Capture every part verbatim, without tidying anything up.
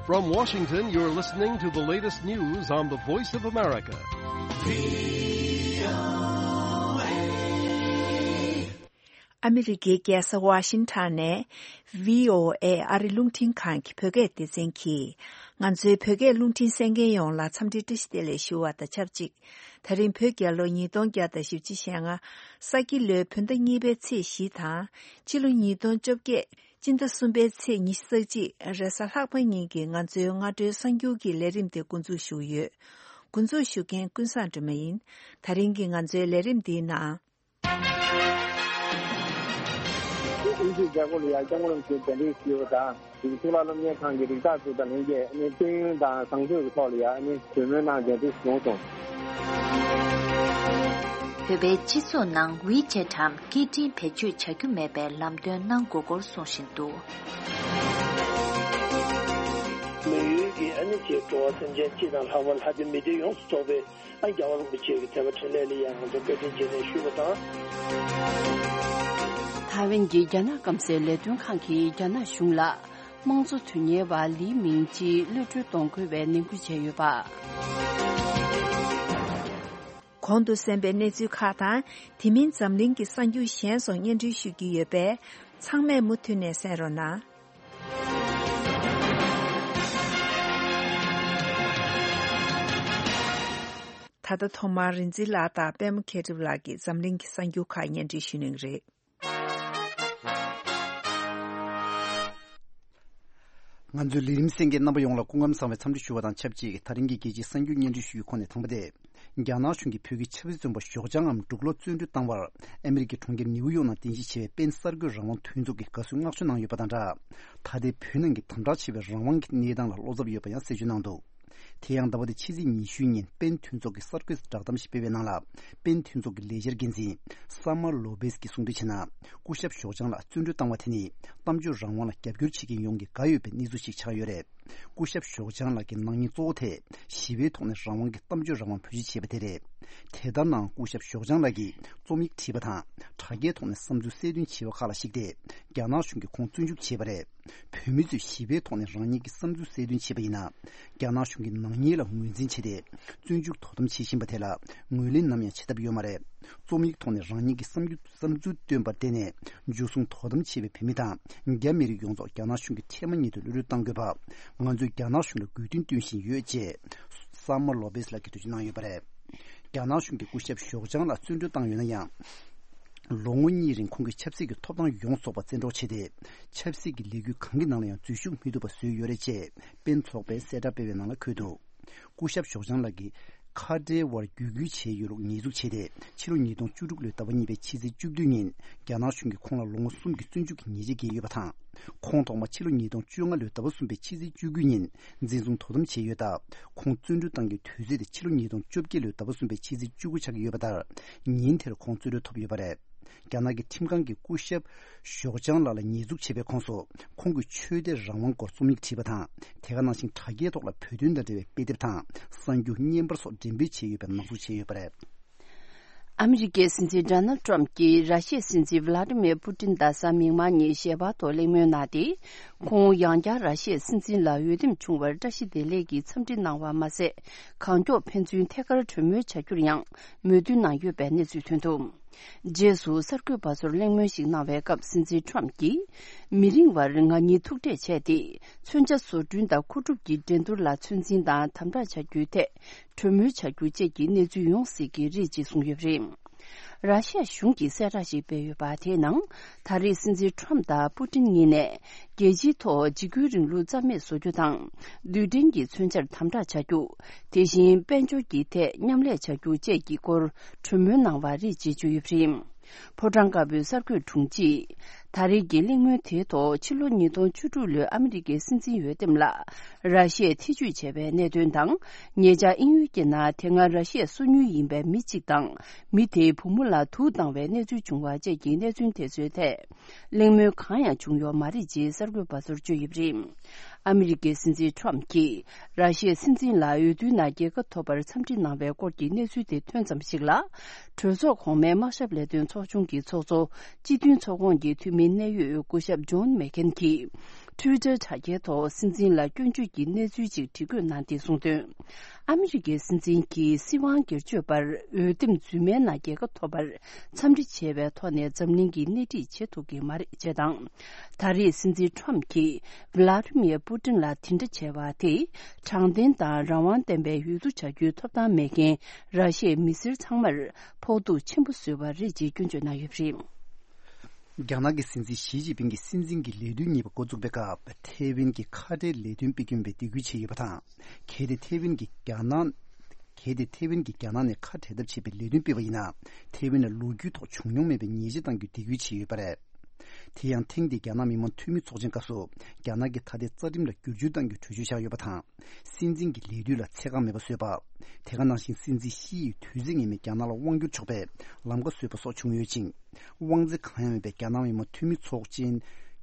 From Washington, you're listening to the latest news on the Voice of America. ཨ་མི་རི་ཀའི་རྒྱལ་ས་ཝ་ཤིང་ཊོན་ནས་བྷི་ཨོ་ཨེ་ཨ་རི་རླུང་འཕྲིན་ཁང་གི་བོད་སྐད་སྡེ་ཚན་གྱིས། ང་ཚོའི་བོད་སྐད་རླུང་འཕྲིན་གསན་མཁན་ཡོངས་ལ་འཚམས་འདྲི་བཀྲ་ཤིས་བདེ་ལེགས་ཞུ་བ་དང་ཆབས་ཅིག་ད་རིང་བོད་རྒྱལ་ལོ་ཉིས་སྟོང་བརྒྱ་དང་བཞི་བཅུ་ཞེ་ལྔ། ས་ཁྱི་ལོའི་བོད་ཟླ་གཉིས་པའི་ཚེས་བཞི་དང་། སྤྱི་ལོ་ཉིས་སྟོང་བཅོ་བརྒྱད། སྤྱི་ཟླ་གསུམ་པའི་ཚེས་ཉི་ཤུ་རྩ་གཅིག་རེས་གཟའ་ལྷག་པ་ཉིན་གྱི་ང་ཚོའི་སྔ་དྲོའི་གསར་འགྱུར་གྱི་ལས་རིམ་དེ་འགོ་འཛུགས་ཞུ་གི་ཡོད། འགོ་འཛུགས་ཞུ་མཁན་ཀུན་བཟང་སྒྲོལ་མ་ཡིན། ད་རིང་གི་ང་ཚོའི་ལས་རིམ་འདིའི་ནང་། དབུས་སུ་རྒྱ་སྒོ་ལ་ཡ་སྐྱབས་མགོན་རིན་པོ་ཆེ་གདན་འདྲེན་ཞུས་པ་དང་། གཙུག་ལག་སློབ་གཉེར་ཁང་གི་རིགས་བདག་ཚོ་དང་ལྷན་རྒྱས་ཨ་ནི་དཔལ་ཡོན་དང་བཟང་སྤྱོད་ཀྱི་ཐོག་ལ་ཡ་ཨ་ནི་གྲོས་མོལ་གནང་མཛད་འདུག་གསུངས་སོང་། བོད་པའི་སྤྱི་ཚོགས་ནང་ཝི་ཆེ་ཊམ་སྐད་འཕྲིན་བེད་སྤྱོད་བྱ་རྒྱུ་མེད་པའི་ལམ་སྟོན་གནང་དགོས་སྐོར་གསུང་བཞིན་འདུག། མི་ཡུལ་གྱི་ཨ་ནི་ཅེས་འགྲོ་བ་སེམས་ཅན་སྤྱི་དང་ལྷག་པར་ལྷ་སྡེ་མི་སྡེ་ཡོངས་སུ་རྫོགས་པའི། ཨ་རྒྱལ་བ་རིན་པོ་ཆེ་གི་དད་པ་འཕྲིན་ལས་ལ་ཡང་ང་ཚོ་བཀའ་དྲིན་རྗེས་དྲན་ཞུ་བ་དང་། ཐའེ་ཝན་གྱི་རྒྱ་ནག་སྐམ་སའི་ལས་དོན་ཁང་གིས་རྒྱ་ནག་གཞུང་ལ་དམངས་གཙོ་དོན་གཉེར་བ་ལི་མིང་ཅི་གློད་གྲོལ་གཏོང་དགོས་པའི་ནན་སྐུལ་བྱས་ཡོད་པ། གོང་དུ་གསན་པའི་གནས་ཚུལ་ཁག་དང་། དེ་མིན་འཛམ་གླིང་གི་གསར་འགྱུར་གཞན་སོགས་སྙན་སྒྲོན་ཞུ་རྒྱུ་ཡོད་པས། ཚང་མས་མུ་མཐུད་ནས་གསན་རོགས་གནང་། ད་ལྟ་ཐོག་མར་རིག་འཛིན་ལགས་དང་པད་མ་མཁས་གྲུབ་ལགས་ཀྱིས་འཛམ་གླིང་གི་གསར་འགྱུར་ཁག་སྙན་སྒྲོན་ཞུ་གནང་གི་རེད། ང་ཚོའི་ལས་རིམ་གསན་མཁན་རྣམ་པ་ཡོངས་ལ་སྐུ་ཁམས་བཟང་བའི་འཚམས་འདྲི་ཞུ་བ་དང་ཆབས་ཅིག་ད་རིང་གི་རྒྱལ་སྤྱིའི་གསར་འགྱུར་སྙན་སྒྲོན་ཞུ་རྒྱུའི་ཁོངས་ནས་དང་པོ་དེ། རྒྱ་ནག་གཞུང་གིས་བོད་ཀྱི་ཆབ་སྲིད་བཙོན་པ་ཞོགས་ལྗང་ངམ་འབྲུག་ལོ་བཙོན་གྲོལ་བཏང་བར་ཨ་མི་རི་ཀའི་གྲོང་ཁྱེར་ནིའུ་ཡོག་ནང་རྟེན་གཞི་བྱས་པའི་པེན་གསར་འགོད་རང་དབང་མཐུན་ཚོགས་ཀྱིས་དགའ་བསུའི་མངགས་བཅོལ་གནང་ཡོད་པ་དང་སྦྲགས། ད་ལྟའི་བོད་ནང་གི་དམ་དྲག་ཆེ་བའི་རང་དབང་གི་གནས་སྟངས་ལ་བློ་འཚབ་ཡོད་པ་ཡང་གསལ་བརྗོད་གནང་འདུག། དེ་ཡང་ཟླ་བ་འདིའི་ཕྱི་ཚེས་ཉི་ཤུའི་ཉིན་པེན་མཐུན་ཚོགས་ཀྱིས་གསར་འགོད་བསྒྲགས་གཏམ་ཞིག་སྤེལ་བའི་ནང་ལ། པེན་མཐུན་ཚོགས་ཀྱི་ལས་འཆར་འགན་འཛིན་སཱ་མར་ལོ་པེས་ཀྱིས་གསུངས་དོན་བྱས་ན། སྐུ་ཞབས་ཞོགས་ལྗང་ལགས་བཙོན་གྲོལ་བཏང་བ་དེ་ནི་གཏམ་བརྗོད་རང་དབང་ལ་རྒྱབ་སྐྱོར་བྱེད་མཁན་ཡོངས་ཀྱིས་དགའ་འོས་པའི་གནས་ཚུལ་ཞིག་ཆགས་ཡོད་རེད། སྐུ་ཞབས་ཞོགས་ལྗང་ལགས་ཀྱི་སྣང་བརྙན་གཙོ་བོ་དེ་ཞི་བའི་ཐོག་ནས་རང་དབང་གི་གཏམ་བརྗོད་རང་དབང་བེད་སྤྱོད་བྱས་པ་དེ་རེད། དེ་ལྟར་ནའང་སྐུ་ཞབས་ཞོགས་ལྗང་ལགས་ཀྱིས་རྩོམ་ཡིག་བྲིས་པ་དང་དྲ་རྒྱའི་ཐོག་ནས་བསམ་ཚུལ་གསལ་སྟོན་བྱས་པ་ཁག་ལ་གཞིགས་ཏེ་རྒྱ་ནག་གཞུང་གིས་ཁོང་བཙོན་འཇུག་བྱས་པ་རེད། བོད་མི་ཚོས་ཞི་བའི་ཐོག་ནས་རང་ཉིད་ཀྱི་བསམ་ཚུལ་གསལ་སྟོན་བྱས་པ་ཡིན་ན། རྒྱ་ནག་གཞུང་གིས་ནག་ཉེས་ལ་ངོས་འཛིན་བྱས་ཏེ། བཙོན་འཇུག་དོ་དམ་བྱེད་བཞིན་པ་དེ་ལ་ངོས་ལེན་ནམ་ཡང་བྱེད་ཐབས་ཡོད་མ་རེད། རྩོམ་ཡིག་ཐོག་ནས་རང་ཉིད་ཀྱི་བསམ་རྒྱུ་བསམ་ཚུལ་བཏོན་པར་བརྟེན་ནས། འཇུ་བཟུང་དོ་དམ་བྱས་པའི་བོད་མི་དང་། རྒྱ་མི་རིགས་ཡོངས་རྫོགས་རྒྱ་ནག་གཞུང་གིས་འཕྲལ་མ་ཉིད་དུ་གློད་གྲོལ་གཏང་དགོས་པ། ང་ཚོས་རྒྱ་ནག་གཞུང་ལ་དགོས་འདུན་བཏོན་བཞིན་ཡོད་ཅེས། སཱ་མར་ལོ་པེས་ལགས་ཀྱིས་འགྲེལ་བརྗོད་གནང་ཡོད་པ་རེད། རྒྱ་ནག་གཞུང་གིས་སྐུ་ཞབས་ཞོགས་ལྗང་ལགས་བཙོན་གྲོལ་བཏང་ཡོད་ན་ཡང་། ལོ་ངོ་གཉིས་རིང་ཁོང་གི་ཆབ་སྲིད་ཀྱི་ཐོབ་ཐང་ཡོངས་རྫོགས་པ་བཙན་འཕྲོག་བྱས་ཏེ། ཆབ་སྲིད་ཀྱི་ལས་འགུལ་གང་གི་ནང་ལ་ཡང་འཛུལ་ཞུགས་མི་ཐུབ་པ་བཟོས་ཡོད་རེད་ཅེས་པེན་ཚོགས་པས་གསལ་བསྒྲགས་སྤེལ་བའི་ནང་ལ་འཁོད་འདུག། སྐུ་ཞབས་ཞོགས་ལྗང་ལགས་ཀྱིས་ཁ་བྲལ་བར་བརྒྱུད་སྐུལ་བྱས་ཡོད་ལུགས་ཉེས་འཛུགས་བྱས་ཏེ། ཕྱི་ལོ་ཉིས་སྟོང་བཅུ་དྲུག་ལོའི་ཟླ་བ་གཉིས་པའི་ཕྱི་ཚེས་བཅུ་བདུན་ཉིན་རྒྱ་ནག་གཞུང་གིས་ཁོང་ལ་ལོ་ངོ་གསུམ་གྱི་བཙོན་འཇུག་གི་ཉེས་ཆད་བཀལ་ཡོད་པ་དང་། ཁོང་ཐོག་མ་ཕྱི་ལོ་ཉིས་སྟོང་བཅོ་ལྔ་ལོའི་ཟླ་བ་གསུམ་པའི་ཕྱི་ཚེས་བཅུ་དགུ་ཉིན་འཛིན་བཟུང་དོ་དམ་བྱས་ཡོད་སྟབས། ཁོང་བཙོན་གྲོལ་གཏང་རྒྱུའི་དུས་ཚོད་དེ་ཕྱི་ལོ་ཉིས་སྟོང་བཅོ་བརྒྱད་ལོའི་ཟླ་བ་གསུམ་པའི་ཕྱི་ཚེས་བཅུ་དགུ་ཆགས་ཀྱི་ཡོད་པ་ལྟར། ཉིན་དེར་ཁོང་བཙོན་གྲོལ་ཐོབ་ཡོད་པ་རེད། རྒྱ་ནག་གི་ཁྲིམས་ཁང་གིས་སྐུ་ཞབས་ཞོགས་ལྗང་ལགས་ལ་ཉེས་འཛུགས་བྱས་པའི་ཁོངས་སུ། ཁོང་གི་ཆོས་དད་རང་དབང་སྐོར་རྩོམ་ཡིག་བྲིས་པ་དང་། དེ་ག་ནང་བཞིན་དྲ་རྒྱའི་ཐོག་ལ་བོད་དོན་དང་འབྲེལ་བའི་དཔེ་དེབ་དང་། གསར་འགྱུར་བརྙན་པར་སོགས་འགྲེམས་སྤེལ་བྱས་ཡོད་པའི་ནག་འཛུགས་བྱས་ཡོད་པ་རེད། ཨ་མི་རི་ཀའི་སྲིད་འཛིན་ཌོ་ནལ་ཏྲམ་གྱིས་ར་ཤི་ཡའི་སྲིད་འཛིན་ཝི་ལ་ཏི་མེར་པུ་ཏིན་དང་གཟའ་མིག་དམར་ཉིན་ཞལ་པར་ཐོག་གླེང་མོལ་གནང་སྟེ། ཁོང་ཡང་བསྐྱར་ར་ཤི་ཡའི་སྲིད་འཛིན་ལ་འོས་འདེམས་བྱུང་བར་བཀྲ་ཤིས་བདེ་ལེགས་ཀྱི་འཚམས་འདྲི་གནང་བ་མ་ཟད། གང་མགྱོགས་ཕན་ཚུན་ཐད་ཀར་གྲོས་མོལ་བྱ་རྒྱུར་ཡང་མོས་མཐུན་གནང་ཡོད་པའི་གནས་ཚུལ་ཐོན་འདུག། རྗེས་སུ་གསར་འགོད་པ་ཚོར་གླེང་མོལ་ཞིག་གནང་བའི་སྐབས་སྲིད་འཛིན་ཏྲམ་གྱིས། མི་རིང་བར་ང་གཉིས་ཐུག་འཕྲད་བྱས་ཏེ། མཚོན་ཆ་བཟོ་སྐྲུན་དང་མཁོ་སྒྲུབ་ཀྱི་འགྲན་བསྡུར་ལ་ཚོད་འཛིན་དང་དམ་དྲག་བྱ་རྒྱུའི་ཐད། གྲོས་མོལ་བྱ་རྒྱུ་བཅས་ཀྱི་གནས་ཚུལ་ཡོང་སྲིད་ཀྱི་རེད་ཅེས་གསུངས་ཡོད་པ་རེད། ར་ཤི་ཡ་གཞུང་གིས་གསལ་བསྒྲགས་ཤིག་སྤེལ་ཡོད་པ་དེའི་ནང་། ད་རེས་སྲིད་འཛིན་ཁྲོམ་དང་པུ་ཏིན་གཉིས་ནས། རྒྱལ་སྤྱིའི་ཐོག་འཇིགས་སྐུལ་རིང་ལུགས་རྩ་མེད་བཟོ་རྒྱུ་དང་། རྡུལ་ཕྲན་གྱི་མཚོན་ཆར་དམ་དྲག་བྱ་རྒྱུ། དེ་བཞིན་དཔལ་འབྱོར་གྱི་ཐད་མཉམ་ལས་བྱ་རྒྱུ་བཅས་ཀྱི་སྐོར་གྲོས་མོལ་གནང་བ་རེད་ཅེས་བརྗོད་ཡོད་པ་རེད། ཕོ་བྲང་དཀར་པོའི་གསར་འགོད་དྲུང་ཆེས། ད་རེས་ཀྱི་གླེང་མོལ་དེའི་ཐོག་ཕྱི་ལོ་ཉིས་སྟོང་བཅུ་དྲུག་ལོའི་ཨ་མི་རི་ཀའི་སྲིད་འཛིན་འོས་འདེམས་ལ། ར་ཤི་ཡས་ཐེ་ཇུས་བྱས་པའི་གནད་དོན་དང་། ཉེ་ཆར་དབྱིན་ཡུལ་གྱི་ནང་དེ་སྔ་ར་ཤི་ཡའི་སོ་ཉུལ་ཡིན་པའི་མི་གཅིག་དང་། མི་དེའི་བུ་མོ་ལ་དུག་བཏང་བའི་གནས་ཚུལ་བྱུང་བ་བཅས་ཀྱི་གནད་དོན་དེ་ཚོའི་ཐད། གླེང་མོལ་གང་ཡང་བྱུང་ཡོད་མ་རེད་ཅེས་གསར་འགོད་པ་ཚོར་བརྗོད་ཡོད་པ་རེད། ཨ་མི་རི་ཀའི་སྲིད་འཛིན་ཁྲོམ་གྱིས་ར་ཤི་ཡའི་སྲིད་འཛིན་ལ་འོས་བསྡུའི་ནང་རྒྱལ་ཁ་ཐོབ་པར་འཚམས་འདྲི་གནང་བའི་སྐོར་གྱི་གནས་ཚུལ་དེ་ཐོན་ཙམ་ཞིག་ལ། གྲོས་ཚོགས་གོང་མའི་དམག་ཞབས་ལས་དོན་ཚོགས་ཆུང་གི་ཚོགས་གཙོ། སྤྱི་མཐུན་ཚོགས་ཁོངས་ཀྱི་འཐུས་མི། གནད་ཡོད་སྐུ་ཞབས་ཇོན་མེག་ཁེན་གྱིས་ཊུའི་ཊར་དྲ་རྒྱའི་ཐོག་སྲིད་འཛིན་ལ་སྐྱོན་བརྗོད་ཀྱི་གནས་ཚུལ་ཅིག་བྲིས་བཀོད་གནང་སྟེ་གསུངས་དོན། ཨ་མི་རི་ཀའི་སྲིད་འཛིན་གྱིས་སྲིད་དབང་སྒེར་གཅོད་པར་འོས་འདེམས་རྫུན་མའི་ནང་རྒྱལ་ཁ་ཐོབ་པར་འཚམས་འདྲི་བྱས་པའི་ཐོག་ནས་འཛམ་གླིང་གིས་སྣེ་ཁྲིད་བྱེད་ཐུབ་ཀྱི་མ་རེད་ཅེས་དང་། ད་རེས་སྲིད་འཛིན་ཊྲམ་གྱིས་ཝི་ལ་ཏི་མིར་པུ་ཏིན་ལ་དེ་འདྲ་བྱས་པ་དེས་དྲང་བདེན་དང་རང་དབང་ལྡན་པའི་འོས་བསྡུ་བྱ་རྒྱུའི་ཐོབ་ཐང་མེད་མཁན་ར་ཤི་ཡའི་མི་སེར་ཚང་མར་ཕོག་ཐུག་ཆེན་པོ་བཟོས་པ་རེད་ཅེས་སྐྱོན་བརྗོད་གནང་ཡོད་པ་རེད། རྒྱ་ནག་གི་སྲིད་འཛིན་ཞི་ཅིན་ཕིང་གིས་སྲིད་འཛིན་གྱི་ལས་དུས་གཉིས་པ་འགོ་བཙུགས་པའི་སྐབས་ཐེ་ཝན་གྱི་ཁ་བྲལ་ལས་དོན་སྤེལ་རྒྱུ་ཡིན་པའི་འདེད་སྐུལ་བྱས་ཡོད་པ་དང་། གལ་ཏེ་ཐེ་ཝན་གྱིས་རྒྱ་ནག་གལ་ཏེ་ཐེ་ཝན་གྱིས་རྒྱ་ནག་ནས་ཁ་བྲལ་ཐབས་བྱེད་པའི་ལས་དོན་སྤེལ་བ་ཡིན་ན། ཐེ་ཝན་ལ་ལོ་རྒྱུས་ཐོག་བྱུང་མྱོང་མེད་པའི་ཉེས་ཆད་གཏང་རྒྱུའི་འདེད་སྐུལ་བྱས་ཡོད་པ་རེད། དེ་ཡང་ཐེངས་འདིའི་རྒྱ་ནག་མི་དམངས་འཐུས་མི་ཚོགས་ཆེན་སྐབས་སུ་རྒྱ་ནག་གི་ཐ་དད་རྩ་ཁྲིམས་ལ་བསྒྱུར་བཅོས་གཏང་རྒྱུའི་གྲོས་ཆོད་བཞག་ཡོད་པ་དང་། སྲིད་འཛིན་གྱི་ལས་དུས་ལ་ཚད་བཀག་མེད་པ་བཟོས་པ། དེ་ག་ནང་བཞིན་སྲིད་འཛིན་ཞི་ཡིས་དུས་ཚོད་ངེས་མེད་རྒྱ་ནག་ལ་དབང་བསྒྱུར་ཆོག་པའི་ལམ་ཁ་བཟོས་པ་སོགས་བྱུང་ཡོད་ཅིང་། དབང་ཚད་གང་ཡང་མེད་པའི་རྒྱ་ནག་མི་དམངས་འཐུས་མི་ཚོགས་ཆེན་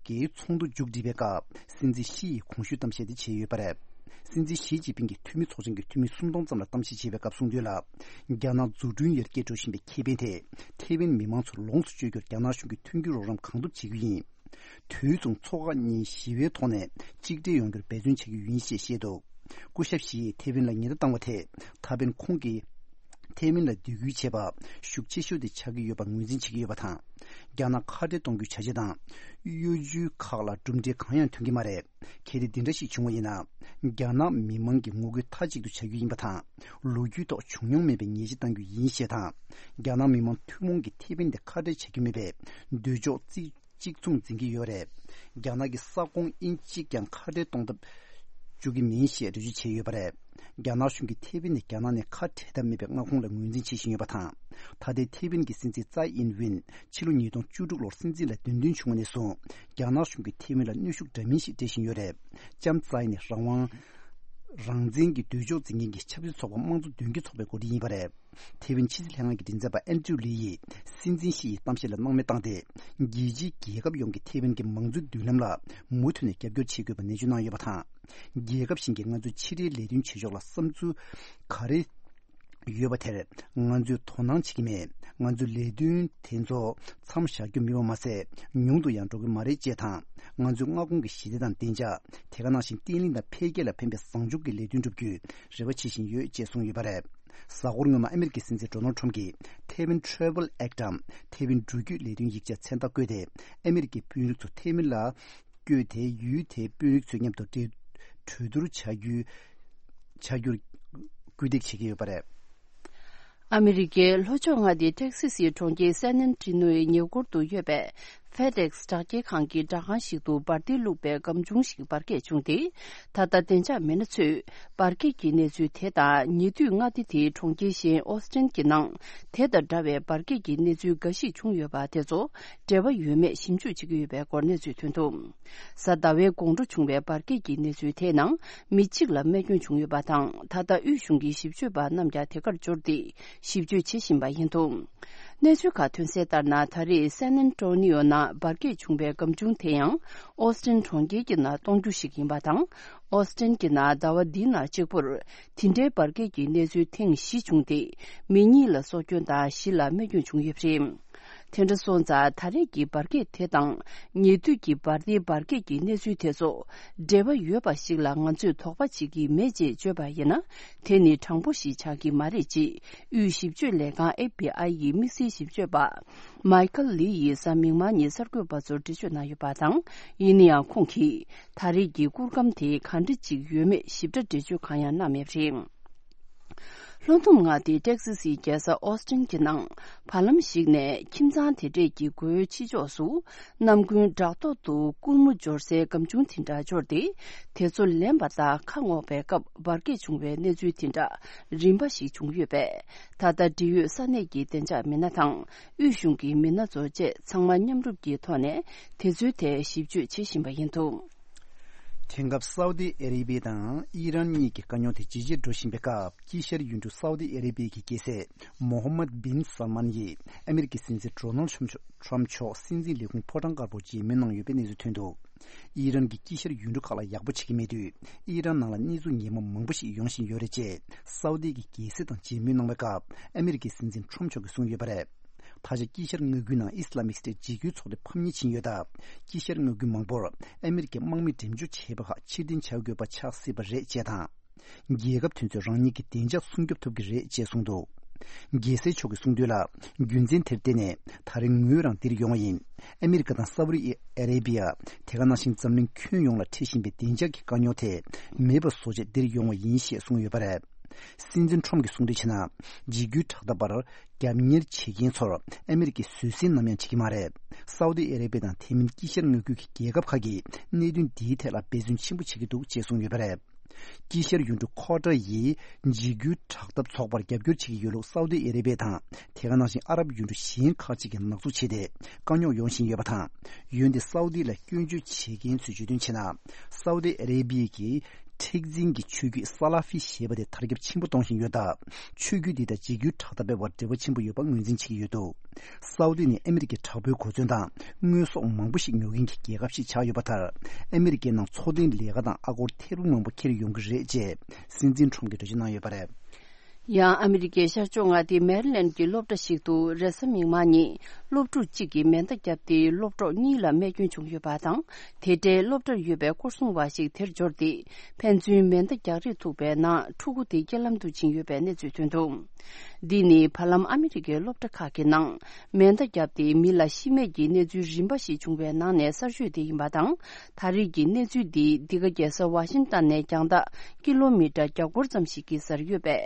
གྱི་ཚོགས་འདུ་མཇུག་བསྒྲིལ་བའི་སྐབས་སྲིད་འཛིན་ཞི་ཡིས་གོང་ཞུས་གཏམ་བཤད་དེ་བྱས་ཡོད་པ་རེད། སྲིད་འཛིན་ཞི་ཅིན་ཕིང་གིས་འཐུས་མི་ཚོགས་ཆེན་གྱི་འཐུས་མི་སུམ་སྟོང་ཙམ་ལ་གཏམ་བཤད་བྱས་པའི་སྐབས་གསུངས་དོན་ལ། རྒྱ་ནག་འཛུགས་སྐྲུན་ཡར་རྒྱས་འགྲོ་བཞིན་པའི་ཁེ་ཕན་དེ་ཐེ་ཝན་མི་མང་ཚོར་ལོངས་སུ་སྤྱོད་རྒྱུར་རྒྱ་ནག་གཞུང་གིས་མཐུན་འགྱུར་རོགས་རམ་གང་ཐུབ་བྱེད་རྒྱུ་ཡིན། དུས་མཚུངས་མཚོ་ཁག་གཉིས་ཞི་བའི་ཐོག་ནས་གཅིག་སྒྲིལ་ཡོང་རྒྱུར་འབད་བརྩོན་བྱེད་རྒྱུ་ཡིན་ཞེས་བཤད་འདུག་སྐུ་ཞབས་ཞི་ཡིས་ཐེ་ཝན་ལ་ཉེན་བརྡ་བཏང་བ་དེ་ད་ཕན་ཁོང་གིས་ཐེ་ཝན་ལ་འདེད་སྐུལ་བྱས་པ་ཤུགས་ཆེ་ཤོས་དེ་ཆགས་ཀྱི་ཡོད་པ་ངོས་འཛིན་བྱེད་ཀྱི་ཡོད་པ་དང་། རྒྱ་ནག་ཁ་བྲལ་གཏོང་རྒྱུའི་བྱ་བྱེད་དང་གཡོ་ཇུས་ཁག་ལ་གྲུབ་འབྲས་གང་ཡང་ཐོན་གྱི་མ་རེད། གལ་ཏེ་འདི་འདྲ་ཞིག་བྱུང་བ་ཡིན་ན། རྒྱ་ནག་མི་མང་གི་ངོ་རྒོལ་མཐའ་གཅིག་ཏུ་བྱ་རྒྱུ་ཡིན་པ་དང་། ལོ་རྒྱུས་ཐོག་བྱུང་མྱོང་མེད་པའི་ཉེས་ཆད་གཏང་རྒྱུ་ཡིན་ཞེས་དང་། རྒྱ་ནག་མི་དམངས་ཐུན་མོང་གིས་ཐེ་ཝན་དེ་ཁ་བྲལ་བྱ་རྒྱུ་མེད་པའི་འདོད་ཕྱོགས་རྩིས། གཅིག་མཚུངས་འཛིན་གྱི་ཡོད་རེད། རྒྱ་ནག་གི་ས་ཁོངས་དབྱིན་གཅིག་ཀྱང་ཁ་བྲལ་གཏོང་ཐབས་བཅུག་གི་མིན་ཞེས་འགྲེལ་བརྗོད་བྱས་ཡོད་པ་རེད། རྒྱ་ནག་གཞུང་གིས་ཐེ་ཝན་ནས་རྒྱ་ནག་ནས་ཁ་བྲལ་ཐབས་མེད་པའི་མངའ་ཁོངས་ལ་ངོས་འཛིན་བྱེད་བཞིན་ཡོད་པ་དང་། ད་ལྟའི་ཐེ་ཝན་གྱི་སྲིད་འཛིན་ཙའི་ཨིན་ཝིན་ཕྱི་ལོ་ཉིས་སྟོང་བཅུ་དྲུག་ལོར་སྲིད་འཛིན་ལ་འདེམས་ཐོན་བྱུང་བ་ནས་བཟུང་རྒྱ་ནག་གཞུང་གིས་ཐེ་ཝན་ལ་གནོན་ཤུགས་འདྲ་མིན་ཞིག་སྤྲད་བཞིན་ཡོད་རེད། ལྕམ་ཙའི་ནི་རང་དབང་རང་བཙན་གྱི་འདོད་ཕྱོགས་འཛིན་མཁན་གྱི་ཆབ་སྲིད་ཚོགས་པ་དམངས་གཙོ་མདུན་སྐྱོད་ཚོགས་པའི་འགོ་ཁྲིད་ཡིན་པ་རེད། ཐེ་ཝན་ཕྱི་སྲིད་ལྷན་ཁང་གི་མགྲིན་ཚབ་པ་ཨན་ཌྲུ་ལི་ཡིས་སྲིད་འཛིན་ཞི་ཡི་གཏམ་བཤད་ལ་སྣང་མེད་བཏང་སྟེ། རྒྱལ་སྤྱིའི་རྒྱལ་ཁབ་ཡོངས་ཀྱིས་ཐེ་ཝན་གྱི་མང་གཙོའི་མདུན་ལམ་ལ་མུ་མཐུད་ནས་རྒྱབ་སྐྱོར་བྱེད་དགོས་པ་ནན་བརྗོད་གནང་ཡོད་པ་དང་། རྒྱལ་ཁབ་གཞན་གྱིས་ང་ཚོའི་ཕྱི་འབྲེལ་ལས་དོན་བྱེད་ཕྱོགས་ལ་བསམ་ཚུལ་ག་རེ་ཡོད་པ་དེར་ང་ཚོས་དོ་སྣང་བྱེད་ཀྱི་མེད། ང་ཚོའི་ལས་དོན་དེ་ཚོ་མཚམས་བཞག་རྒྱུ་མིན་པ་མ་ཟད། ཉུང་དུ་ཡང་འགྲོ་གི་མ་རེད་ཅེས་དང་། ང་ཚོའི་མངའ་ཁོངས་ཀྱི་ཞི་བདེ་དང་བདེ་འཇགས། དེ་ག་ནང་བཞིན་བརྟན་ལྷིང་དང་འཕེལ་རྒྱས་ལ་ཕན་པའི་བཟང་ཕྱོགས་ཀྱི་ལས་དོན་བསྒྲུབ་རྒྱུའི་རེ་བ་བྱེད་བཞིན་ཡོད་ཅེས་གསུངས་ཡོད་པ་རེད། གཟའ་འཁོར་སྔོན་མ་ཨ་མེ་རི་ཀའི་སྲིད་འཛིན་ཌོ་ནལ་ཌི་ཊརམ་གྱིས་ཐེ་ཝན་ཊེ་ར་ཝལ་ཨེག་ཊམ་ཐེ་ཝན་འགྲུལ་སྐྱོད་ལས་དོན་ཡིག་ཆ་མཚན་རྟགས་བཀོད་དེ། ཨ་མེ་རི་ཀའི་དཔོན་རིགས་ཚོ་ཐེ་ཝན་ལ་བསྐྱོད་དེ། ཡུལ་དེའི་དཔོན་རིགས་ཚོའི་མཉམ་དུ་གྲོས་གྲོས་བསྡུར་བྱ་རྒྱུའི་བྱ་རྒྱུར་སྐུལ་འདེད་བྱེད་ཀྱི་ཡོད་པ་རེད། ཨ་མི་རི་ཀའི་ལྷོ་ཕྱོགས་མངའ་སྡེ་ཊེག་སི་སིའི་གྲོང་ཁྱེར་སན་ཨན་ཊི་ནོའི་ཉེ་འཁོར་དུ་ཡོད་པའི་ཕེ་ཌེག་སི་དྲ་རྒྱའི་ཁང་གི་སྦྲག་ཁང་ཞིག་ཏུ་འབར་མདེལ་བླུགས་པའི་སྒམ་ཆུང་ཞིག་འབར་གས་བྱུང་སྟེ། ད་ལྟ་བདེ་འཇགས་མི་སྣ་ཚོས་འབར་གས་ཀྱི་གནས་ཚུལ་དེ་དང་། ཉེ་དུས་མངའ་སྡེ་དེའི་གྲོང་ཁྱེར་གཞན་ཨོ་སི་ཊན་གྱི་ནང་དེ་དང་འདྲ་བའི་འབར་གས་ཀྱི་གནས་ཚུལ་འགའ་ཞིག་བྱུང་ཡོད་པ་དེ་ཚོ་འབྲེལ་བ་ཡོད་མེད་ཞིབ་འཇུག་བྱེད་ཀྱི་ཡོད་པའི་སྐོར་གནས་ཚུལ་ཐོན་འདུག་གཟའ་ཟླ་བའི་དགོང་དྲོ་བྱུང་བའི་འབར་གས་ཀྱི་གནས་ཚུལ་དེའི་ནང་མི་གཅིག་ལ་རྨས་སྐྱོན་བྱུང་ཡོད་པ་དང་། ད་ལྟ་དབུས་གཞུང་གི་ཞིབ་དཔྱོད་པ་རྣམས་ཀྱང་དེ་གར་འབྱོར་ཏེ་ཞིབ་དཔྱོད་བྱེད་བཞིན་པ་ཡིན་འདུག་གནས་ཚུལ་ཁག་ཐོན་གསལ་ལྟར་ན། ད་རེས་སན་ཨན་ཊོ་ནི་ཡོ་ནང་འབར་གས་བྱུང་བའི་སྒམ་ཆུང་དེ་ཡང་ཨོ་སི་ཊན་གྲོང་ཁྱེར་གྱི་ནང་གཏོང་རྒྱུ་ཞིག་ཡིན་པ་དང་། ཨོ་སི་ཊན་གྱི་ནང་ཟླ་བ་འདིའི་ནང་གཅིག་པུར་དེ་འདྲའི་འབར་གས་ཀྱི་གནས་ཚུལ་ཐེངས་བཞི་བྱུང་སྟེ། མི་གཉིས་ལ་སྲོག་སྐྱོན་དང་བཞི་ལ་རྨས་སྐྱོན་བྱུང་ཡོད་པ་རེད། དེ་འདྲ་སོང་ཙང་། ད་རེས་ཀྱི་འབར་གས་དེ་དང་ཉེ་དུས་ཀྱི་འབར་མདེལ་འབར་གས་ཀྱི་གནས་ཚུལ་དེ་ཚོ་འབྲེལ་བ་ཡོད་པ་ཞིག་ལ་ང་ཚོས་དོགས་པ་བྱེད་ཀྱི་མེད་ཅེས་བརྗོད་པ་ཡིན་ན། དེ་ནི་དྲང་པོ་ཞིག་ཆགས་ཀྱི་མ་རེད་ཅེས་དབུས་ཞིབ་དཔྱོད་ལས་ཁང་ཨེཕ་བི་ཨའི་ཡི་དམིགས་བསལ་ཞིབ་དཔྱོད་པ་མའི་ཁལ་ལི་ཡིས་གཟའ་མིག་དམར་ཉིན་གསར་འགོད་པ་ཚོར་འགྲེལ་བརྗོད་གནང་ཡོད་པ་དང་། ཡིན་ན་ཡང་ཁོང་གིས་ད་རེས་ཀྱི་སྐུར་སྒམ་དེ་གང་འདྲ་ཅིག་ཡོད་མེད་ཞིབ་ཕྲ་འགྲེལ་བརྗོད་གང་ཡང་གནང་མེད་པ་རེད། ལྷོ་ནུབ་མངའ་སྡེའི་ཏེག་སི་སིའི་རྒྱལ་ས་ཨོ་སི་ཊིན་གྱི་ནང་། བར་ལམ་ཞིག་ནས་ཁྱིམ་ཚང་དེ་འདྲས་ཀྱི་སྒོའི་ཕྱི་ཕྱོགས་སུ། ནམ་རྒྱུན་བྲག་ཐོག་ཏུ་སྐུར་མོ་སྦྱོར་སའི་སྒམ་ཆུང་དེ་འདྲ་འབྱོར་ཏེ། དེ་ཚོ་ལེན་པ་དང་ཁ་སྔོག་པའི་སྐབས་འབར་གས་བྱུང་བའི་གནས་ཚུལ་དེ་འདྲ་རིམ་པ་ཞིག་བྱུང་ཡོད་པས། ད་ལྟ་འབྲེལ་ཡོད་ས་གནས་ཀྱི་བདེ་འཇགས་མི་སྣ་དང་། དབུས་གཞུང་གི་མི་སྣ་ཚོ་བཅས་ཚང་མ་མཉམ་རུབ་ཀྱི་ཐོག་ནས་དེ་ཚོའི་ཐད་ཞིབ་དཔྱོད་བྱེད་བཞིན་པ་ཡིན་འདུག་དེང་སྐབས་སའུ་ཏི་ཨ་རེ་བི་དང་ཨི་རན་གཉིས་ཀྱི་དཀའ་རྙོག་དེ་ཇེ་ཆེར་འགྲོ་བཞིན་པའི་སྐབས། དཀྱིལ་ཤར་ཡུལ་གྲུ་སའུ་ཏི་ཨ་རེ་བི་གི་རྒྱལ་སྲས་མོ་ཧམ་མད་བིན་སལ་མན་ཡིས་ཨ་མེ་རི་ཀའི་སྲིད་འཛིན་ཌོ་ནལ་ཊམ་མཆོག་སྲིད་འཛིན་ལས་ཁུངས་ཕོ་བྲང་དཀར་པོར་མཇལ་མོལ་གནང་ཡོད་པའི་གནས་ཚུལ་ཐོན་འདུག་ཨི་རན་གྱིས་དཀྱིལ་ཤར་ཡུལ་གྲུ་ཁག་ལ་ཡག་པོ་བྱེད་ཀྱི་མེད་དུས། ཨི་རན་ནང་ལ་གནས་ཚུལ་ངན་པ་མང་པོ་ཞིག་ཡོང་བཞིན་ཡོད་རེད་ཅེས་སའུ་ཏི་གི་རྒྱལ་སྲས་དང་མཇལ་མོལ་གནང་བའི་སྐབས། ཨ་མེ་རི་ཀའི་སྲིད་འཛིན་ཊམ་མཆོག་གིས་གསུངས་ཡོད་པ་རེད། ད་ཆ་དཀྱིལ་ཤར་མངའ་ཁུལ་ནང་ཨི་སི་ལ་མིག་སི་ཏའི་འཇིགས་སྐུལ་ཚོགས་འདུ་ཕམ་ཉེས་ཕྱིན་ཡོད་སྟབས། དཀྱིལ་ཤར་མངའ་ཁུལ་མང་པོར་ཨ་མི་རི་ཀས་དམག་མི་འགྲེམས་འཇོག་བྱས་པ་ཁག་ཕྱིར་འཐེན་བྱ་དགོས་པ་ཆགས་སྲིད་པ་རེད་ཅེས་དང་། རྒྱལ་ཁབ་དེ་ཚོས་རང་ཉིད་ཀྱི་བདེ་འཇགས་སྲུང་སྐྱོབ་ཐུབ་ཀྱི་རེད་ཅེས་གསུངས་འདུག། རྒྱལ་སྲས་མཆོག་གིས་གསུངས་དོན་ལ། རྒྱུ་མཚན་དེར་བརྟེན་ནས་ད་རེས་ངོས་རང་འདིར་ཡོང་བ་ཡིན། ཨ་མི་རི་ཀ་དང་སའུ་ཏི་ཨ་རེ་བི་ཡ། དེ་ག་ནང་བཞིན་འཛམ་གླིང་ཁྱོན་ཡོངས་ལ་འཕྲད་བཞིན་པའི་བདེ་འཇགས་ཀྱི་དཀའ་རྙོག་དེ་མེད་པ་བཟོ་ཆེད་འདིར་ཡོང་བ་ཡིན་ཞེས་གསུངས་ཡོད་པ་རེད། སྲིད་འཛིན་ཁྲོམ་གྱིས་གསུངས་དོན་བྱས་ན། འཇིགས་སྐུལ་དྲག་འཐབ་པར་རྒྱབ་གཉེར་བྱེད་མཁན་ཚོར་ཨ་མི་རི་ཀས་བཟོད་བསྲན་ནམ་ཡང་བྱེད་ཀྱི་མ་རེད། སའུ་ཏི་ཨ་རེ་བི་ཡ་དང་དེ་མིན་དཀྱིལ་ཤར་མངའ་ཁུལ་གྱི་རྒྱལ་ཁབ་ཁག་གིས་གནད་དོན་འདིའི་ཐད་ལ་འབད་བརྩོན་ཆེན་པོ་བྱེད་ཀྱི་འདུག་ཅེས་གསུངས་ཡོད་པ་རེད། དཀྱིལ་ཤར་ཡུལ་གྲུ་ཁོ་ཊར་ཡིས་འཇིགས་སྐུལ་དྲག་འཐབ་ཚོགས་པར་རྒྱབ་སྐྱོར་བྱེད་ཀྱི་ཡོད་ལུགས་སའུ་ཏི་ཨ་རེ་བི་ཡ་དང་། དེ་ག་ནང་བཞིན་ཨ་རབ་ཡུལ་གྲུ་གཞན་ཁག་ཅིག་གིས་ནག་འཛུགས་བྱས་ཏེ་དཀའ་རྙོག་ཡོང་བཞིན་ཡོད་པ་དང་། འོན་ཏེ་སའུ་ཏི་ལ་སྐྱོན་བརྗོད་བྱེད་མཁན་ཚོས་བརྗོད་དོན་བྱས་ན། སའུ་ཏི་ཨ་རེ་བི་ཡ་གིས་མཁྲེགས་འཛིན་གྱི་ཆོས་བརྒྱུད་ས་ལ་ཧྥི་ཞེས་པ་དེ་དར་ཁྱབ་ཆེན་པོ་གཏོང་བཞིན་ཡོད་སྟབས། ཆོས་བརྒྱུད་འདི་དང་འཇིགས་སྐུལ་དྲག་འཐབ་པའི་བར་འབྲེལ་བ་ཆེན་པོ་ཡོད་པ་ངོས་འཛིན་བྱེད་ཀྱི་ཡོད་འདུག། སའུ་ཏི་ནི་ཨ་མི་རི་ཀའི་དྲག་པོའི་གོ་མཚོན་དང་། དངོས་ཟོག་མང་པོ་ཞིག་ཉོ་མཁན་གྱི་རྒྱལ་ཁབ་ཞིག་ཆགས་ཡོད་པ་ལྟར། ཨ་མི་རི་ཀའི་ནང་འཚོ་རྟེན་ལས་ཀ་དང་ཨ་སྒོར་ཐེར་འབུམ་མང་པོ་འཁྱེར་ཡོང་གི་རེད་ཅེས་སྲིད་འཛིན་ཁྲོམ་གྱིས་འགྲེལ་བརྗོད་གནང་ཡོད་པ་རེད། ཡང་ཨ་མི་རི་ཀའི་ཤར་ཕྱོགས་མངའ་སྡེ་མེ་རི་ལེན་གྱི་སློབ་གྲྭ་ཞིག་ཏུ་རེས་གཟའ་མིག་དམར་ཉིན་སློབ་ཕྲུག་གཅིག་གིས་མེ་མདའ་བརྒྱབ་སྟེ་སློབ་གྲོགས་གཉིས་ལ་རྨས་སྐྱོན་བྱུང་ཡོད་པ་དང་། དེ་འབྲེལ་སློབ་གྲྭར་ཡོད་པའི་སྐོར་སྲུང་བ་ཞིག་དེར་འབྱོར་ཏེ། ཕན་ཚུན་མེ་མདའ་རྒྱག་རེས་ཐུག་པའི་ནང་ཕྲུ་གུ་དེ་རྐྱེན་ལམ་དུ་ཕྱིན་ཡོད་པའི་གནས་ཚུལ་ཐོན་འདུག། འདི་ནི་བར་ལམ་ཨ་མི་རི་ཀའི་སློབ་གྲྭ་ཁག་གི་ནང་མེ་མདའ་བརྒྱབ་སྟེ་མི་ལ་ཤི་རྨས་ཀྱི་གནས་ཚུལ་རིམ་པ་ཞིག་བྱུང་བའི་ནང་ནས་གསར་ཤོས་དེ་ཡིན་པ་དང་། ད་རེས་ཀྱི་གནས་ཚུལ་འདི་འདི་ག་རྒྱལ་ས་ཝ་ཤིང་ཏན་ནས་རྒྱང་ཐག་ཀི་ལོ་མི་ཊར་བརྒྱ་སྐོར་ཙམ་ཞིག་གི་སར་ཡོད་པའི་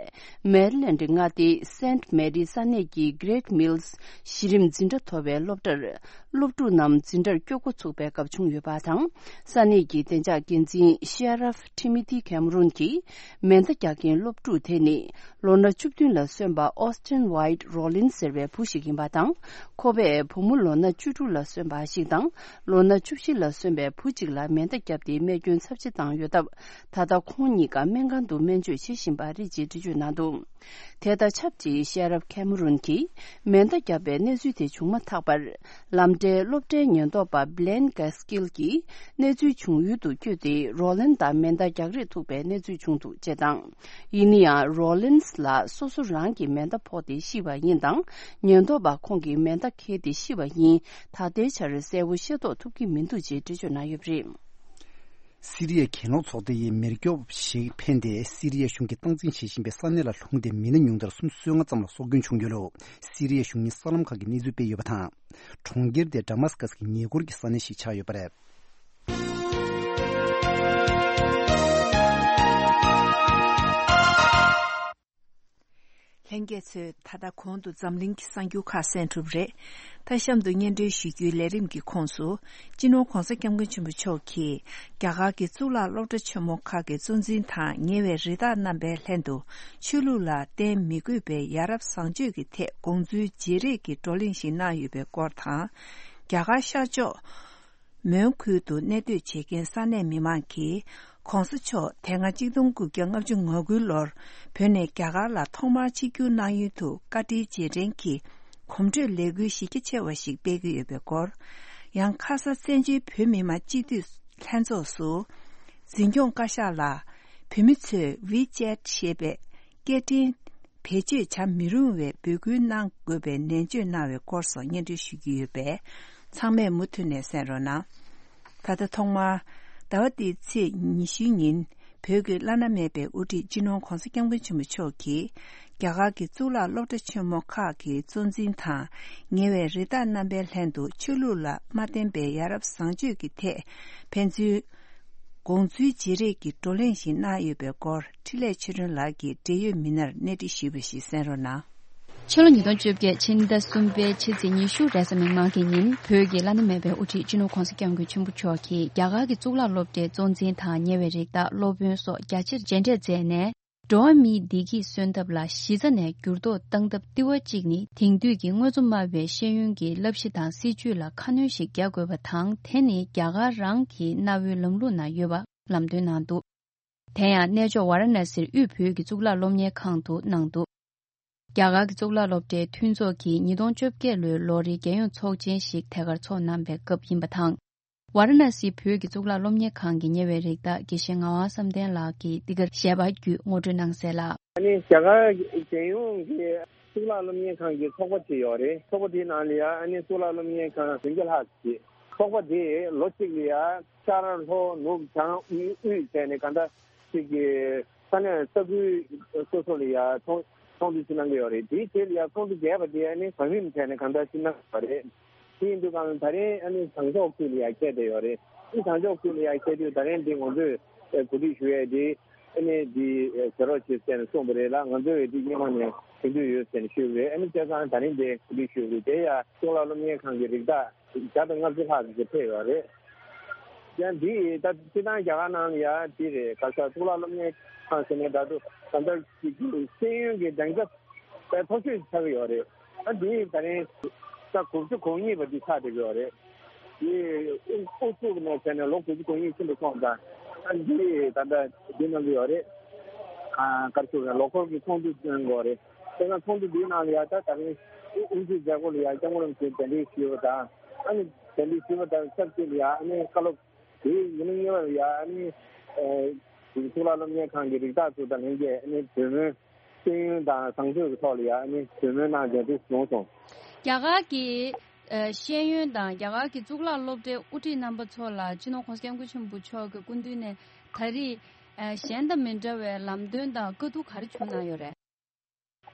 མེ་རི་ལེན་ཌི་མངའ་སྡེའི་སེན་ཊི་མེ་རི་ས་གནས་ཀྱི་གྷི་རེཊ་མིལ་ལི་ཡི་གཞི་རིམ་འཛིན་གྲྭ་མཐོ་བའི་སློབ་གྲྭར། སློབ་ཕྲུག་རྣམས་འཛིན་གྲྭར་སྐྱོད་འགོ་ཚུགས་པའི་སྐབས་བྱུང་ཡོད་པ་དང་། ས་གནས་ཀྱི་བདེ་འཇགས་འགན་འཛིན་ཤེ་ར་ཕི་ཊི་མོ་ཐི་ཁེམ་རུན་གྱིས། མེ་མདའ་རྒྱག་མཁན་སློབ་ཕྲུག་དེ་ནི་ལོ་ན་བཅུ་བདུན་ལ་སོན་པ་ཨོ་སི་ཊིན་ཝའིཊ་རོ་ལིན་ཟེར་བའི་བུ་ཞིག་ཡིན་པ་དང་། ཁོ་པས་བུ་མོ་ལོ་ན་བཅུ་དྲུག་ལ་སོན་པ་ཞིག་དང་། ལོ་ན་བཅུ་བཞི་ལ་སོན་པའི་བུ་གཅིག་ལ་མེ་མདའ་བརྒྱབ་སྟེ་རྨས་སྐྱོན་ཚབས་ཆེ་བཏང་ཡོད་སྟབས། ད་ལྟ་ཁོང་གཉིས་ཀ་སྨན་ཁང་དུ་སྨན་བཅོས་བྱེད་བཞིན་པ་རེད་ཅེས་འགྲེལ་བརྗོད་གནང་འདུག། དེ་དང་ཆབས་ཅིག་ཤེ་ར་ཕི་ཁེམ་རུན་གྱིས་མེ་མདའ་བརྒྱབ་པའི་གནས་ཚུལ་དེ་བྱུང་མ་ཐག་པར། ལམ་འབྲས་སློབ་གྲྭའི་ཉེན་རྟོག་པ་བྷི་ལེན་གྷ་སི་ཀིལ་གྱིས་གནས་ཚུལ་བྱུང་ཡུལ་དུ་བསྐྱོད་དེ། རོ་ལིན་དང་མེ་མདའ་རྒྱག་རེས་ཐུག་པའི་གནས་ཚུལ་བྱུང་འདུག་ཅེས་དང་། ཡིན་ན་ཡང་རོ་ལིན་ལ་སོ་སོ་རང་གི་མེ་མདའ་ཕོག་སྟེ་ཤི་བ་ཡིན་དང་། ཉེན་རྟོག་པ་ཁོང་གིས་མེ་མདའ་འཁྱེར་ཏེ་ཤི་བ་ཡིན་ད་ལྟའི་ཆར་གསལ་པོ་ཤེས་རྟོགས་ཐུབ་ཀྱི་མི་འདུག་ཅེས་འགྲེལ་བརྗོད་གནང་ཡོད་པ་རེད། སི་རི་ཡའི་གྱེན་ལོག་ཚོགས་སྡེ་ཡི་མེ་སྒྱོགས་ཤིག་འཕེན་ཏེ། སི་རི་ཡའི་གཞུང་གིས་སྟངས་འཛིན་བྱེད་བཞིན་པའི་ས་གནས་ལ་ལྷུང་སྟེ། མི་སྣ་ཉུང་མཐར་སུམ་ཅུ་སོ་ལྔ་ཙམ་ལ་སྲོག་སྐྱོན་བྱུང་ཡོད་ལུགས་སི་རི་ཡའི་གཞུང་གཉེར་གསར་ལམ་ཁག་གིས་གནས་ཚུལ་སྤེལ་ཡོད་པ་དང་། གྲོང་ཁྱེར་དེ་ཌ་མཱ་སི་ཀཱ་སི་གི་ཉེ་འཁོར་གྱི་ས་གནས་ཤིག་ཆགས་ཡོད་པ་རེད། ལྷན་རྒྱས་ཚོས་ད་ལྟ་གོང་དུ་འཛམ་གླིང་གི་གསར་འགྱུར་ཁག་གསན་གྲུབ་རེད། ད་གཤམ་དུ་སྙན་སྒྲོན་ཞུ་རྒྱུའི་ལས་རིམ་གྱི་ཁོངས་སུ། སྤྱི་ནོར་༧གོང་ས་༧སྐྱབས་མགོན་ཆེན་པོ་མཆོག་གིས་རྒྱ་གར་གྱི་གཙུག་ལག་སློབ་གྲྭ་ཆེན་མོ་ཁག་གི་གཙོ་འཛིན་དང་ཉེ་བའི་རེ་འདོད་རྣམ་པའི་ལྷན་དུ་ཆོས་ལུགས་ལ་བརྟེན་མི་དགོས་པའི་ཡ་རབས་བཟང་སྤྱོད་ཀྱི་ཐད་དགོངས་ཚུལ་བརྗེ་རེས་ཀྱི་བགྲོ་གླེང་ཞིག་གནང་ཡོད་པའི་སྐོར་དང་། རྒྱ་གར་ཤར་ཕྱོགས། མོན་ཁུལ་དུ་གནས་སྡོད་བྱེད་མཁན་ས་གནས་མི་མང་གིས། ༸གོང་ས་མཆོག་དེ་སྔ་ཆིག་སྟོང་དགུ་བརྒྱ་ལྔ་བཅུ་ང་དགུའི་ལོར་བོད་ནས་རྒྱ་གར་ལ་ཐོག་མར་ཆིབས་བསྒྱུར་གནང་ཡུལ་དུ་བཀའ་དྲིན་རྗེས་དྲན་གྱི་གོམ་བགྲོད་ལས་འགུལ་གཞི་རྒྱ་ཆེ་བ་ཞིག་སྤེལ་གྱི་ཡོད་པའི་སྐོར། ཡང་ཁ་ས་བཙན་བྱོལ་བོད་མི་མང་སྤྱི་འཐུས་ལྷན་ཚོགས་སུ། འཛིན་སྐྱོང་བཀའ་ཤག་ལ་བོད་མི་ཚོས་ཝི་ཅེ་ཊི་ཞེས་པའི་སྐད་འཕྲིན། བེད་སྤྱོད་བྱ་མི་རུང་བའི་འབོད་སྐུལ་གནང་དགོས་པའི་ནན་བརྗོད་གནང་བའི་སྐོར་སོགས་སྙན་སྒྲོན་ཞུ་རྒྱུ་ཡོད་པས། ཚང་མས་མུ་མཐུད་ནས་གསན་རོགས་གནང་། ད་ལྟ་ཐོག་མར། ཟླ་བ་འདིའི་ཚེས་ཉི་ཤུའི་ཉིན། བོད་ཀྱི་བླ་ན་མེད་པའི་དབུ་ཁྲིད་སྤྱི་ནོར་༸གོང་ས་༧སྐྱབས་མགོན་ཆེན་པོ་མཆོག་གིས། རྒྱ་གར་གྱི་གཙུག་ལག་སློབ་གྲྭ་ཆེན་མོ་ཁག་གི་གཙོ་འཛིན་དང་། ཉེ་བའི་རེ་འདོད་རྣམ་པའི་ལྷན་དུ་ཆོས་ལུགས་ལ་མ་བརྟེན་པའི་ཡ་རབས་བཟང་སྤྱོད་ཀྱི་ཐད་ཕན་ཚུན་དགོངས་ཚུལ་བརྗེ་རེས་ཀྱི་བགྲོ་གླེང་ཞིག་གནང་ཡོད་པའི་སྐོར། འཕྲིན་ལས་ཆོས་སྒྲོན་ལགས་ཀྱིས་འབྲེལ་ཡོད་མི་སྣར་གནས་འདྲི་ཞུས་པ་ཞིག་གསན་རོགས་གནང་། ཕྱི་ལོ་ཉིས་སྟོང་བཅོ་བརྒྱད་ཕྱི་ཟླ་གསུམ་པའི་ཕྱི་ཚེས་ཉི་ཤུ་རེས་གཟའ་མིག་དམར་གྱི་ཉིན་བོད་ཀྱི་བླ་ན་མེད་པའི་དབུ་ཁྲིད་སྤྱི་ནོར་༸གོང་ས་༸སྐྱབས་མགོན་ཆེན་པོ་མཆོག་གིས་རྒྱ་གར་གྱི་གཙུག་ལག་སློབ་གྲྭའི་གཙོ་འཛིན་དང་ཉེ་བའི་རིགས་བདག་སློབ་དཔོན་སོགས་རྒྱ་ཆེར་མཇལ་འཕྲད་མཛད་ནས། འགྲོ་བ་མིའི་བདེ་སྐྱིད་གསོན་ཐབས་ལ་གཞི་རྩ་ནས་འགྱུར་ལྡོག་བཏང་ཐབས་ལྟེ་བ་གཅིག་ནི་དེང་དུས་ཀྱི་དངོས་གཙོ་སྨྲ་བའི་ཤེས་ཡོན་གྱི་བསླབ་གཞི་དང་སྲིད་བྱུས་ལ་ཁ་སྣོན་ཞིག་རྒྱག་དགོས་པ་དང་། དེ་ནི་རྒྱ་གར་རང་གི་གནའ་བོའི་ལམ་ལུགས་ནང་ཡོད་པ་ལམ་སྟོན་གནང་འདུག། དེ་ཡང་གནས་མཆོག་ཝཱ་ར་ཎ་སིར་དབུས་བོད་ཀྱི་གཙུག་ལག་སློབ་གཉེར་ཁང་དུ་གནང་འདུག། རྒྱ་གར་གྱི་གཙུག་ལག་སློབ་གྲྭའི་མཐུན་ཚོགས་ཀྱིས་ཉིས་སྟོང་བཅོ་བརྒྱད་ལོའི་ལོ་རེའི་རྒྱལ་ཡོངས་ཚོགས་ཆེན་ཞིག་ཐད་ཀར་ཚོགས་གནང་པའི་སྐབས་ཡིན་པ་དང་། ཝཱ་ར་ཎ་སིའི་བོད་ཀྱི་གཙུག་ལག་སློབ་གཉེར་ཁང་གི་ཉེ་བའི་རིགས་བདག་དགེ་བཤེས་ངག་དབང་བསམ་གཏན་ལགས་ཀྱིས་འདི་གར་ཞལ་པར་བརྒྱུད་ངོ་སྤྲོད་གནང་གསལ་ལ། ཨ་ནི་རྒྱ་གར་རྒྱལ་ཡོངས་ཀྱི་ གཙུག་ལག་སློབ་གཉེར་ཁང་གི་ཚོགས་པ་ཅིག་ཡོད་རེད། ཚོགས་པ་དེའི་ནང་ལ་ཡ་ཨ་ནི་གཙུག་ལག་སློབ་གཉེར་ཁང་བདུན་བརྒྱ་ལྷག་ཅིག་ཚོགས་པ་དེས་ལོ་གཅིག་ལ་ཡ་ཤར་ལྷོ་ནུབ་བྱང་དབུས་དབུས་བྱས་ནས་གང་ལྟར་ཅིག་གི་ས་གནས་ས་ཁུལ་སོ་སོ་ལ་ཡ་ཚོགས་ཚོགས་འདུ་ཅིག་གནང་གི་ཡོད་རེད། དེའི་རྗེས་ལ་ཡ་ཚོགས་འདུ་བརྒྱད་པ་དེ་ཨ་ནི་གོ་རིམ་བྱས་ནས་གང་ལྟར་ཅིག་གནང་གི་ཡོད་རེད། དེ་ཡིན་དུས་གང་ལ་ད་རིང་ཨ་ནི་བྱང་ཕྱོགས་ཁུལ་ལ་ཡ་ཁྱེར་བསྡད་ཡོད་རེད། ཨ་ནི་བྱང་ཕྱོགས་ཁུལ་ལ་ཡ་ཁྱེར་དུས་ད་རིང་འདི་ང་ཚོས་གོ་སྒྲིག་ཞུ་ཡས་དེ་ཨ་ནི་འདི་བྱེད་རོགས་བྱེད་ཟེར་ནས་གསུངས་པ་རེད་ལ། ང་ཚོས་འདི་སྔོན་མ་ནས་མཐུན་འགྱུར་ཡོད་ཟེར་ནས་ཞུས་པ་རེད། ཨ་ནི་བྱས་ཙང་ད་རིང་འདི་གོ་སྒྲིག་ཞུས་པ་རེད། དེ་ཡ་གཙུག་ལག་སློབ་གཉེར་ཁང་གི་རིགས་བདག་བརྒྱ་དང་ལྔ་བཅུ་ལྷག་ཅིག་ཕེབས་ཡོད་རེད། ཡང་འདི་ད་སྤྱིར་བཏང་རྒྱ་གར་ནང་ལ་ཡ་འདི་རེད། ག་ས་གཙུག་ལག་སློབ་གཉེར་ཁང་ཟེར་ནས་ད་དུང་ད་ལྟ་ཅིག་ཤེས་ཡོན་གྱི་སྦྱང་ཚབ་དཔེ་མཐོ་ཤོས་ཆགས་ཀྱི་ཡོད་རེད། ཨ་འདི་ད་རིང་ས་དགུ་བཅུ་གོ་གཉིས་པ་འདི་ཆགས་བསྡད་ཀྱི་ཡོད་རེད། འདི་ཨུ་ཚུགས་ནས་བྱས་ནས་ལོ་དགུ་བཅུ་གོ་གཉིས་ཕྱིན་པ་སོང་ཙང་ཨ་འདི་ད་ལྟ་འདི་གནང་གི་ཡོད་རེད། ཨ་ག་རེ་ཞུ་དགོས་རེད། ལོ་འཁོར་གྱི་ཚོགས་འདུ་གནང་དགོས་རེད། དེ་སྔ་ཚོགས་འདུ་འདིའི་ནང་ལ་ཡ་ད་ད་རིང་དབུ་འཛིན་མཛད་སྒོ་ལ་ཡ་སྐྱབས་མགོན་རིན་པོ་ཆེ་གདན་འདྲེན་ཞུས་པ་དང་ཨ་ནི་གདན་འདྲེན་ཞུས་པ་དང་ཆབས་ཅིག་ལ་ཡ་ཨ་ནི་བཀའ་སློབ་དེའི་ཉིན་གཉིས་པར་ཡ་ཨ་ནི་གཙུག་ལག་སློབ་གཉེར་ཁང་གི་རིགས་བདག་ཚོ་དང་ལྷན་རྒྱས་ཨ་ནི་གྲོས་མོལ་ཤེས་ཡོན་དང་བཟང་སྤྱོད་ཀྱི་ཐོག་ལ་ཡ་ཨ་ནི་གྲོས་མོལ་གནང་མཇལ་འཕྲད་བྱུང་སོང་། རྒྱ་གར་གྱི་ཤེས་ཡོན་དང་རྒྱ་གར་གྱི་གཙུག་ལག་སློབ་གྲྭའི་དབུ་ཁྲིད་རྣམ་པ་ཚོ་ལ་སྤྱི་ནོར་༸གོང་ས་༸སྐྱབས་མགོན་ཆེན་པོ་མཆོག་གི་སྐུ་མདུན་ནས་ད་རེས་གཞན་དང་མི་འདྲ་བའི་ལམ་སྟོན་དང་བཀའ་བསྡུར་ག་རེ་བྱུང་གནང་ཡོད་རེད།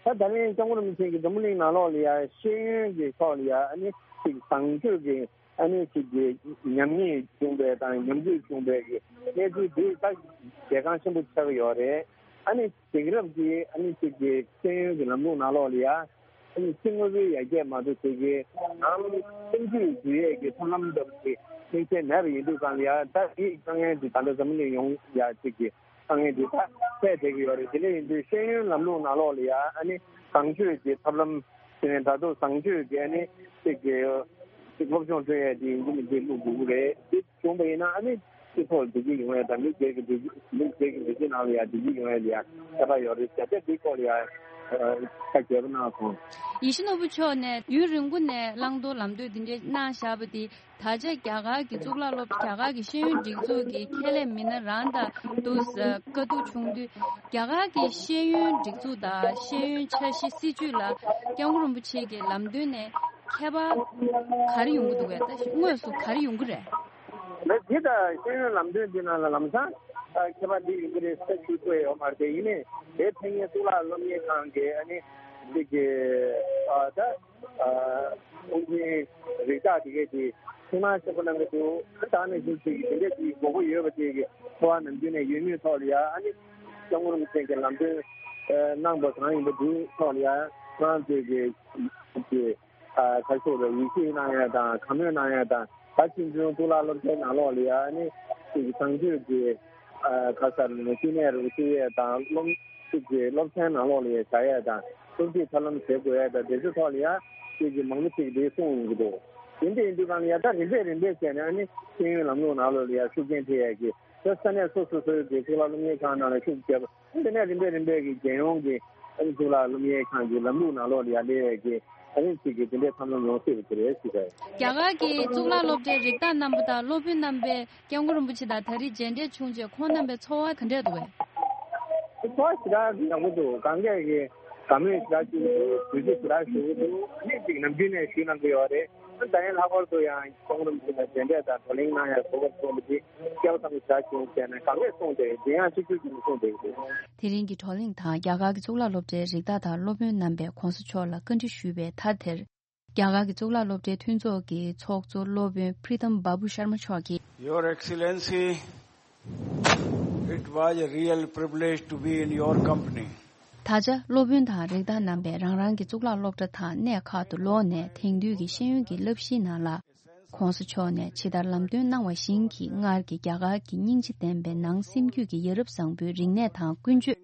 ད་ད་རིང་སྐྱབས་མགོན་རིན་པོ་ཆེ་གིས་འཛམ་བུ་གླིང་ནང་ལོགས་ལ་ཡ་ཤེས་ཡོན་གྱི་ཐོག་ལ་ཡ་ཨ་ནི་ཅིག་བཟང་སྤྱོད་ཀྱི་ཨ་ནི་ཅིག་གི་ཉམས་ཉེས་བྱུང་བའི་དང་ཉམས་རྒུད་བྱུང་བའི་གི་གནས་ཚུལ་འདི་ད་གལ་འགངས་ཆེན་པོ་ཆགས་ཀྱི་ཡོད་རེད། ཨ་ནི་དེང་རབས་ཀྱི་ཨ་ནི་ཅིག་གི་ཤེས་ཡོན་གྱི་ལམ་ལུགས་ནང་ལོགས་ལ་ཡ་ཨ་ནི་ཅིག་དངོས་པོའི་ཡར་རྒྱས་མ་གཏོགས་ཅིག་གི་ནང་ཀུན་སྤྱོད་འཛུལ་ཡས་ཀྱི་ཐབས་ལམ་འདྲ་པོ་ཅིག་མིག་དཔེ་མེད་པ་ཡིན་དུས་གང་ལ་ཡ་ད་དེའི་དཀའ་ངལ་འདི་ད་ལྟ་འཛམ་བུ་གླིང་ཡོངས་ཡ་ཅིག་གི་དཀའ་ངལ་འདི་ད་འཕྲད་བསྡད་ཀྱི་ཡོད་རེད། དེ་འདྲ་ཡིན་དུས་ཤེས་ཡོན་ལམ་ལུགས་ནང་ལོགས་ལ་ཡ་ཨ་ནི་བཟང་སྤྱོད་ཀྱི་ཐབས་ལམ་དེ་ནས་ད་དུང་བཟང་སྤྱོད་ཀྱི་ཨ་ནི་ཅིག་གི་ཅིག་སློབ་སྦྱོང་སྤྲོད་ཡས་དེ་ཡིན་གྱི་མིན་གྱི་བླུག་དགོས་ཀྱི་རེད། དེ་བྱུང་བ་ཡིན་ན་ཨ་ནི་སྤྱི་ཚོགས་བདེ་སྐྱིད་ཡོང་ཡས་དང་མི་སྒེར་གྱི་བདེ་སྐྱིད་མི་སྒེར་གྱི་བདེ་སྐྱིད་ནང་ལ་ཡ་བདེ་སྐྱིད་ཡོང་ཡས་ལ་ཡ་ཁྱད་པར་ཡོད་རེད་ཟེར་ཏེ་དེའི་སྐོར་ལ་ཡ་ཁ་རྒྱས་པོ་གནང་སོང་། ཡིད་བཞིན་ནོར་བུ་མཆོག་ནས་ཡུན་རིང་པོ་ནས་བླང་དོར་ལམ་སྟོན་འདི་འདྲའི་གནང་བཞག་པ་དེ། ད་ཆ་རྒྱ་གར་གྱི་གཙུག་ལག་སློབ་རྒྱ་གར་གྱི་ཤེས་ཡོན་སྒྲིག་འཛུགས་ཀྱི་ཁས་ལེན་མི་སྣ་རང་དང་དུ་བཀའ་བསྡུར་བྱུང་དུས། རྒྱ་གར་གྱི་ཤེས་ཡོན་སྒྲིག་འཛུགས་དང་ཤེས་ཡོན་འཆར་གཞི་སྲིད་ཇུས་ལ་སྐྱབས་མགོན་རིན་པོ་ཆེ་གི་ལམ་སྟོན་ནས་ཁྱད་པར་ག་རེ་ཡོང་གི་འདུག་གས། ད་དངོས་སུ་ག་རེ་ཡོང་གི་རེད། ལགས་འདི་དང་ཤེས་ཡོན་ལམ་སྟོན་འདི་ནང་ལ་ལམ་སང་ཁྱད་པར་འདི་ཡོང་གི་རེད་ཟེར་ཞུ་ཐུབ་ཡོད་མ་རེད། དེ་ཡིན་ནའི་དེ་ཕན་ངེད་གཙུག་ལག་སློབ་གཉེར་ཁང་གི་ཨ་ནི་འདི་གི་ད། ཨ་ཁུངས་ཆེན་རིགས་བདག་དེ་གས་དེ་ཐུགས་སྣང་ཆེན་པོ་གནང་གི་འདུག་ད་ནང་བཞིན་ཅིག་དེ་འདྲས་ཀྱི་དགོས་མཁོ་ཡོད་པ་དེ་གི་འཚོ་བ་ནམ་རྒྱུན་ནས་ཡོད་མུས་ཐོག་ལ་ཡ་ཨ་ནི་སྐྱབས་མགོན་རིན་པོ་ཆེ་གི་ལམ་སྟོན་གནང་པ་གང་ཡིན་པ་དེའི་ཐོག་ལ་ཡ་ཁོ་རང་ཚོས་ཀྱི་ཀྱི་ཨ་ཁ་ཤས་ལ་ཡིད་ཆེས་གནང་ཡ་དང་གང་མོས་གནང་ཡ་དང་ད་ཕྱིན་ཆད་གཙུག་ལག་སློབ་གྲྭའི་ནང་ལོགས་ལ་ཡ་ཨ་ནི་ཅིག་བཟང་སྤྱོད་ཀྱི་ཨ་ག་ས་རེད་ན་བསྟི་གནས་རུ་བསྟི་ཡས་དང་སློབ་ཅིག་གི་སློབ་ཚན་ནང་ལོགས་ལ་ཡ་བྱ་ཡས་དང་སློབ་ཁྲིད་ཐབས་ལམ་བྱེད་དགོས་ཡས་དང་དེ་ཚོའི་ཐོག་ལ་ཡ་ཅིག་གི་མང་པོ་ཅིག་དེ་གསུངས་ཡོང་གི་འདུག་དེ་འདྲ་ཡིན་དུས་གང་ལ་ཡ་ད་རིམ་པས་རིམ་པས་བྱས་ནས་ཨ་ནི་ཤེས་ཡོན་ལམ་ལུགས་ནང་ལོགས་ལ་ཡ་ཤུགས་རྐྱེན་ཐེབས་ཡས་ཀྱི་ད་ས་གནས་སོ་སོ་སོའི་གི་གཙུག་ལག་སློབ་གཉེར་ཁང་ནང་ལ་ཤུགས་རྒྱབ་དེ་ནས་རིམ་པས་རིམ་པས་ཀྱི་རྒྱལ་ཡོངས་ཀྱི་ཨ་ནི་གཙུག་ལག་སློབ་གཉེར་ཁང་གི་ལམ་ལུགས་ནང་ལོགས་ལ་ཡ་སླེབས་ཡས་ཀྱི་ཨ་ནི་ཅིག་གི་དེ་འདྲའི་ཐབས་ལམ་ཡོང་སྲིད་པ་དེ་རེད་ཟེར་བ། རྒྱ་གར་གྱི་གཙུག་ལག་སློབ་གྲྭའི་རིགས་བདག་རྣམ་པ་དང་སློབ་དཔོན་རྣམ་པས་སྐྱབས་མགོན་རིན་པོ་ཆེ་དང་ད་རེས་མཇལ་འཕྲད་བྱུང་རྗེས་ཁོང་རྣམ་པའི་ཚོར་བ་ག་འདྲས་འདུག་གས། ཚོར་བ་ཞེ་དྲག་ཡག་པོ་འདུག་གང་གས་ཀྱི་དགའ་མོས་ཞེ་དྲག་བྱུང་འདུག་གུས་བརྩི་ཞེ་དྲག་ཞུ་གི་འདུག་ཨ་ནི་ཅིག་ནམ་རྒྱུན་ནས་ཞུས་གནང་གི་ཡོད་རེད། ད་ཡིན་ལྷག་པར་དུ་ཡང་ཁོང་རྣམ་ཚོ་ལ་མཇལ་འཕྲད་དང་བགྲོ་གླེང་གནང་ཡ་གོ་སྐབས་བྱུང་བ་དེ་སྐལ་བ་བཟང་པོ་ཞེ་དྲག་བྱུང་ཟེར་ནས་གང་ལེགས་གསུངས་ཏེ་དེ་ཡང་གཅིག་གྱུར་གྱིས་གསུངས་ཏེ་ཡོད་རེད། དེ་རིང་གི་བགྲོ་གླེང་དང་རྒྱ་གར་གྱི་གཙུག་ལག་སློབ་གྲྭའི་རིགས་བདག་དང་སློབ་དཔོན་རྣམ་པས་གོང་ས་མཆོག་ལ་བཀའ་འདྲི་ཞུས་པའི་མཐའ་དེར། རྒྱ་གར་གྱི་གཙུག་ལག་སློབ་གྲྭའི་མཐུན་ཚོགས་ཀྱི་ཚོགས་གཙོ་སློབ་དཔོན་Pritam Babu Sharma་མཆོག་གིས། Your Excellency, it was a real privilege to be in your company. ད་ཆ་སློབ་དཔོན་དང་རིགས་བདག་རྣམ་པས་རང་རང་གི་གཙུག་ལག་སློབ་གྲྭ་དང་གནས་ཁག་ཏུ་ལོག་ནས་དེང་དུས་ཀྱི་ཤེས་ཡོན་གྱི་བསླབ་གཞིའི་ནང་ལ། ྋགོང་ས་མཆོག་ནས་ཇི་ལྟར་ལམ་སྟོན་གནང་བ་བཞིན་གྱི་སྔར་གྱི་རྒྱ་གར་གྱི་སྙིང་རྗེ་ལྡན་པའི་ནང་སེམས་རྒྱུད་ཀྱི་ཡ་རབས་བཟང་པོའི་རིག་གནས་དང་ཀུན་སྤྱོད་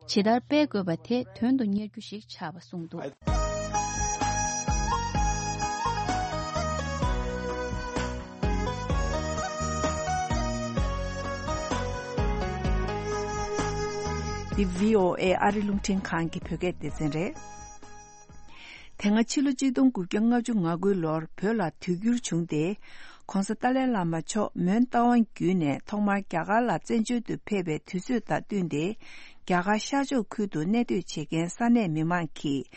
ཇི་ལྟར་སྤེལ་དགོས་པ་དེ་དོན་དུ་གཉེར་རྒྱུ་ཞིག་ཆགས་པ་གསུངས་འདུག་འདི་བྷི་ཨོ་ཨེ་ཨ་རི་རླུང་འཕྲིན་ཁང་གི་བོད་སྐད་སྡེ་ཚན་རེད། དེ་སྔ་ཕྱི་ལོ་གཅིག་སྟོང་དགུ་བརྒྱ་ལྔ་བཅུ་ང་དགུའི་ལོར་བོད་ལ་དུས་འགྱུར་བྱུང་སྟེ། ྋགོང་ས་ཏཱ་ལའི་བླ་མ་མཆོག་མོན་རྟ་དབང་བརྒྱུད་ནས་ཐོག་མར་རྒྱ་གར་ལ་བཙན་བྱོལ་དུ་ཕེབས་པའི་དུས་ཚོད་དང་བསྟུན་ཏེ། རྒྱ་གར་ཤར་ཕྱོགས་ཁུལ་དུ་གནས་སྡོད་བྱེད་མཁན་ས་གནས་མི་མང་གིས།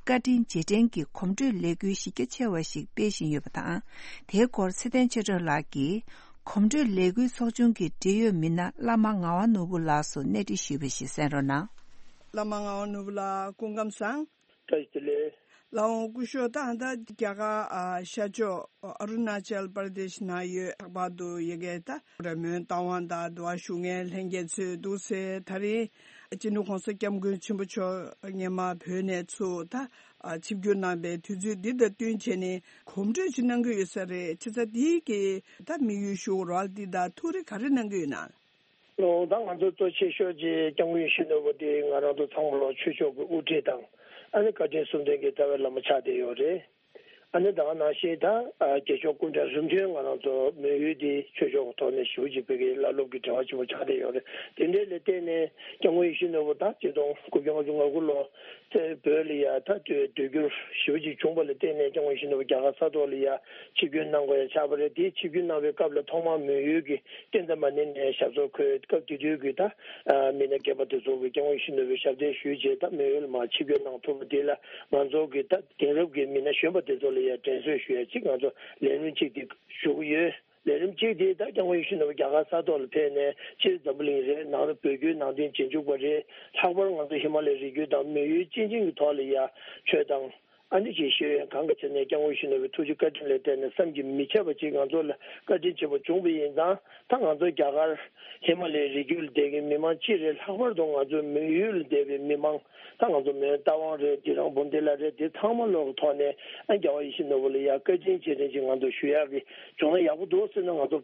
བཀའ་དྲིན་རྗེས་དྲན་གྱི་གོམ་བགྲོད་ལས་འགུལ་གཞི་རྒྱ་ཆེ་བ་ཞིག་སྤེལ་བཞིན་ཡོད་པ་དང་། དེའི་སྐོར་ཚེ་བརྟན་ཆོས་སྒྲོན་ལགས་ཀྱིས། གོམ་བགྲོད་ལས་འགུལ་ཚོགས་ཆུང་གི་འབྲེལ་ཡོད་མི་སྣ་བླ་མ་ངག་དབང་ནོར་བུ་ལགས་སུ་གནས་འདྲི་ཞུས་པ་ཞིག་གསན་རོགས་གནང་། བླ་མ་ངག་དབང་ནོར་བུ་ལགས་སྐུ་ཁམས་བཟང་། བཀྲ་ཤིས་བདེ་ལེགས། ལགས་འོང་སྐུ་ཞབས། ད་ལྟ་རྒྱ་གར་ཨ་ཤར་ཕྱོགས་ཨ་རུ་ན་ཅལ་པར་དེཤ་ནང་ཡོད། ལྷག་པར་དུ་ཡ་གི་ད་རེ་མོན་རྟ་དབང་དང་འདུ་བ་ཞུ་མཁན་ལྷན་རྒྱས་ཚོས་འདུག་སེ་ད་རིང་སྤྱི་ནོར་༸གོང་ས་༸སྐྱབས་མགོན་ཆེན་པོ་མཆོག་སྔོན་མ་བོད་ནས་ཚུར་ད་ཨ་ཆིབས་བསྒྱུར་གནང་པའི་དུས་ཚོད་འདི་དང་བསྟུན་བྱས་ནས་གོམ་བགྲོད་ཅིག་གནང་གི་ཡོད་ས་རེད། བྱས་ཙང་འདི་གི་ད་དམིགས་ཡུལ་ཞུ་རོགས་འདི་དང་ཐུགས་རེ་ག་རེ་གནང་གི་ཡོད་ན། ཨོ་ད་ང་ཚོ་གཙོ་ཆེ་ཤོས་ཀྱི་སྐྱབས་མགོན་ཡིད་བཞིན་ནོར་བུ་དེ་ང་རང་ཚོ་ཚང་མ་ལོ་ཆོས་ཕྱོགས་ཀྱི་དབུ་ཁྲིད་དང་ཨ་ནི་བཀའ་དྲིན་གསུམ་ལྡན་གྱི་རྩ་བའི་བླ་མ་ཆགས་བསྡད་ཡོད་རེད། ཨ་ནི་ད་ག་ནང་བཞིན་ད་ཨ་རྒྱལ་མཆོག་སྐུ་ཕྲེང་རིམ་བྱོན་ང་རང་ཚོ་མོན་ཡུལ་འདི་ཆོས་ཕྱོགས་ཀྱི་ཐོག་ནས་ཞེ་པོ་ཅིག་བོད་ཀྱི་བླ་སློབ་ཀྱི་གྲས་པ་ཆེན་པོ་ཆགས་བསྡད་ཡོད་རེད། དེ་འདྲའི་ལ་བརྟེན་ནས་སྐྱབས་མགོན་ཡིད་བཞིན་ནོར་བུ་ད་ཆིག་སྟོང་དགུ་བརྒྱ་ལྔ་བཅུ་ང་དགུ་ལོ་ཚེ་བོད་ལ་ཡ་ད་སྡོད་སྡོད་རྒྱུར་ཞེ་པོ་ཅིག་བྱུང་བ་ལ་བརྟེན་ནས་སྐྱབས་མགོན་ཡིད་བཞིན་ནོར་བུ་རྒྱ་གར་ས་ཐོག་ལ་ཡ་ཆིབས་བསྒྱུར་གནང་དགོས་ཡ་ཆགས་པ་རེད། དེ་ཆིབས་བསྒྱུར་གནང་བའི་སྐབས་ལ་ཐོག་མར་མོན་ཡུལ་གྱི་ཀུན་ཏ་མ་ཎི་ནས་ཞབས་སོར་འཁོད། སྐབས་དེ་དུས་ཀྱི་ད་མི་སྣ་རྒན་པ་དེ་ཚོ་གིས་སྐྱབས་མགོན་ཡིད་བཞིན་ནོར་བུའི་ཞབས་བརྟན་ཞུས་རྗེས་ད་མོན་ཡུལ་མར་ཆིབས་བསྒྱུར་གནང་ཐུབ་པ་དེ་ལ་ང་ཚོ་གི་ད་དེང་རབས་ཀྱི་མི་སྣ་གཞོན་པ་དེ་ཚོ་ལ་ཡང་དྲན་གསོ་ཞུ་ཡ་གཅིག་ང་ཚོ་ལས་རིམ་གཅིག་དེ་ཞུ་གི་ཡོད། ལས་རིམ་གཅིག་དེ་ད་སྐྱབས་མགོན་ཡིད་བཞིན་ནོར་བུ་རྒྱ་གར་ས་ཐོག་ལ་ཕེབས་ནས་སྤྱིར་འཛམ་བུ་གླིང་རེད། ནང་ལ་བོད་བརྒྱུད་ནང་བསྟན་རྗེས་འཇུག་པ་རེད། ལྷག་པར་ང་ཚོ་ཧི་མ་ལའི་རི་རྒྱུད་དང་མོན་ཡུལ་སྤྱི་ཆིངས་ཀྱི་ཐོག་ལ་ཡ་ཆོས་དང་ཨ་ནི་ཅིག་ཤེས་ཡོན་གང་གི་ཆ་ནས་སྐྱབས་མགོན་ཡིད་བཞིན་ནོར་བུའི་ཐུགས་རྗེ་བཀའ་དྲིན་ལ་བརྟེན་ནས་བསམ་གྱིས་མི་ཁྱབ་པ་ཅིག་ང་ཚོ་ལ་བཀའ་དྲིན་ཆེན་པོ་བྱུང་བ་ཡིན་ཙང་། ད་ང་ཚོ་རྒྱ་གར་ཧི་མ་ལའི་རི་རྒྱུད་ལ་བསྡད་མཁན་མི་མང་སྤྱི་རེད། ལྷག་པར་དུ་ང་ཚོ་མོན་ཡུལ་ལ་བསྡད་པའི་མི་མང་ད་ང་ཚོ་མོན་རྟ་དབང་རེད། དེ་རང་བུམ་སྡེ་ལ་རེད། དེ་ཚང་མ་ལོག་གི་ཐོག་ནས་ཨ་རྒྱལ་བ་ཡིད་བཞིན་ནོར་བུ་ལ་ཡ་བཀའ་དྲིན་རྗེས་དྲན་ཅིག་ང་ཚོ་ཞུ་ཡག་གི་བྱུང་ན་ཡག་པོ་འདུག་ཟེར་ནས་ང་ཚོ་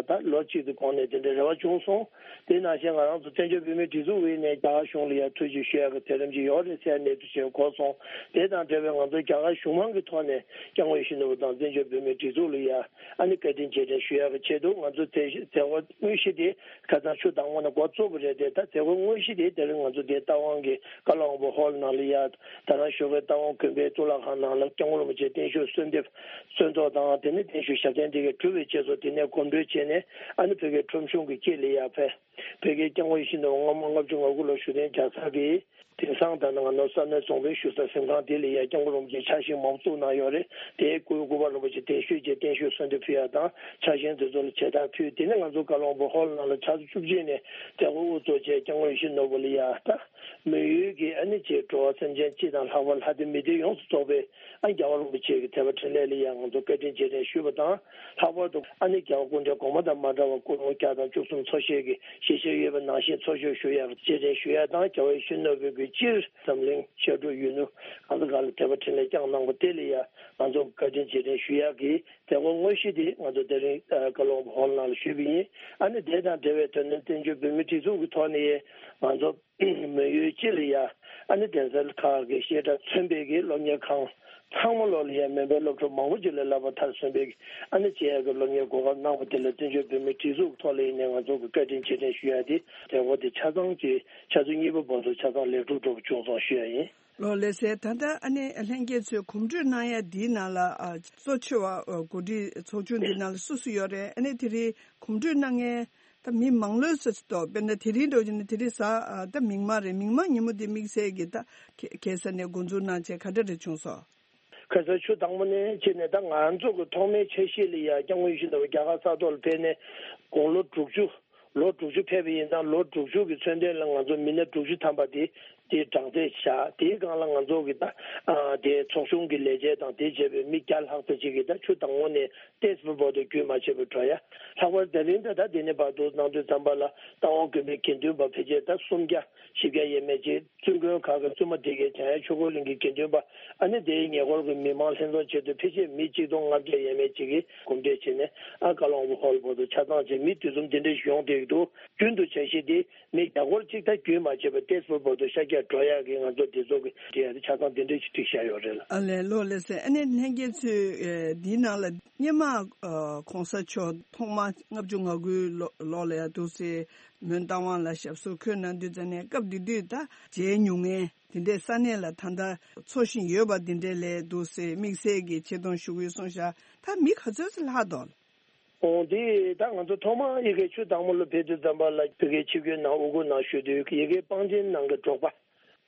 ད་ལོ་གཅིག་གི་གོང་ནས་དེ་འདྲའི་རེ་བ་བྱུང་སོང་། དེ་ནང་བཞིན་ང་རང་ཚོ་བཙན་བྱོལ་བོད་མིའི་སྒྲིག་འཛུགས་ངོས་ནས་རྒྱ་གར་གཞུང་ལ་ཡ་ཐུགས་རྗེ་ཞུ་ཡག་གི་ཐད་རིམ་ཅིག་ཡོད་རེད་ཟེར་གནས་ཚུལ་ཞིག་གོ་སོང་། དེ་དང་འབྲེལ་བའི་ང་ཚོ་རྒྱ་གར་གཞུང་མང་གི་ཐོག་ནས་སྐྱབས་མགོན་ཡིད་བཞིན་ནོར་བུ་དང་བཙན་བྱོལ་བོད་མིའི་སྒྲིག་འཛུགས་ལ་ཡ་ཨ་ནི་བཀའ་དྲིན་རྗེས་དྲན་ཞུ་ཡག་གི་ཆེད་དུ་ང་ཚོ་མཛད་མཛད་སྒོ་དངོས་གཞི་དེ་ཁ་སང་ཆུ་དྭངས་མོ་ནས་འགོ་བཙུགས་པ་རེད་དེ། ད་མཛད་སྒོ་དངོས་གཞི་དེ་དེ་རིང་ང་ཚོ་དེ་རྟ་དབང་གི་བཀའ་བློན་དབང་པོ་ཧོལ་ནང་ལ་ཡ་ད་རང་ཞོགས་ཀའི་རྟ་དབང་དགོན་པའི་གཙུག་ལག་ཁང་ནང་ལ་སྐྱབས་མགོན་རིན་པོ་ཆེ་བརྟན་བཞུགས་གསོལ་འདེབས་གསོལ་ཐོག་དང་། དེ་ནས་བརྟན་བཞུགས་ཞབས་བརྟན་དེ་གའི་གྲུབ་པའི་རྗེས་སུ་དེ་ནས་གོམ་བགྲོད་བྱས་ནས་ཨ་ནི་བོད་ཀྱི་ཁྲོམ་གཞུང་གི་དཀྱིལ་ལ་ཡ་ཕེབས། བོད་ཀྱི་སྐྱབས་མགོན་ཡིད་བཞིན་ནོར་བུ་སྔ་མོ་ལྔ་བཅུ་ང་དགུ་ལོ་བཞུགས་གདན་རྒྱག་ས་གི་དེང་སང་ད་ནང་ང་ནོར་ས་གནས་རྫོང་དཔོན་བཞུགས་ས་གཟིམ་ཁང་དེ་ལ་ཡ་སྐྱབས་མགོན་རིན་པོ་ཆེ་ཕྱག་ཤིང་མང་པོ་བཙུགས་གནང་ཡོད་རེད། དེའི་སྐུའི་སྐུ་པར་རིན་པོ་ཆེ་བརྟན་བཞུགས་རྗེས་བརྟན་བཞུགས་གསོལ་འདེབས་ཕུལ་ཡ་དང་ཕྱག་ཤིང་དེ་ཚོ་ལ་མཇལ་དར་ཕུལ། དེ་ནས་ང་ཚོ་བཀའ་བློན་དབང་པོ་ཧོལ་ནང་ལ་ཆུ་ཚོད་བཅུ་གཅིག་ནས་མཛད་སྒོ་དབུ་འཛུགས་བྱས་སྐྱབས་མགོན་ཡིད་བཞིན་ནོར་བུ་ལ་ཡ་ད་མོན་ཡུལ་གྱི་ཨ་ནི་ཅིག་འགྲོ་བ་སེམས་ཅན་སྤྱི་དང་ལྷག་པར་ལྷ་སྡེ་མི་སྡེ་ཡོངས་སུ་རྫོགས་པའི་ཨ་རྒྱལ་བ་རིན་པོ་ཆེ་གི་དད་པ་འཕྲིན་ལས་ལ་ཡང་ང་ཚོ་བཀའ་དྲིན་རྗེས་དྲན་ཞུས་པ་དང་། ལྷག་པར་དུ་ཨ་ནི་རྒྱལ་བ་སྐུ་ཕྲེང་གོང་མ་དང་མ་འདྲ་བར་སྐུ་རླུང་བརྒྱ་དང་བཅུ་གསུམ་འཚོ་བཞེས་ཀྱི་ཞལ་བཞེས་ཡོད་པ་ནང་བཞིན་འཚོ་བཞེས་ཞུ་ཡག་རྗེས་དྲན་ཞུ་ཡག་དང་། རྒྱལ་བ་ཡིད་བཞིན་ནོར་བུ་གི་སྤྱིར་འཛམ་གླིང་ཤར་དྲུག་ཡུལ་གྲུ་གང་ས་གང་ལ་དད་པ་འཕྲིན་ལས་བསྐྱངས་གནང་བ་དེ་ལ་ཡང་ང་ཚོ་བཀའ་དྲིན་རྗེས་དྲན་ཞུ་ཡག་གི་མཛད་སྒོ་དངོས་གཞི་དེ་ང་ཚོ་དེ་རིང་བཀའ་སློབ་ཧོལ་ནང་ལ་ཞུས་པ་ཡིན། ཨ་ནི་དེ་དང་འབྲེལ་བའི་དོན་དུ་བཙན་བྱོལ་བོད་མིའི་སྒྲིག་འཛུགས་ཀྱི་ཐོག་ནས་ང་ཚོ་མོན་ཡུལ་སྤྱི་ལ་ཡ་ཨ་ནི་གདན་ས་ཁག་གི་བཤད་གྲྭ་མཚོན་པའི་གི་སློབ་གཉེར་ཁང་ཚང་མ་ལོག་ལ་ཡ་མོན་པའི་སློབ་ཕྲུག་མང་པོ་ཅིག་ལ་བསླབ་པ་མཐར་སོན་པའི་གི་ཨ་ནི་བྱེད་ཡག་གི་སློབ་གཉེར་གོ་སྐབས་གནང་བ་དེ་ལ་བཙན་བྱོལ་བོད་མིའི་སྒྲིག་འཛུགས་ཐོག་ལ་ཡིན་ནའི་ང་ཚོ་གི་བཀའ་དྲིན་རྗེས་དྲན་ཞུ་ཡ་དེ་མཛད་སྒོ་དེ་ཆ་ཚང་གི་ཆུ་ཚོད་གཉིས་པ་བར་དུ་ཆ་ཚང་ལེགས་གྲུབ་འགྲོ་བ་བྱུང་སོང་ཞུ་ཡ་ཡིན། ལགས་ལགས་སེ། ད་ལྟ་ཨ་ནི་ལྷན་རྒྱས་ཚོས་གོམ་བགྲོད་གནང་ཡ་འདིའི་ནང་ལ་ཨ་གཙོ་ཆེ་བ་ཨ་གོ་སྒྲིག་ཚོགས་ཆུང་འདིའི་ནང་ལ་སུ་སུ་ཡོད་རེད། ཨ་ནི་དེ་རིང་གོམ་བགྲོད་གནང་མཁན་ད་མི་མང་ལོས་ཟེར་སྲིད་དོ། དཔེར་ན་དེ་རིང་འདྲ་བོ་བྱས་ན་དེ་རིང་གཟའ་ཨ་ད་མིག་དམར་རེད། མིག་དམར་ཉིན་མོ་འདི་དམིགས་བསལ་གྱི་ད་ཁ་ཁ་སང་ནས་འགོ་འཛུགས་གནང་བྱས་ག་འདྲ་རེ་བྱུང་སོང་། ཁ་སང་ཆུ་དྭངས་མོ་ནས་བྱས་ནས་ད་ང་ཚོ་གི་ཐོག་མའི་འཆར་གཞི་ལ་ཡ་སྐྱབས་མགོན་ཡིད་བཞིན་ནོར་བུ་རྒྱ་གར་ས་ཐོག་ལ་ཕེབས་ནས་དགུང་ལོ་དྲུག་ཅུ། ལོ་དྲུག་ཅུ་ཕེབས་པ་ཡིན་ཙང་ལོ་དྲུག་ཅུ་གི་མཚོན་དོན་ལ་ང་ཚོ་མི་སྣ་དྲུག་ཅུ་ཐམ་པ་དེ་དེ་གྲངས་ཚད་བཞག་དེའི་སྒང་ལ་ང་ཚོ་གི་ད་ཨ་དེ་ཚོགས་ཆུང་གི་ལས་བྱེད་དང་དེ་བྱས་པའི་མི་བརྒྱ་ལྷག་ཙམ་ཅིག་གིས་ད་ཆུ་དྭངས་མོ་ནས་ཏེས་པུར་བར་དུ་རྒྱུན་མ་ཆད་པར་འགྲོ་ཡ། ལྷག་པར་དེ་རིང་ད་ད་དེ་ནས་བར་དུ་གནང་དུས་ཙམ་པ་ལ་རྟ་དབང་དགོན་པའི་དགེ་འདུན་པ་ཕལ་ཆེར་ད་སུམ་བརྒྱ་བཞི་བརྒྱ་ཡས་མས་ཅིག་བཙུན་དགོན་ཁག་གི་བཙུན་མ་སྡེ་དགེ་འཇམ་དབྱངས་ཆོས་འཁོར་གླིང་གི་དགེ་འདུན་པ་ཨ་ནི་དེའི་ཉེ་འཁོར་གྱི་མི་མང་ལྷན་འཛོམས་ཆེད་དུ་ཕལ་ཆེར་མི་གཅིག་སྟོང་ལྔ་བརྒྱ་ཡས་མས་ཅིག་གིས་གོམ་བགྲོད་བྱས་ནས་ཨ་བཀའ་སློབ་དབང་པོ་ཧོལ་བར་དུ་ཆ་ཚང་བྱས་མི་དུས་གསུམ་དེ་འདྲ་ཞིག་ཡོང་བསྡད་ཀྱི་འདུག་རྒྱུན་དུ་འཆར་གཞི་དེ་མི་བརྒྱ་སྐོར་གཅིག་ད་རྒྱུན་མ་ཆད་པར་ཏེས་པུར་བར་དུ་ཤར་རྒྱག་འགྲོ་ཡག་གི་ང་ཚོ་དེ་ཚོ་གི་དེ་ཡང་ཆ་ཚང་དེ་འདྲ་ཞིག་བསྒྲིགས་བཞག་ཡོད་རེད་ལ། ཨ་ལས་ལགས་ལགས་སེ། ཨ་ནི་ལྷན་རྒྱས་ཚོས་ཨེ་འདིའི་ནང་ལ་སྔོན་མ་ཨ་གོང་ས་མཆོག་ཐོག་མ་ལྔ་བཅུ་ང་དགུའི་ལོ་ལོ་ལ་ཡ་འདུག་སེ་མོན་རྟ་དབང་ལ་ཞབས་སོར་འཁོད་གནང་དུས་ཙམ་ནས་སྐབས་དེ་དུས་ད་མཇལ་མྱོང་མཁན་དེ་འདྲའི་ས་གནས་ལ་ད་ལྟ་འཚོ་བཞིན་ཡོད་པ་དེ་འདྲའི་ལ་འདུག་སེ་དམིགས་བསལ་གྱི་ཆེ་མཐོང་ཞུ་གི་ཡོད་གསུངས་ཤག་ད་མི་ག་ཚོད་ཙམ་ལྷག་འདུག་ཨོ་དེ་ད་ང་ཚོ་ཐོག་མར་ཡ་གི་ཆུ་དྭངས་མོ་ལ་ཕེབས་དུས་ཙམ་པ་ལ་ཕ་གིའི་ཆིབས་བསྒྱུར་གནང་དབུ་བསྐོར་གནང་ཞུ་དུས་ཡ་གི་པང་ཆེན་ནང་གི་འབྲོག་པ་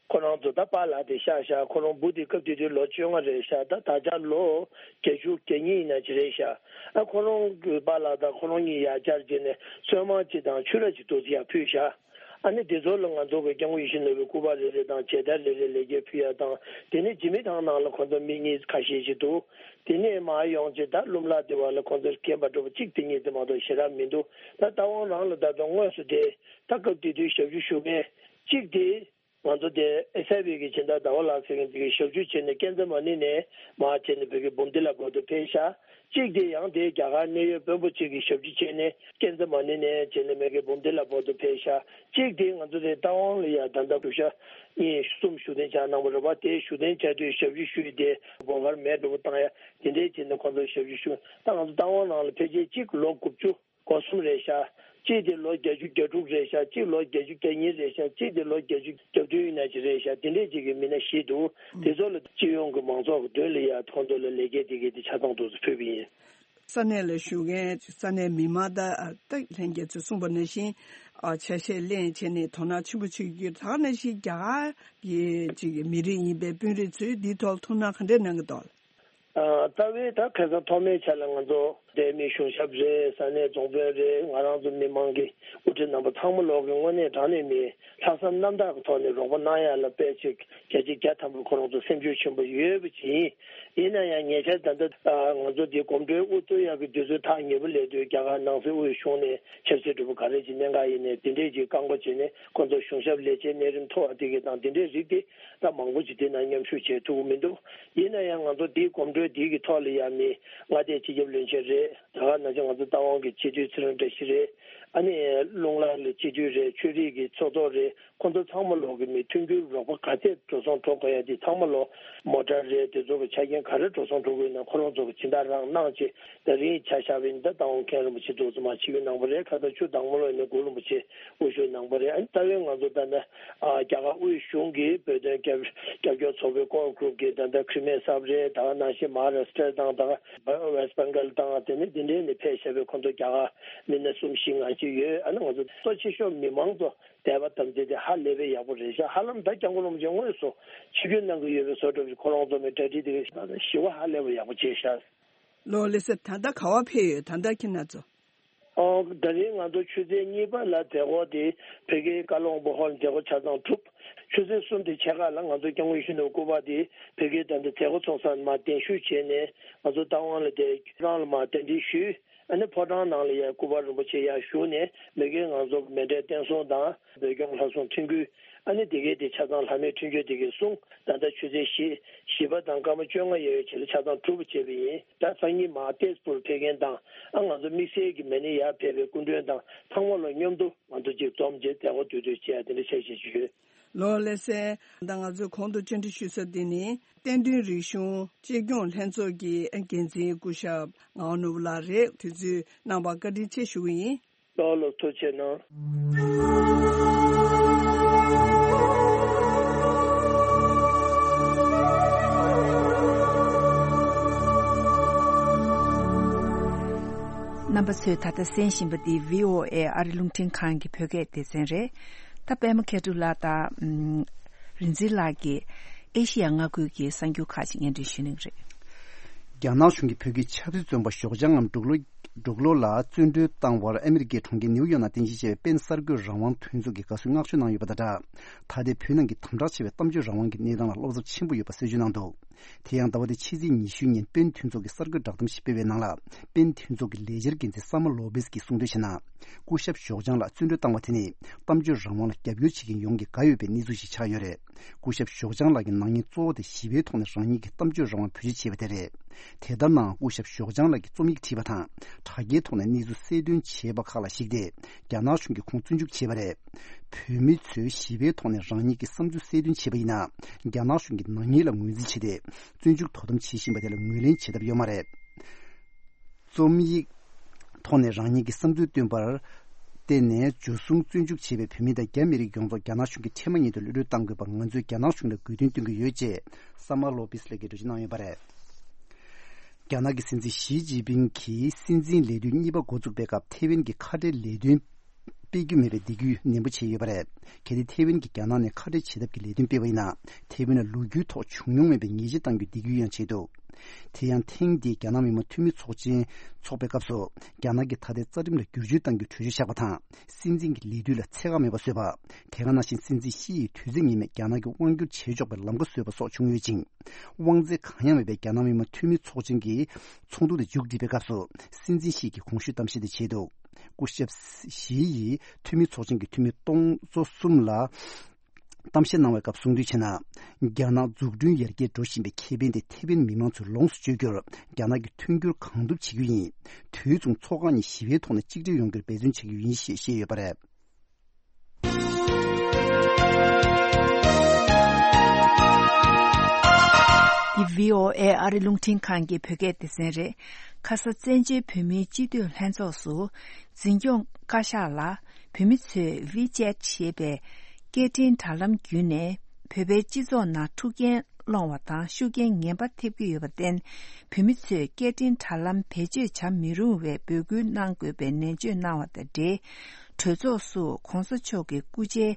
ཁོ་རང་ཚོ་ད་པཱ་ལགས་དེ་ཤག་ཤག་ཁོ་རང་བུ་དེ་སྐབས་དེ་དུས་ལོ་བཅོ་ལྔ་རེད་ཤག་ད་ད་ཆ་ལོ་བརྒྱད་ཅུ་གྱ་གཉིས་ཡིན་ན་ཅི་རེད་ཤག་ཨ་ཁོ་རང་གི་པཱ་ལགས་དང་ཁོ་རང་གཉིས་ཡ་བསྐྱར་བྱས་ནས་གསོལ་མ་གཅིག་དང་ཆུ་ར་གཅིག་ཏོག་ཙམ་ཡར་ཕུལ་ཤག་ཨ་ནི་དེ་ཚོ་ལ་ང་ཚོ་གི་སྐྱབས་མགོན་ཡིད་བཞིན་ནོར་བུའི་སྐུ་པར་རེ་རེ་དང་མཇལ་དར་རེ་རེ་ལེགས་སྐྱེས་ཕུལ་ཡ་དང་། དེ་ནས་འཇིགས་མེད་ཐང་ནང་ལ་ཁོ་ཚོ་མི་གཉིས་ཁ་ཤས་ཤིག་འདུག་དེ་ནས་མར་ཡོང་རྗེས་ད་ལུམ་ལག་དེ་བ་ལ་ཁོ་ཚོར་མཁྱེན་པ་འགྲོ་བ་གཅིག་དེ་གཉིས་དེ་མ་གཏོགས་ཞེ་དྲག་མི་འདུག་ད་རྟ་དབང་རང་ལ་ད་དུང་དངོས་སུ་དེ་ད་སྐབས་དེ་དུས་ཞབས་ཞུ་ཞུ་མཁན་གཅིག་དེ། ང་ཚོ་དེ་ཨེ་སི་ཨའི་བི་གི་སྦྱིན་བདག་ཟླ་བ་ལགས་ཟེར་མཁན་དེ་གིས་ཞབས་ཞུ་བྱས་ནས་ཀན་ཛ་མ་ནི་ནས་མར་བྱས་ནས་བོད་ཀྱི་འབུམ་སྡེ་ལ་བར་དུ་ཕེབས་ཤག་གཅིག་དེ་ཡང་དེ་རྒྱ་གར་གནད་ཡོད་དཔོན་པོ་གཅིག་གིས་ཞབས་ཞུ་བྱས་ནས་ཀན་ཛ་མ་ནི་ནས་བྱས་ནས་མེ་གི་འབུམ་སྡེ་ལ་བར་དུ་ཕེབས་ཤག་གཅིག་དེ་ང་ཚོ་དེ་རྟ་དབང་ལ་ཡ་ད་ལྟ་བཞུགས་ཤག་གཉིས་གསུམ་བཞུགས་གདན་འཇགས་གནང་བ་རེད་པ། དེ་བཞུགས་གདན་འཇགས་དུས་ཞབས་ཞུ་ཞུ་ཡི་དེ་སྒོ་ཁར་མེ་འདྲ་པོ་བཏང་ཡ་དེ་འདྲས་བྱས་ནས་ཁོ་ཚོ་ཞབས་ཞུ་ཞུ། ད་ང་ཚོ་རྟ་དབང་ནང་ལ་ཕལ་ཆེར་གཅིག་ལོ་དགུ་བཅུ། སྒོ་གསུམ་རེད་ཤག་གཅིག་དེ་ལོ་བརྒྱད་ཅུ་གྱ་དྲུག་རེད་ཤག་གཅིག་ལོ་བརྒྱད་ཅུ་གྱ་གཉིས་རེད་ཤག་གཅིག་དེ་ལོ་བརྒྱད་ཅུ་གྱ་བདུན་ཡིན་ན་ཅི་རེད་ཤག་དེ་འདྲས་ཅིག་གི་མི་སྣ་བཞི་འདུག་དེ་ཚོ་ལ་སྤྱི་ཡོངས་ཀྱི་མང་ཚོགས་ཀྱི་མདུན་ལ་ཡ་ཁོང་ཚོ་ལ་ལེགས་སྐྱེས་དེ་གའི་དེ་ཆ་ཚང་ཏོག་ཙམ་ཕུལ་བ་ཡིན། ས་གནས་ལ་བཞུགས་མཁན་ས་གནས་མི་མང་དང་ད་ལྷན་རྒྱས་ཚོས་གསུངས་པ་ནང་བཞིན་ཨ་ཆ་ཤས་ལེན་བྱས་ནས་དོ་སྣང་ཆེན་པོ་བྱེད་རྒྱུ། ད་ག་ནང་བཞིན་རྒྱ་གར་གྱི་ཅིག་མི་རིགས་ཡིན་པའི་དཔོན་རིགས་ཚོས་འདིའི་ཐོག་ལ་ཐུགས་སྣང་ག་འདྲས་གནང་གི་འདུག་ཨ། རྩ་བའི་ད་ཁ་སང་ཐོག་མའི་ཆ་ལ་ང་ཚོ་འདས་མི་གཞུང་ཞབས་རེད། ས་གནས་རྫོང་དཔོན་རེད། ང་རང་ཚོ་མི་མང་གི་དབུ་ཁྲིད་རྣམ་པ་ཚང་མ་ལོག་གི་དངོས་གནས་དྲང་གནས་མི་ལྷག་བསམ་རྣམ་དག་གི་ཐོག་ནས་རོགས་པ་གནང་ཡ་ལ་དཔེ་ཆ་བརྒྱ་ཆ་བརྒྱ་ཐམ་པ་ཁོ་རང་ཚོ་སེམས་ཤུགས་ཆེན་པོ་ཡོད་པ་ཅིག་ཡིན། ཡིན་ན་ཡང་ཉེ་ཆར་ད་ལྟ་ང་ཚོ་འདི་གོམ་བགྲོད་དབུ་གཙོ་ཡག་གི་དུས་ཚོད་ཐག་ཉེ་པོ་སླེབས་དུས་རྒྱ་གར་ནང་སྲིད་དབུས་གཞུང་ནས་ཆབ་སྲིད་གྲོས་པ་ག་རེ་ཅིག་གནད་འགག་ཡིན་ནས་དེ་འདྲས་ཅིག་བཀག་འགོག་བྱས་ནས་ཁོ་ཚོ་གཞུང་ཞབས་ལས་བྱེད་གནས་རིམ་མཐོ་བ་དེ་གི་དང་དེ་འདྲས་རིགས་དེ། ད་མང་པོ་ཅིག་དེ་ན་མཉམ་ཞུགས་བྱེད་ཐུབ་ཀྱི་མི་འདུག་ཡིན་ན་ཡང་ང་ཚོ་འདིའི་གོམ་བགྲོད་འདི་གི་ཐོག་ལ་ཡང་མི་མངའ་སྡེ་སྤྱི་ཁྱབ་བློན་ཆེན་རེད། ད་ག་ནང་བཞིན་ང་ཚོ་རྟ་དབང་གི་སྤྱི་འཐུས་ཚེ་རིང་བཀྲ་ཤིས་རེད། ཨ་ནི་རླུང་ལྷ་ལ་སྤྱི་འཐུས་རེད། ཆོས་རིག་གི་ཚོགས་གཙོ་རེད། ཁོང་ཚོ་ཚང་མ་ལོག་གི་མི་མཐུན་འགྱུར་རོགས་པ་ག་ཚད་འགྲོ་སོང་འགྲོ་དགོས་ཡ་དེ་ཚང་མ་ལོག་མོ་ཊ་རེད། དེ་ཚོ་གི་ཆ་རྐྱེན་ག་རེ་འགྲོ་སོང་འགྲོ་དགོས་ན་ཁོ་རང་ཚོ་གི་སྦྱིན་བདག་རང་གནང་བྱས། ད་རིང་ཆ་བཞག་པ་ཡིན་ན་ད་རྟ་དབང་མཁན་རིན་པོ་ཆེ་ཚོ་ཚང་མ་ཆིབས་བསྒྱུར་གནང་བ་རེད། ཁ་སང་ཆུ་དྭངས་མོ་ལོག་ནས་གུ་རུ་རིན་པོ་ཆེ་དབུ་བཞུགས་གནང་བ་རེད། ཨ་ནི་ད་རེས་ང་ཚོ་ད་ནི་ཨ་རྒྱ་གར་དབུས་གཞུང་གི་བོད་དོན་རྒྱབ་རྒྱབ་སྐྱོར་ཚོགས་པའི་ཀོར་གྷུ་རུབ་ཀྱི་ད་ལྟ་ཁྲི་མེད་གསར་པ་རེད། ད་ག་ནང་བཞིན་མ་ཧཱ་རཱ་སི་ཊར་དང་ད་ག་ཝེ་སི་ཊི་བེང་གལ་དང་དེ་ནས་དེ་འདྲའི་ནས་ཕེབས་བཞག་པའི་ཁོང་ཚོ་རྒྱ་གར་མི་སྣ་གསུམ་བཞི་ལྔ་ཅིག་ཡོད། ཨ་ནི་ང་ཚོ་གཙོ་ཆེ་ཤོས་མི་མང་ཚོ་དད་པ་དམ་ཚིག་དེ་ཧ་ལས་པའི་ཡག་པོ་རེད་ཤག་ཧ་ལམ་ད་སྐྱབས་མགོན་རིན་པོ་ཆེ་དངོས་སུ་ཆིབས་བསྒྱུར་གནང་གི་ཡོད་པའི་བཟོ་འདྲ་ཞིག་ཁོ་རང་ཚོ་མི་གྲ་སྒྲིག་དེ་ག་ཞི་བ་ཧ་ལས་པ་ཡག་པོ་བྱས་ཤག་ལོ་ལེ་སེ་ད་ལྟ་ག་བ་ཕེབས་ཡོད། ད་ལྟ་ཁྱེད་རྣམ་ཚོ། ཨོ། ད་རིང་ང་ཚོ་ཆུ་ཚོད་གཉིས་པ་ལ་མཛད་སྒོ་དེ་བོད་ཀྱི་ཀ་ལོང་བུ་ཧོལ་མཛད་སྒོ་ཆ་ཚང་གྲུབ། ཆུ་ཚོད་གསུམ་དེ་ཕྱེད་ཀ་ལ་ང་ཚོ་སྐྱབས་མགོན་ཡིད་བཞིན་ནོར་བུ་སྐུ་པར་དེ་བོད་ཀྱི་ད་ལྟ་མཛད་སྒོ་ཚོགས་ས་མར་གདན་ཞུ་བྱས་ནས་ང་ཚོ་རྟ་དབང་ལ་དེ་ཁྱོད་རང་ལ་མར་གདན་འདྲེན་ཞུས། ཨ་ནི་ཕོ་བྲང་ནང་ལ་ཡ་སྐུ་པར་རིན་པོ་ཆེ་ཡར་བཞུགས་ནས་མ་གིར་ང་ཚོ་མཎྜལ་བརྟན་སྲུང་དང་བོད་སྐྱོང་ལྷ་སྲུང་ཁྲིམས་ཁུལ། ཨ་ནི་དེ་གའི་དེ་ཆ་ཚང་ལྷ་མོའི་འཕྲིན་བཅོལ་དེ་གའི་གསུང་། ད་ལྟ་ཆུ་ཚོད་བཞི། བཞི་པ་དང་སྐར་མ་བཅོ་ལྔ་ཡོལ་བའི་རྗེས་ལ་ཆ་ཚང་གྲུབ་པ་བྱས་པ་ཡིན། ད་སང་ཉིན་མར་ཏེས་པུར་ཕེབས་མཁན་དང་། ཨ་ང་ཚོ་དམིགས་བསལ་གྱི་མ་ཎི་ཡར་ཕེབས་པའི་སྐུ་མགྲོན་དང་ཚང་མ་ལ་མཉམ་དུ་ང་ཚོ་གཅིག་འཛོམས་བྱས་མཛད་སྒོ་དུས་དུས་བྱས་དེ་འདྲ་བྱས་བྱས་བྱས་ཡོད། ལོ་ལེ་སེ། ད་ང་ཚོས་གོང་དུ་བཅར་འདྲི་ཞུས་ས་འདི་ནི་བསྟན་དོན་རིག་གཞུང་གཅེས་སྐྱོང་ལྷན་ཚོགས་ཀྱི་འགན་འཛིན་སྐུ་ཞབས་ངག་དབང་ནོར་བུ་ལགས་རེད། དུས་ཚོད་གནང་བར་བཀའ་དྲིན་ཆེ་ཞུ་གི་ཡིན། ལགས་ལགས། ཐུགས་རྗེ་གནང་། རྣམ་པ་ཚོས་ད་ལྟ་གསན་བཞིན་པ་འདི་བྷི་ཨོ་ཨེ་ཨ་རི་རླུང་འཕྲིན་ཁང་གི་བོད་སྐད་སྡེ་ཚན་རེད། ད་པད་མ་མཁས་གྲུབ་ལགས་དང་། ཨམ། རིག་འཛིན་ལགས་ཀྱིས་ཨེ་ཤི་ཡ་མངའ་ཁུལ་གྱི་གསར་འགྱུར་ཁག་ཅིག་སྙན་སྒྲོན་ཞུ་གནང་གི་རེད། རྒྱ་ནག་གཞུང་གིས་བོད་ཀྱི་ཆབ་སྲིད་བཙོན་པ་ཞོགས་ལྗང་ངམ་འབྲུག་ལོ། འབྲུག་ལོ་ལ་བཙོན་གྲོལ་བཏང་བར་ཨ་མི་རི་ཀའི་གྲོང་ཁྱེར་ནིའུ་ཡོག་ནང་རྟེན་གཞི་བྱས་པའི་པེན་གསར་འགོད་རང་དབང་མཐུན་ཚོགས་ཀྱི་དགའ་བསུའི་བསྔགས་བརྗོད་གནང་ཡོད་པ་དང་སྦྲགས། ད་ལྟའི་བོད་ནང་གི་དམ་དྲག་ཆེ་བའི་གཏམ་བརྗོད་རང་དབང་གི་གནས་སྟངས་ལ་བློ་འཚབ་ཆེན་པོ་ཡོད་པ་གསལ་བརྗོད་གནང་འདུག་དེ་ཡང་ཟླ་བ་འདིའི་ཕྱི་ཚེས་ཉི་ཤུ་ཉིན་པེན་མཐུན་ཚོགས་ཀྱི་གསར་འགོད་བསྒྲགས་གཏམ་ཞིག་སྤེལ་བའི་ནང་ལ། པེན་མཐུན་ཚོགས་ཀྱི་ལས་འཆར་འགན་འཛིན་ས་མ་ལོ་པེས་ཀྱིས་གསུངས་དོན་བྱས་ན། སྐུ་ཞབས་ཞོགས་ལྗང་ལགས་བཙོན་གྲོལ་བཏང་བ་དེ་ནི་གཏམ་བརྗོད་རང་དབང་ལ་རྒྱབ་སྐྱོར་བྱེད་མཁན་ཡོངས་ཀྱིས་དགའ་འོས་པའི་གནས་ཚུལ་ཞིག་ཆགས་ཡོད་རེད། སྐུ་ཞབས་ཞོགས་ལྗང་ལགས་ཀྱི་ནག་ཉེས་གཙོ་བོ་དེ་ཞི་བའི་ཐོག་ནས་རང་ཉིད་ཀྱི་གཏམ་བརྗོད་རང་དབང་བེད་སྤྱོད་བྱས་པ་དེ་རེད། དེ་ལྟར་ནའང་སྐུ་ཞབས་ཞོགས་ལྗང་ལགས་ཀྱིས་རྩོམ་ཡིག་བྲིས་པ་དང་དྲ་རྒྱའི་ཐོག་ནས་གནས་ཚུལ་གསལ་སྟོན་བྱས་པ་ཁག་ལ་གཞིགས་ཏེ་རྒྱ་ནག་གཞུང་གིས་ཁོང་བཙོན་འཇུག་བྱས་པ་རེད། བོད་མི་ཚོས་ཞི་བའི་ཐོག་ནས་རང་ཉིད་ཀྱི་བསམ་ཚུལ་གསལ་སྟོན་བྱས་པ་ཡིན་ན། རྒྱ་ནག་གཞུང་གིས་ནག་ཉེས་ལ་ངོས་འཛིན་བྱས་ཏེ། བཙོན་འཇུག་དོ་དམ་བྱེད་བཞིན་པ་དེ་ལ་ངོས་ལེན་བྱེད་ཐབས་ཡོད་མ་རེད། རྩོམ་ཡིག་ཐོག་ནས་རང་ཉིད་ཀྱི་བསམ་ཚུལ་བཏོན་པར་བརྟེན་ནས་འཇུ་བཟུང་བཙོན་འཇུག་བྱས་པའི་བོད་མི་དང་རྒྱ་མི་རིགས་ཡོངས་རྫོགས་རྒྱ་ནག་གཞུང་གིས་ཁྲེལ་མ་ཉེས་དོན་གློད་གྲོལ་གཏང་དགོས་པར་ང་ཚོས་རྒྱ་ནག་གཞུང་ལ་དགོས་འདུན་བཏོན་གྱི་ཡོད་ཅེས་ས་མ་ལོ་པིས་ལགས་ཀྱིས་འགྲེལ་བརྗོད་གནང་ཡོད་པ་རེད། རྒྱ་ནག་གི་སྲིད་འཛིན་ཞི་ཅིན་ཕིང་གིས་སྲིད་འཛིན་ལས་དུས་གཉིས་པ་འགོ་བཙུགས་པའི་སྐབས་ཐེ་ཝན་གྱི་ཁ་བྲལ་ལས་དོན་ སྤེལ་རྒྱུ་མེད་པའི་འདེད་སྐུལ་ནན་པོ་བྱས་ཡོད་པ་རེད། གལ་ཏེ་ཐེ་ཝན་གྱིས་རྒྱ་ནག་ནས་ཁ་བྲལ་བྱེད་ཐབས་ཀྱི་ལས་དོན་སྤེལ་བ་ཡིན་ན། ཐེ་ཝན་ལ་ལོ་རྒྱུས་ཐོག་བྱུང་མྱོང་མེད་པའི་ཉེས་ཆད་གཏང་རྒྱུའི་འདེད་སྐུལ་ཡང་བྱས་འདུག་དེ་ཡང་ཐེངས་འདིའི་རྒྱ་ནག་མི་དམངས་འཐུས་མི་ཚོགས་ཆེན་འཚོགས་པའི་སྐབས་སུ། རྒྱ་ནག་གིས་ད་ལྟའི་རྩ་ཁྲིམས་ལ་བསྒྱུར་བཅོས་གཏང་རྒྱུའི་གྲོས་ཆོད་བཞག་པ་དང་། སྲིད་འཛིན་གྱི་ལས་དུས་ལ་ཚད་བཀག་མེད་པ་བཟོས་པ། དེ་ག་ནང་བཞིན་སྲིད་འཛིན་ཤི་ཡི་དུས་ཚོད་ངེས་མེད་རྒྱ་ནག་གིས་དབང་བསྒྱུར་བྱེད་ཆོག་པའི་ལམ་ཁ་བཟོས་པ་སོགས་བྱུང་ཡོད་ཅིང་། དབང་ཚད་གང་ཡང་མེད་པའི་རྒྱ་ནག་མི་དམངས་འཐུས་མི་ཚོགས་ཆེན་གྱི་ཚོགས་འདུ་དེ་མཇུག་བསྒྲིལ་བའི་སྐབས་སུ། སྲིད་འཛིན་ཤི་ཡི་གིས་གོང་ཞུས་གཏམ་བཤད་དེ་བྱས་འདུག་སྐུ་ཞབས་ཞི་ཡིས་འཐུས་མི་ཚོགས་ཆེན་གྱི་འཐུས་མི་སྟོང་ཚོ་གསུམ་ལ་གཏམ་བཤད་གནང་བའི་སྐབས་གསུངས་དོན་བྱས་ན། རྒྱ་ནག་འཛུགས་སྐྲུན་ཡར་རྒྱས་འགྲོ་བཞིན་པའི་ཁེ་ཕན་དེ་ཐེ་ཝན་མི་མང་ཚོས་ལོངས་སུ་སྤྱོད་རྒྱུར་རྒྱ་ནག་གིས་མཐུན་འགྱུར་གང་ཐུབ་བྱེད་རྒྱུ་ཡིན། དུས་མཚུངས་ཚོགས་ཁག་གཉིས་ཞི་བའི་ཐོག་ནས་གཅིག་སྒྲིལ་ཡོང་རྒྱུར་འབད་བརྩོན་བྱེད་རྒྱུ་ཡིན་ཞེས་བཤད་ཡོད་པ་རེད། འདི་བྷི་ཨོ་ཨེ་ཨ་རི་རླུང་འཕྲིན་ཁང་གི་བོད་སྐད་སྡེ་ཚན་རེད། ཁ་ས་བཙན་བྱོལ་བོད་མིའི་སྤྱི་འཐུས་ལྷན་ཚོགས་སུ། འཛིན་སྐྱོང་བཀའ་ཤག་ལ། བོད་མི་ཚོས་ཝི་ཅེ་ཊི་ཞེས་པའི་སྐད་འཕྲིན་དྲ་ལམ་བརྒྱུད་ནས། བོད་པའི་སྤྱི་ཚོགས་ནང་འཁྲུག་རྐྱེན་སློང་བ་དང་ཤུགས་རྐྱེན་ངན་པ་ཐེབས་ཀྱི་ཡོད་པར་བརྟེན། བོད་མི་ཚོས་སྐད་འཕྲིན་དྲ་ལམ་བེད་སྤྱོད་བྱ་མི་རུང་བའི་འབོད་སྐུལ་གནང་དགོས་པའི་ནན་བརྗོད་གནང་བ་དང་འབྲེལ། གྲོས་ཚོགས་སུ་༸གོང་ས་མཆོག་གི་སྐུ་ཕྱྭའི་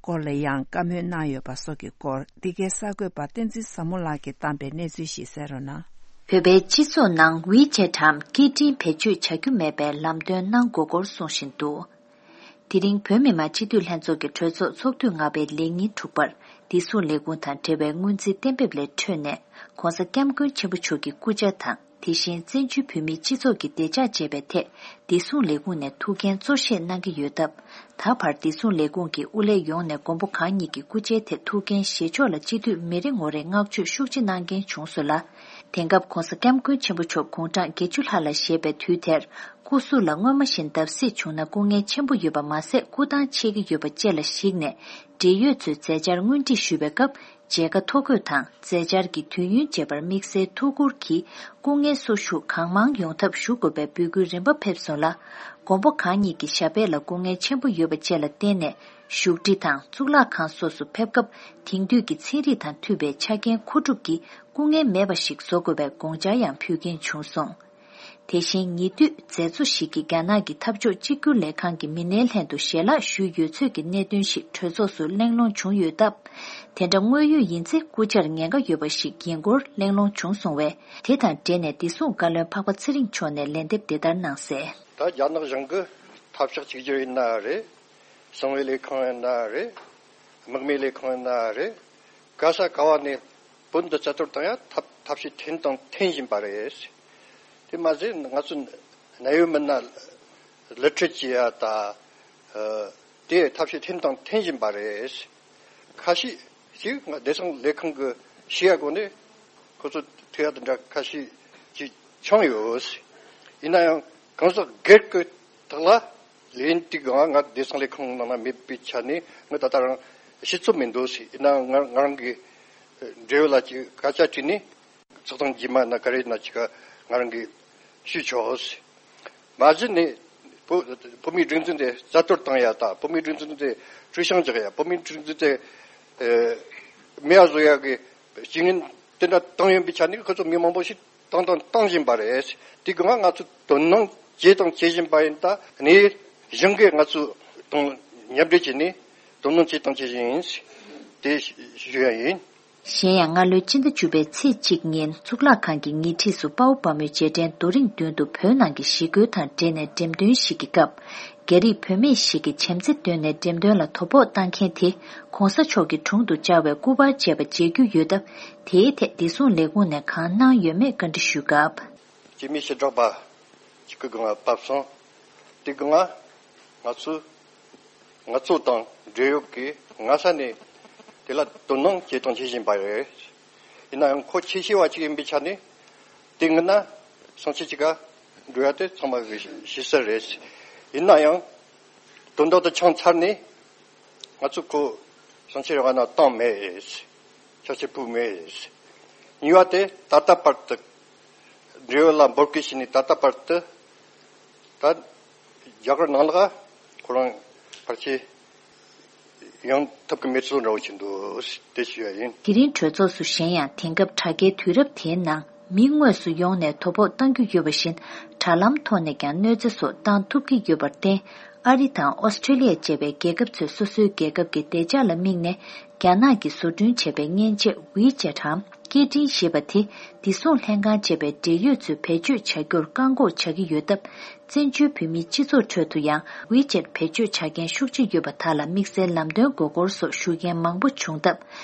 སྐོར་ལ་ཡང་བཀའ་མོལ་གནང་ཡོད་པ་སོགས་ཀྱི་སྐོར། འདི་གའི་གསར་འགོད་པ་བསྟན་འཛིན་བཟང་མོ་ལགས་ཀྱིས་བཏང་པའི་གནས་ཚུལ་ཞིག་གསན་རོགས་གནང་། བོད་པའི་སྤྱི་ཚོགས་ནང་ཝི་ཅེ་ཊིའམ་སྐད་འཕྲིན་བེད་སྤྱོད་བྱ་རྒྱུ་མེད་པའི་ལམ་སྟོན་གནང་དགོས་སྐོར་གསུངས་བཞིན་འདུག་དེ་རིང་བོད་མི་མང་སྤྱི་འཐུས་ལྷན་ཚོགས་ཀྱི་གྲོས་ཚོགས་ཚོགས་དུས་ལྔ་པའི་ལས་ཉིན་དྲུག་པར་བདེ་སྲུང་ལས་ཁུངས་དང་འབྲེལ་བའི་སྔོན་རྩིས་གཏན་འབེབས་ལས་འཕྲོས་ནས་༸གོང་ས་༸སྐྱབས་མགོན་ཆེན་པོ་མཆོག་གི་སྐུ་ཕྱྭ་དང་། དེ་བཞིན་བཙན་བྱོལ་བོད་མིའི་སྤྱི་ཚོགས་ཀྱི་བདེ་འཇགས་བཅས་པའི་ཐད་བདེ་སྲུང་ལས་ཁུངས་ནས་ཐུགས་འགན་གཙོ་བཞེས་གནང་གི་ཡོད་སྟབས། ད་བར་བདེ་སྲུང་ལས་ཁུངས་ཀྱི་དབུ་ལས་ཡོངས་ནས་མགོན་པོ་གང་ཉིད་ཀྱི་སྐུ་ཕྱྭའི་ཐད་ཐུགས་འགན་བཞེས་ཕྱོགས་ལ་སྤྱི་འཐུས་མི་རེ་ངོ་རེས་བསྔགས་བརྗོད་ཤུགས་ཆེ་གནང་མཁན་བྱུང་སོང་ལ། དེང་སྐབས་༸གོང་ས་༸སྐྱབས་མགོན་ཆེན་པོ་མཆོག་དགུང་གྲངས་བརྒྱད་ཅུ་ལྷག་ལ་བཞེས་པའི་དུས་དེར། སྐུ་གཟུགས་ལ་སྔོན་མ་བཞིན་བརྡབ་གསིག་བྱུང་ན་སྐུ་ངལ་ཆེན་པོ་ཡོད་པ་མ་ཟད། སྐུ་ཐང་ཆད་ཀྱི་ཡོད་པ་བཅས་ལ་གཞིགས་ནས། འབྲེལ་ཡོད་ཚོས་མཛད་འཆར་སྔོན་སྒྲིག་ཞུ་བའི་སྐབས། མཇལ་ཁ་ཐོ་འགོད་དང་མཛད་འཆར་གྱི་དུས་ཡུན་བཅས་པར་དམིགས་བསལ་ཐུགས་ཁུར་གྱིས་སྐུ་ངལ་གསོ་བཞུགས་གང་མང་ཡོང་ཐབས་ཞུ་དགོས་པའི་འབོད་སྐུལ་རིམ་པ་ཕེབས་སོང་ལ། མགོན་པོ་གང་ཉིད་ཀྱི་ཞབས་པད་ལ་སྐུ་ངལ་ཆེན་པོ་ཡོད་པ་བཅས་ལ་བརྟེན་ནས། བཞུགས་ཁྲི་དང་གཙུག་ལག་ཁང་སོགས་སུ་ཕེབས་སྐབས། དེང་དུས་ཀྱི་ཚན་རིག་དང་མཐུན་པའི་ཆ་རྐྱེན་མཁོ་སྒྲུབ་ཀྱིས་སྐུ་ངལ་མེད་པ་ཞིག་བཟོ་དགོས་པའི་དགོངས་འཆར་ཡང་ཕུལ་མཁན་བྱུང་སོང་། དེ་བཞིན་ཉེ་དུས་མཛད་གཙོ་ཞིག་གིས་རྒྱ་ནག་གི་འཐབ་ཕྱོགས་གཅིག་གྱུར་ལས་ཁང་གི་མི་སྣའི་ལྷན་དུ་ཞལ་ལག་ཞུས་ཡོད་ཚུལ་གྱི་གནད་དོན་ཞིག་གྲོས་ཚོགས་སུ་གླེང་སློང་བྱུང་ཡོད་སྟབས། དེ་འདྲ་དངོས་ཡོད་ཡིན་ཚེ་སྐུ་བཅར་ཉེན་ཁ་ཡོད་པ་ཞིག་ཡིན་སྐོར་གླེང་སློང་བྱུང་སོང་བས། དེ་དང་འབྲེལ་ནས་བདེ་སྲུང་བཀའ་བློན་འཕགས་པ་ཚེ་རིང་མཆོག་ནས་ལན་འདེབས་འདི་ལྟར་གནང་གསལ། ད་རྒྱ་ནག་གཞུང་གི་འཐབ་ཕྱོགས་གཅིག་གྱུར་ཡིན་ན་རེད། གསང་བའི་ལས་ཁང་ཡིན་ན་རེད། དམག་མིའི་ལས་ཁང་ཡིན་ན་རེད། ག་ས་ག་བ་ནས་བོད་འདི་རྩ་གཏོར་བཏང་ཡ་ཐབས་ཐབས་ཤེས་ཐེངས་དང་ཐེངས་བཞིན་པ་རེད། དེ་མ་ཟད་ང་ཚོ་གནད་ཡོད་མི་སྣ་གླུ་ཁྲིད་བྱེད་ཡ་ད། ཨ། དེ་ཐབས་ཤེས་ཐེངས་དང་ཐེངས་བཞིན་པ་རེད། ཁ་ཤས་ཤིག་ང་བདེ་སྲུང་ལས་ཁང་གི་ཤེས་ཡ་སྒོ་ནས་ཁོ་ཚོ་ཐུག་ཡ་དེ་འདྲ་ཁ་ཤས་ཅིག་བྱུང་ཡོད། ཡིན་ན་ཡང་གང་ཟག་སྒེར་གྱི་ཐོག་ལ་ལན་དེ་གང་ང་བདེ་སྲུང་ལས་ཁང་ནང་ན་མེད་པའི་ཆ་ནས་ང་ད་ལྟ་རང་ཤེས་ཚོད་མི་འདུག་ཟེར། ཡིན་ན་ང་ང་རང་གི་འབྲེལ་ཡོད་ལ་ཅིག་སྐད་ཆ་དྲིས་ནས་ཚོགས་ཐེངས་རྗེས་མ་ན་ག་རེ་ན་ཅིག་ང་རང་གིས་ཞུས་ཆོག་ཟེར། མ་གཞི་ནས་བོད་བོད་མིའི་སྒྲིག་འཛུགས་དེ་རྩ་གཏོར་བཏང་ཡ་དང་། བོད་མིའི་སྒྲིག་འཛུགས་དེ་བཀྲུ་བཤམས་རྒྱག་ཡ། བོད་མིའི་སྒྲིག་འཛུགས་དེ་ཨེ་མེད་པ་བཟོ་ཡ་གི་བྱེད་ངན་དེ་འདྲ་བཏང་ཡོད་པའི་ཆ་ནས་ཁོ་ཚོ་མི་མང་པོ་ཞིག་བཏང་དང་བཏང་བཞིན་པ་རེད། དེ་གང་ང་ཚོས་དོ་སྣང་བྱས་དང་བྱེད་བཞིན་པ་ཡིན། ད་ནས་གཞུང་གིས་ང་ཚོ་དང་མཉམ་འབྲེལ་བྱས་ནས་དོ་སྣང་བྱས་དང་བྱེད་བཞིན་ཡིན། དེ་ཞུ་ཡ་ཡིན། གཞན་ཡང་། སྔ་ལོའི་སྤྱི་ཟླ་བཅུ་པའི་ཚེས་གཅིག་ཉིན་གཙུག་ལག་ཁང་གི་ཉེ་འཁྲིས་སུ་དཔའ་བོ་དཔའ་མོའི་རྗེས་དྲན་རྡོ་རིང་མདུན་དུ་བོད་ནང་གི་ཞི་རྒོལ་དང་འབྲེལ་ནས་འགྲེམས་སྟོན་ཞིག་གི་སྐབས། རྒྱ་རིགས་བུད་མེད་ཞིག་གིས་བྱམས་བརྩེ་བཏོན་ནས་འགྲེམས་སྟོན་ལ་དོ་ཕོག་བཏང་མཁན་དེ་༸གོང་ས་མཆོག་གི་དྲུང་དུ་བཅར་བའི་སྐུ་པར་བཅས་པ་མཇལ་རྒྱུ་ཡོད་སྟབས། དེའི་ཐད་བདེ་སྲུང་ལས་ཁུངས་ནས་གང་གནང་ཡོད་མེད་བཀའ་འདྲི་ཞུས་སྐབས། སྐྱེས་དམན་ཞི་དྲག་པ་གཅིག་གི་སྒང་ལ་བབས་སོང་། དེ་སྒང་ང་ཚོས། ང་ཚོ་དང་འབྲེལ་ཡོད་ཀྱིས་སྔ་ས་ནས་དེ་ལ་དོ་སྣང་བྱེད་དང་བྱེད་བཞིན་པ་རེད། ཡིན་ན་ཡང་ཁོ་ཆེ་ཤོས་བ་ཅིག་ཡིན་པའི་ཆ་ནས་དེ་སྔོན་ན་སང་ཕྱི་ཅིག་ག་འགྲོ་ཡ་དེ་ཚང་མ་གི་ཤེས་གསལ་རེད། ཡིན་ན་ཡང་དོན་དག་དེ་ཆགས་ཚར་ནས་ང་ཚོ་ཁོ་སང་ཕྱི་རེ་བ་ན་བཏང་མེད། ཆ་ཆེ་ཕུག་མེད། གཉིས་པ་དེ་ད་ལྟ་བར་དུ་འབྲེལ་ཡོད་ལ་འབོད་སྐུལ་བྱས་ནས་ད་ལྟ་བར་དུ། ད་རྒྱ་གར་ནང་ལ་ཁོ་རང་ཕལ་ཆེར་ཡོང་ཐུབ་ཀྱི་མེད་ཚུལ་འདྲ་བོ་ཞིག་འདུག་དེ་ཞུ་ཡ་ཡིན། དེ་རིང་གྲོས་ཚོགས་སུ་གཞན་ཡང་དེང་སྐབས་དྲ་རྒྱའི་དུས་རབས་དེའི་ནང་མི་དངོས་སུ་ཡོང་ནས་དོ་ཕོག་བཏང་རྒྱུ་ཡོད་པ་བཞིན། དྲ་ལམ་ཐོག་ནས་ཀྱང་གནོད་འཚེ་སོགས་བཏང་ཐུབ་ཀྱི་ཡོད་པར་བརྟེན། ཨ་རི་དང་ཨོ་སི་ཁྲེ་ལི་ཡ་བཅས་པའི་རྒྱལ་ཁབ་ཚོས་སོ་སོའི་རྒྱལ་ཁབ་ཀྱི་བདེ་འཇགས་ལ་དམིགས་ནས། རྒྱ་ནག་གིས་བཟོ་སྐྲུན་བྱས་པའི་མཉེན་ཆས་ཝི་ཅེ་ཊམ་ཀེ་ཏྲིན་ཞེས་པ་དེ། བདེ་སྲུང་ལྷན་ཁང་བཅས་པའི་འབྲེལ་ཡོད་ཚོས་བེད་སྤྱོད་བྱ་རྒྱུར་བཀག་འགོག་བྱ་གི་ཡོད་སྟབས། བཙན་བྱོལ་བོད་མིའི་སྤྱི་ཚོགས་ཁྲོད་དུ་ཡང་ཝི་ཅེ་ཊི་བེད་སྤྱོད་བྱ་མཁན་ཤུགས་ཆེ་ཡོད་པ་དག་ལ་དམིགས་བསལ་ལམ་སྟོན་དགོས་སྐོར་སོགས་ཞུ་མཁན་མང་པོ་བྱུང་སྟབས།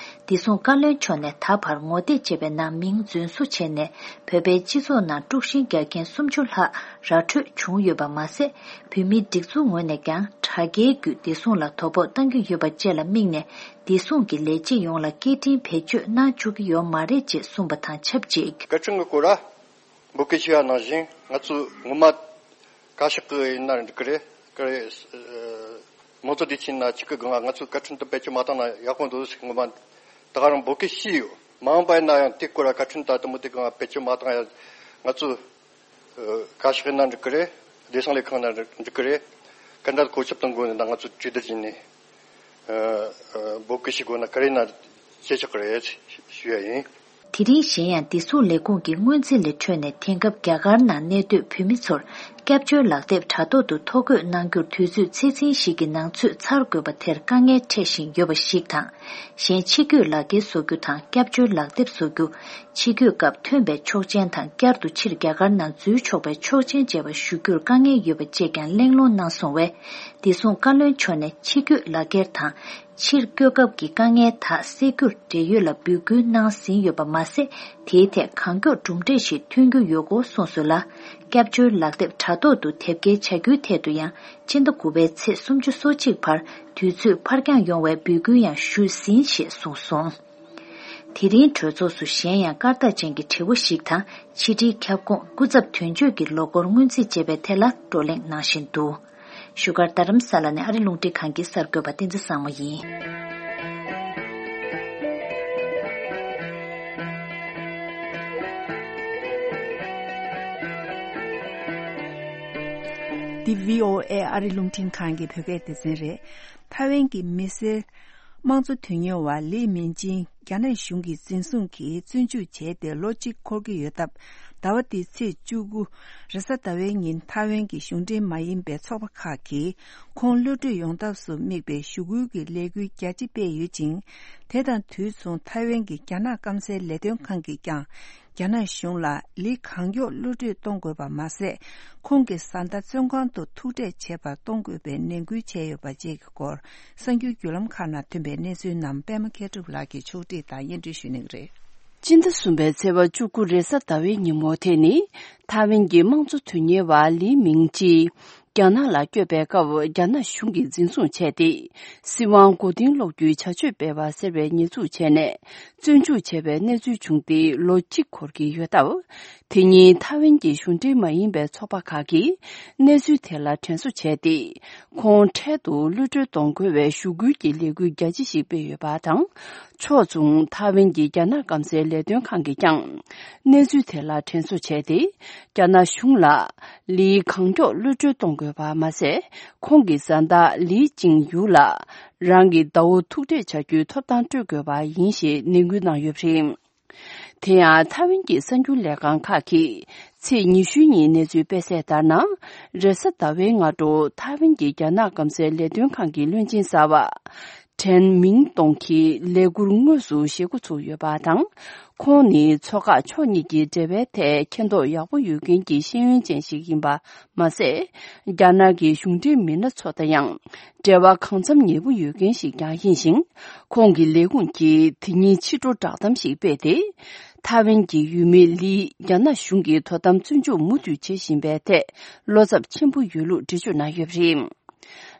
བདེ་སྲུང་བཀའ་བློན་མཆོག་ནས་ད་བར་ངོ་དེབ་ཅེས་པའི་ནང་མིང་རྫུན་བཟོ་བྱས་ནས། བོད་པའི་སྤྱི་ཚོགས་ནང་དཀྲུག་ཤིང་རྒྱག་མཁན་སུམ་ཅུ་ལྷག་ར་འཕྲོད་བྱུང་ཡོད་པ་མ་ཟད། བོད་མིའི་སྒྲིག་འཛུགས་ངོས་ནས་ཀྱང་དྲ་རྒྱའི་བརྒྱུད་བདེ་སྲུང་ལ་དོ་ཕོག་བཏང་གི་ཡོད་པ་བཅས་ལ་དམིགས་ནས། བདེ་སྲུང་གི་ལས་བྱེད་ཡོངས་ལ་སྐད་འཕྲིན་བེད་སྤྱོད་གནང་བཅུག་གི་ཡོད་མ་རེད་ཅེས་གསུངས་པ་དང་ཆབས་ཅིག་བཀའ་དྲིན་གྱི་སྐོར་ལ། འབོད་སྐུལ་ཞུས་པ་ནང་བཞིན། ང་ཚོས་ངོ་མ་བཀའ་ཤག་གི་ཡིན་ན་འགྲིག་གི་རེད། ག་རེ། ཨ། དམངས་གཙོ་སྡེ་ཚན་ན་ཆིག་སྒང་ང་ཚོས་བཀའ་ཁྲིམས་དེ་བེད་སྤྱོད་མ་བཏང་ན་ཡག་པོ་འདུག་ཟེར། ངོ་མ་ད་ག་རང་འབོད་སྐུལ་ཞུས་ཡོད། མ་འོངས་པ་ཡིན་ན་ཡང་དེ་སྐོར་ལ་བཀའ་ཁྲིམས་ད་དེ་མོ་དེ་གང་བེད་སྤྱོད་མ་བཏང་ཡ། ང་ཚོས་བཀའ་ཤག་ཡིན་ན་འགྲིག་གི་རེད། བདེ་སྲུང་ལས་ཁང་ན་འགྲིག་གི་རེད། ག་འདྲ་བཀོད་ཁྱབ་གཏོང་དགོས་ན་ང་ཚོས་གྲོས་བསྡུར་བྱས་ནས། ཨ། ཨ། འབོད་སྐུལ་ཞུ་དགོས་ན་ག་རེ་ན་བྱེད་ཆོག་གི་རེད་ཞུ་ཡ་ཡིན། དེ་རིང་གཞན་ཡང་བདེ་སྲུང་ལས་ཁུངས་ཀྱི་སྔོན་རྩིས་ལས་འཕྲོས་ནས་དེང་སྐབས་རྒྱ་གར་ནང་གནས་སྡོད་བོད་མི་ཚོར་སྐྱབས་བཅོལ་ལག་དེབ་དྲ་ཐོག་ཏུ་ཐོ་འགོད་གནང་རྒྱུར་དུས་ཚོད་ཚེག་ཚིན་ཞིག་གི་ནང་ཚུད་ཚར་དགོས་པ་དེར་དཀའ་ངལ་འཕྲད་བཞིན་ཡོད་པ་ཞིག་དང་། གཞན་ཕྱི་སྐྱོད་ལག་འཁྱེར་བཟོ་རྒྱུ་དང་སྐྱབས་བཅོལ་ལག་དེབ་བཟོ་རྒྱུ། ཕྱི་སྐྱོད་སྐབས་ཐོན་པའི་ཆོག་མཆན་དང་བསྐྱར་དུ་ཕྱིར་རྒྱ་གར་ནང་འཛུལ་ཆོག་པའི་ཆོག་མཆན་བཅས་པ་ཞུ་རྒྱུར་དཀའ་ངལ་ཡོད་པ་བཅས་ཀྱང་གླེང་སློང་གནང་སོང་བས། བདེ་སྲུང་བཀའ་བློན་མཆོག་ནས་ཕྱི་སྐྱོད་ལག་འཁྱེར་དང་། ཕྱིར་སྐྱོད་སྐབས་ཀྱི་དཀའ་ངལ་དག་སེལ་རྒྱུར་འབྲེལ་ཡོད་ལ་འབོད་སྐུལ་གནང་ཟིན་ཡོད་པ་མ་ཟད། དེའི་ཐད་གང་མགྱོགས་གྲུབ་འབྲས་ཤིག་ཐོན་རྒྱུ་ཡོད་སྐོར་གསུངས་སོང་ལ། སྐྱབས་བཅོལ་ལག་དེབ་དྲ་ཐོག་ཏུ་དེབ་སྐྱེལ་བྱ་རྒྱུའི་ཐད་དུ་ཡང་སྤྱི་ཟླ་དགུ་པའི་ཚེས་སུམ་ཅུ་སོ་གཅིག་བར་དུས་ཚོད་ཕར་འགྱངས་ཡོང་བའི་འབོད་སྐུལ་ཡང་ཞུས་ཟིན་ཞེས་གསུངས་སོང་། དེ་རིང་གྲོས་ཚོགས་སུ་གཞན་ཡང་སྐར་རྟགས་ཅན་གྱི་དྲི་བ་ཞིག་དང་། ཕྱི་དྲིལ་ཁྱབ་ཁོངས་སྐུ་ཚབ་དོན་གཅོད་ཀྱི་ལོ་འཁོར་སྔོན་རྩིས་བྱེད་པའི་ཐད་ལ་བགྲོ་གླེང་གནང་བཞིན་འདུག་བཞུགས་སྒར་རྡ་རམ་ས་ལ་ནས་ཨ་རི་རླུང་འཕྲིན་ཁང་གི་གསར་འགོད་པ་བསྟན་འཛིན་བཟང་མོ་ཡིན། འདི་བྷི་ཨོ་ཨེ་ཨ་རི་རླུང་འཕྲིན་ཁང་གི་བོད་སྐད་སྡེ་ཚན་རེད། ཐའེ་ཝན་གྱི་མི་སེར་དམངས་གཙོ་དོན་གཉེར་བ་ལི་མིང་ཅིན་རྒྱ་ནག་གཞུང་གིས་འཛིན་བཟུང་གིས་བཙོན་འཇུག་བྱས་ཏེ་ལོ་གཅིག་འཁོར་གྱི་ཡོད་སྟབས། ཟླ་བ་འདིའི་ཚེས་བཅུ་དགུ་རེས་གཟའ་ཟླ་བའི་ཉིན་ཐའེ་ཝན་གྱི་གཞུང་འབྲེལ་མ་ཡིན་པའི་ཚོགས་པ་ཁག་གིས་ཁོང་གློད་གྲོལ་ཡོང་ཐབས་སུ་དམིགས་པའི་ཞུ་སྐུལ་གྱི་ལས་འགུལ་རྒྱ་ཆེ་སྤེལ་ཡོད་ཅིང་། དེ་དང་དུས་མཚུངས་ཐའེ་ཝན་གྱི་རྒྱ་ནག་སྐམ་སའི་ལས་དོན་ཁང་གིས་ཀྱང་། རྒྱ་ནག་གཞུང་ལ་ལི་གང་མགྱོགས་གློད་གྲོལ་གཏོང་དགོས་པ་མ་ཟད། ཁོང་གི་བཟའ་ཟླ་བཙོན་ཁང་དུ་ཐུག་འཕྲད་བྱེད་པར་གཏོང་དགོས་པའི་ནན་སྐུལ་བྱས་ཡོད་པ་བཅས་ཀྱི་སྐོར། གསར་འགྱུར་བརྒྱུད་ལམ་ཁག་ནང་ཐོན་པའི་གནས་ཚུལ་རྣམས་པད་མ་མཁས་གྲུབ་ལགས་ཀྱིས་ཕྱོགས་སྒྲིག་དང་སྙན་སྒྲོན་ཞུ་གནང་གི་རེད། སྤྱི་ཟླ་གསུམ་པའི་ཚེས་པ་བཅུ་དགུ་རེས་གཟའ་ཟླ་བའི་ཉིན་མོ་དེ་ནི། ཐའེ་ཝན་གྱི་དམངས་གཙོ་དོན་གཉེར་བ་ལི་མིང་ཅི། རྒྱ་ནག་ལ་བསྐྱོད་པའི་སྐབས་རྒྱ་ནག་གཞུང་གིས་འཛིན་བཟུང་བྱས་ཏེ། སྲིད་དབང་མགོ་རྟིང་སློག་རྒྱུའི་བྱ་སྤྱོད་སྤེལ་བ་ཟེར་བའི་ཉེས་འཛུགས་བྱས་ནས། བཙོན་འཇུག་བྱས་པའི་གནས་ཚུལ་བྱུང་སྟེ་ལོ་གཅིག་འཁོར་གྱི་ཡོད་སྟབས། དེ་ཉིན་ཐའེ་ཝན་གྱི་གཞུང་འབྲེལ་མ་ཡིན་པའི་ཚོགས་པ་ཁག་གིས་གནས་ཚུལ་དེ་ལ་དྲན་གསོ་བྱས་ཏེ། ཁོང་འཕྲལ་དུ་གློད་གྲོལ་གཏོང་དགོས་པའི་ཞུ་སྐུལ་གྱི་ལས་འགུལ་རྒྱ་ཆེ་ཞིག་སྤེལ་ཡོད་པ་དང་། ཕྱོགས་མཚུངས་ཐའེ་ཝན་གྱི་རྒྱ་ནག་སྐམ་སའི་ལས་དོན་ཁང་གིས་ཀྱང་། གནས་ཚུལ་དེ་ལ་དྲན་གསོ་བྱས་ཏེ། རྒྱ་ནག་གཞུང་ལ་ལི་གང་མགྱོགས་གློད་གྲོལ་གཏོང་དགོས་པ་མ་ཟད། ཁོང་གི་བཟའ་ཟླ་ལི་ཅིང་ཡུ་ལ་རང་གི་ཟླ་བོ་ཐུག་འཕྲད་བྱ་རྒྱུའི་ཐོབ་ཐང་སྤྲོད་དགོས་པ་ཡིན་ཞེས་ནན་སྐུལ་གནང་ཡོད་པ་རེད། དེ་ཡང་ཐའེ་ཝན་གྱི་གསར་འགྱུར་ལས་ཁང་ཁག་གིས་ཚེས་ཉི་ཤུ་ཉིན་གནས་ཚུལ་སྤེལ་གསལ་ལྟར་ན། རེས་གཟའ་ཟླ་བའི་སྔ་དྲོ་ཐའེ་ཝན་གྱི་རྒྱ་ནག་སྐམ་སའི་ལས་དོན་ཁང་གི་བློན་ཆེན་གསར་པ། ཁྲེན་མིང་ཏོང་གིས་ལས་འཁུར་དངོས་སུ་བཞེས་འགོ་ཚུགས་ཡོད་པ་དང་། ཁོང་ནི་མཚོ་འགག་ཕྱོགས་གཉིས་ཀྱི་འབྲེལ་བའི་ཐད་མཁྱེན་རྟོགས་ཡག་པོ་ཡོད་མཁན་གྱི་ཤེས་ཡོན་ཅན་ཞིག་ཡིན་པ་མ་ཟད། རྒྱ་ནག་གི་གཞུང་འབྲེལ་མི་སྣ་ཚོ་དང་ཡང་འབྲེལ་བ་གང་འཚམ་ཉེ་པོ་ཡོད་མཁན་ཞིག་ཀྱང་ཡིན་ཞིང་། ཁོང་གི་ལས་ཁུངས་ཀྱིས་དེ་ཉིན་ཕྱི་དྲོ་བསྒྲགས་གཏམ་ཞིག་སྤེལ་ཏེ། ཐའེ་ཝན་གྱི་ཡུལ་མི་ལི་རྒྱ་ནག་གཞུང་གིས་དོ་དམ་བཙོན་འཇུག་མུ་མཐུད་བྱེད་བཞིན་པའི་ཐད་བློ་འཚབ་ཆེན་པོ་ཡོད་ལུགས་འགྲེལ་བརྗོད་གནང་ཡོད་པ་རེད།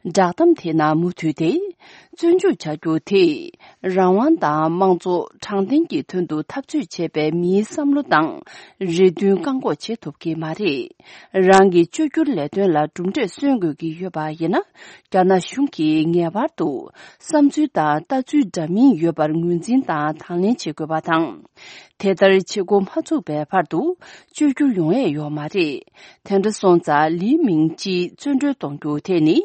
བསྒྲགས་གཏམ་དེའི་ནང་མུ་མཐུད་དེ། བཙོན་འཇུག་བྱ་རྒྱུ་དེས་རང་དབང་དང་དམངས་གཙོ་དྲང་བདེན་གྱི་དོན་དུ་འཐབ་རྩོད་བྱེད་པའི་མིའི་བསམ་བློ་དང་རེ་འདུན་བཀག་འགོག་བྱེད་ཐུབ་ཀྱི་མ་རེད། རང་གི་བཅོས་བསྒྱུར་ལས་དོན་ལ་གྲུབ་འབྲས་སོན་དགོས་ཀྱི་ཡོད་པ་ཡིན་ན། རྒྱ་ནག་གཞུང་གིས་ངེས་པར་དུ་བསམ་ཚུལ་དང་ལྟ་ཚུལ་འདྲ་མིན་ཡོད་པར་ངོས་འཛིན་དང་དང་ལེན་བྱེད་དགོས་པ་དང་། དེ་ལྟར་བྱེད་འགོ་མ་ཚུགས་པའི་བར་དུ་བཅོས་བསྒྱུར་ཡོང་ཡས་ཡོད་མ་རེད། དེ་འདྲ་སོང་ཙང་ལི་མིང་ཅི་བཙོན་གྲོལ་གཏོང་རྒྱུ་དེ་ནི་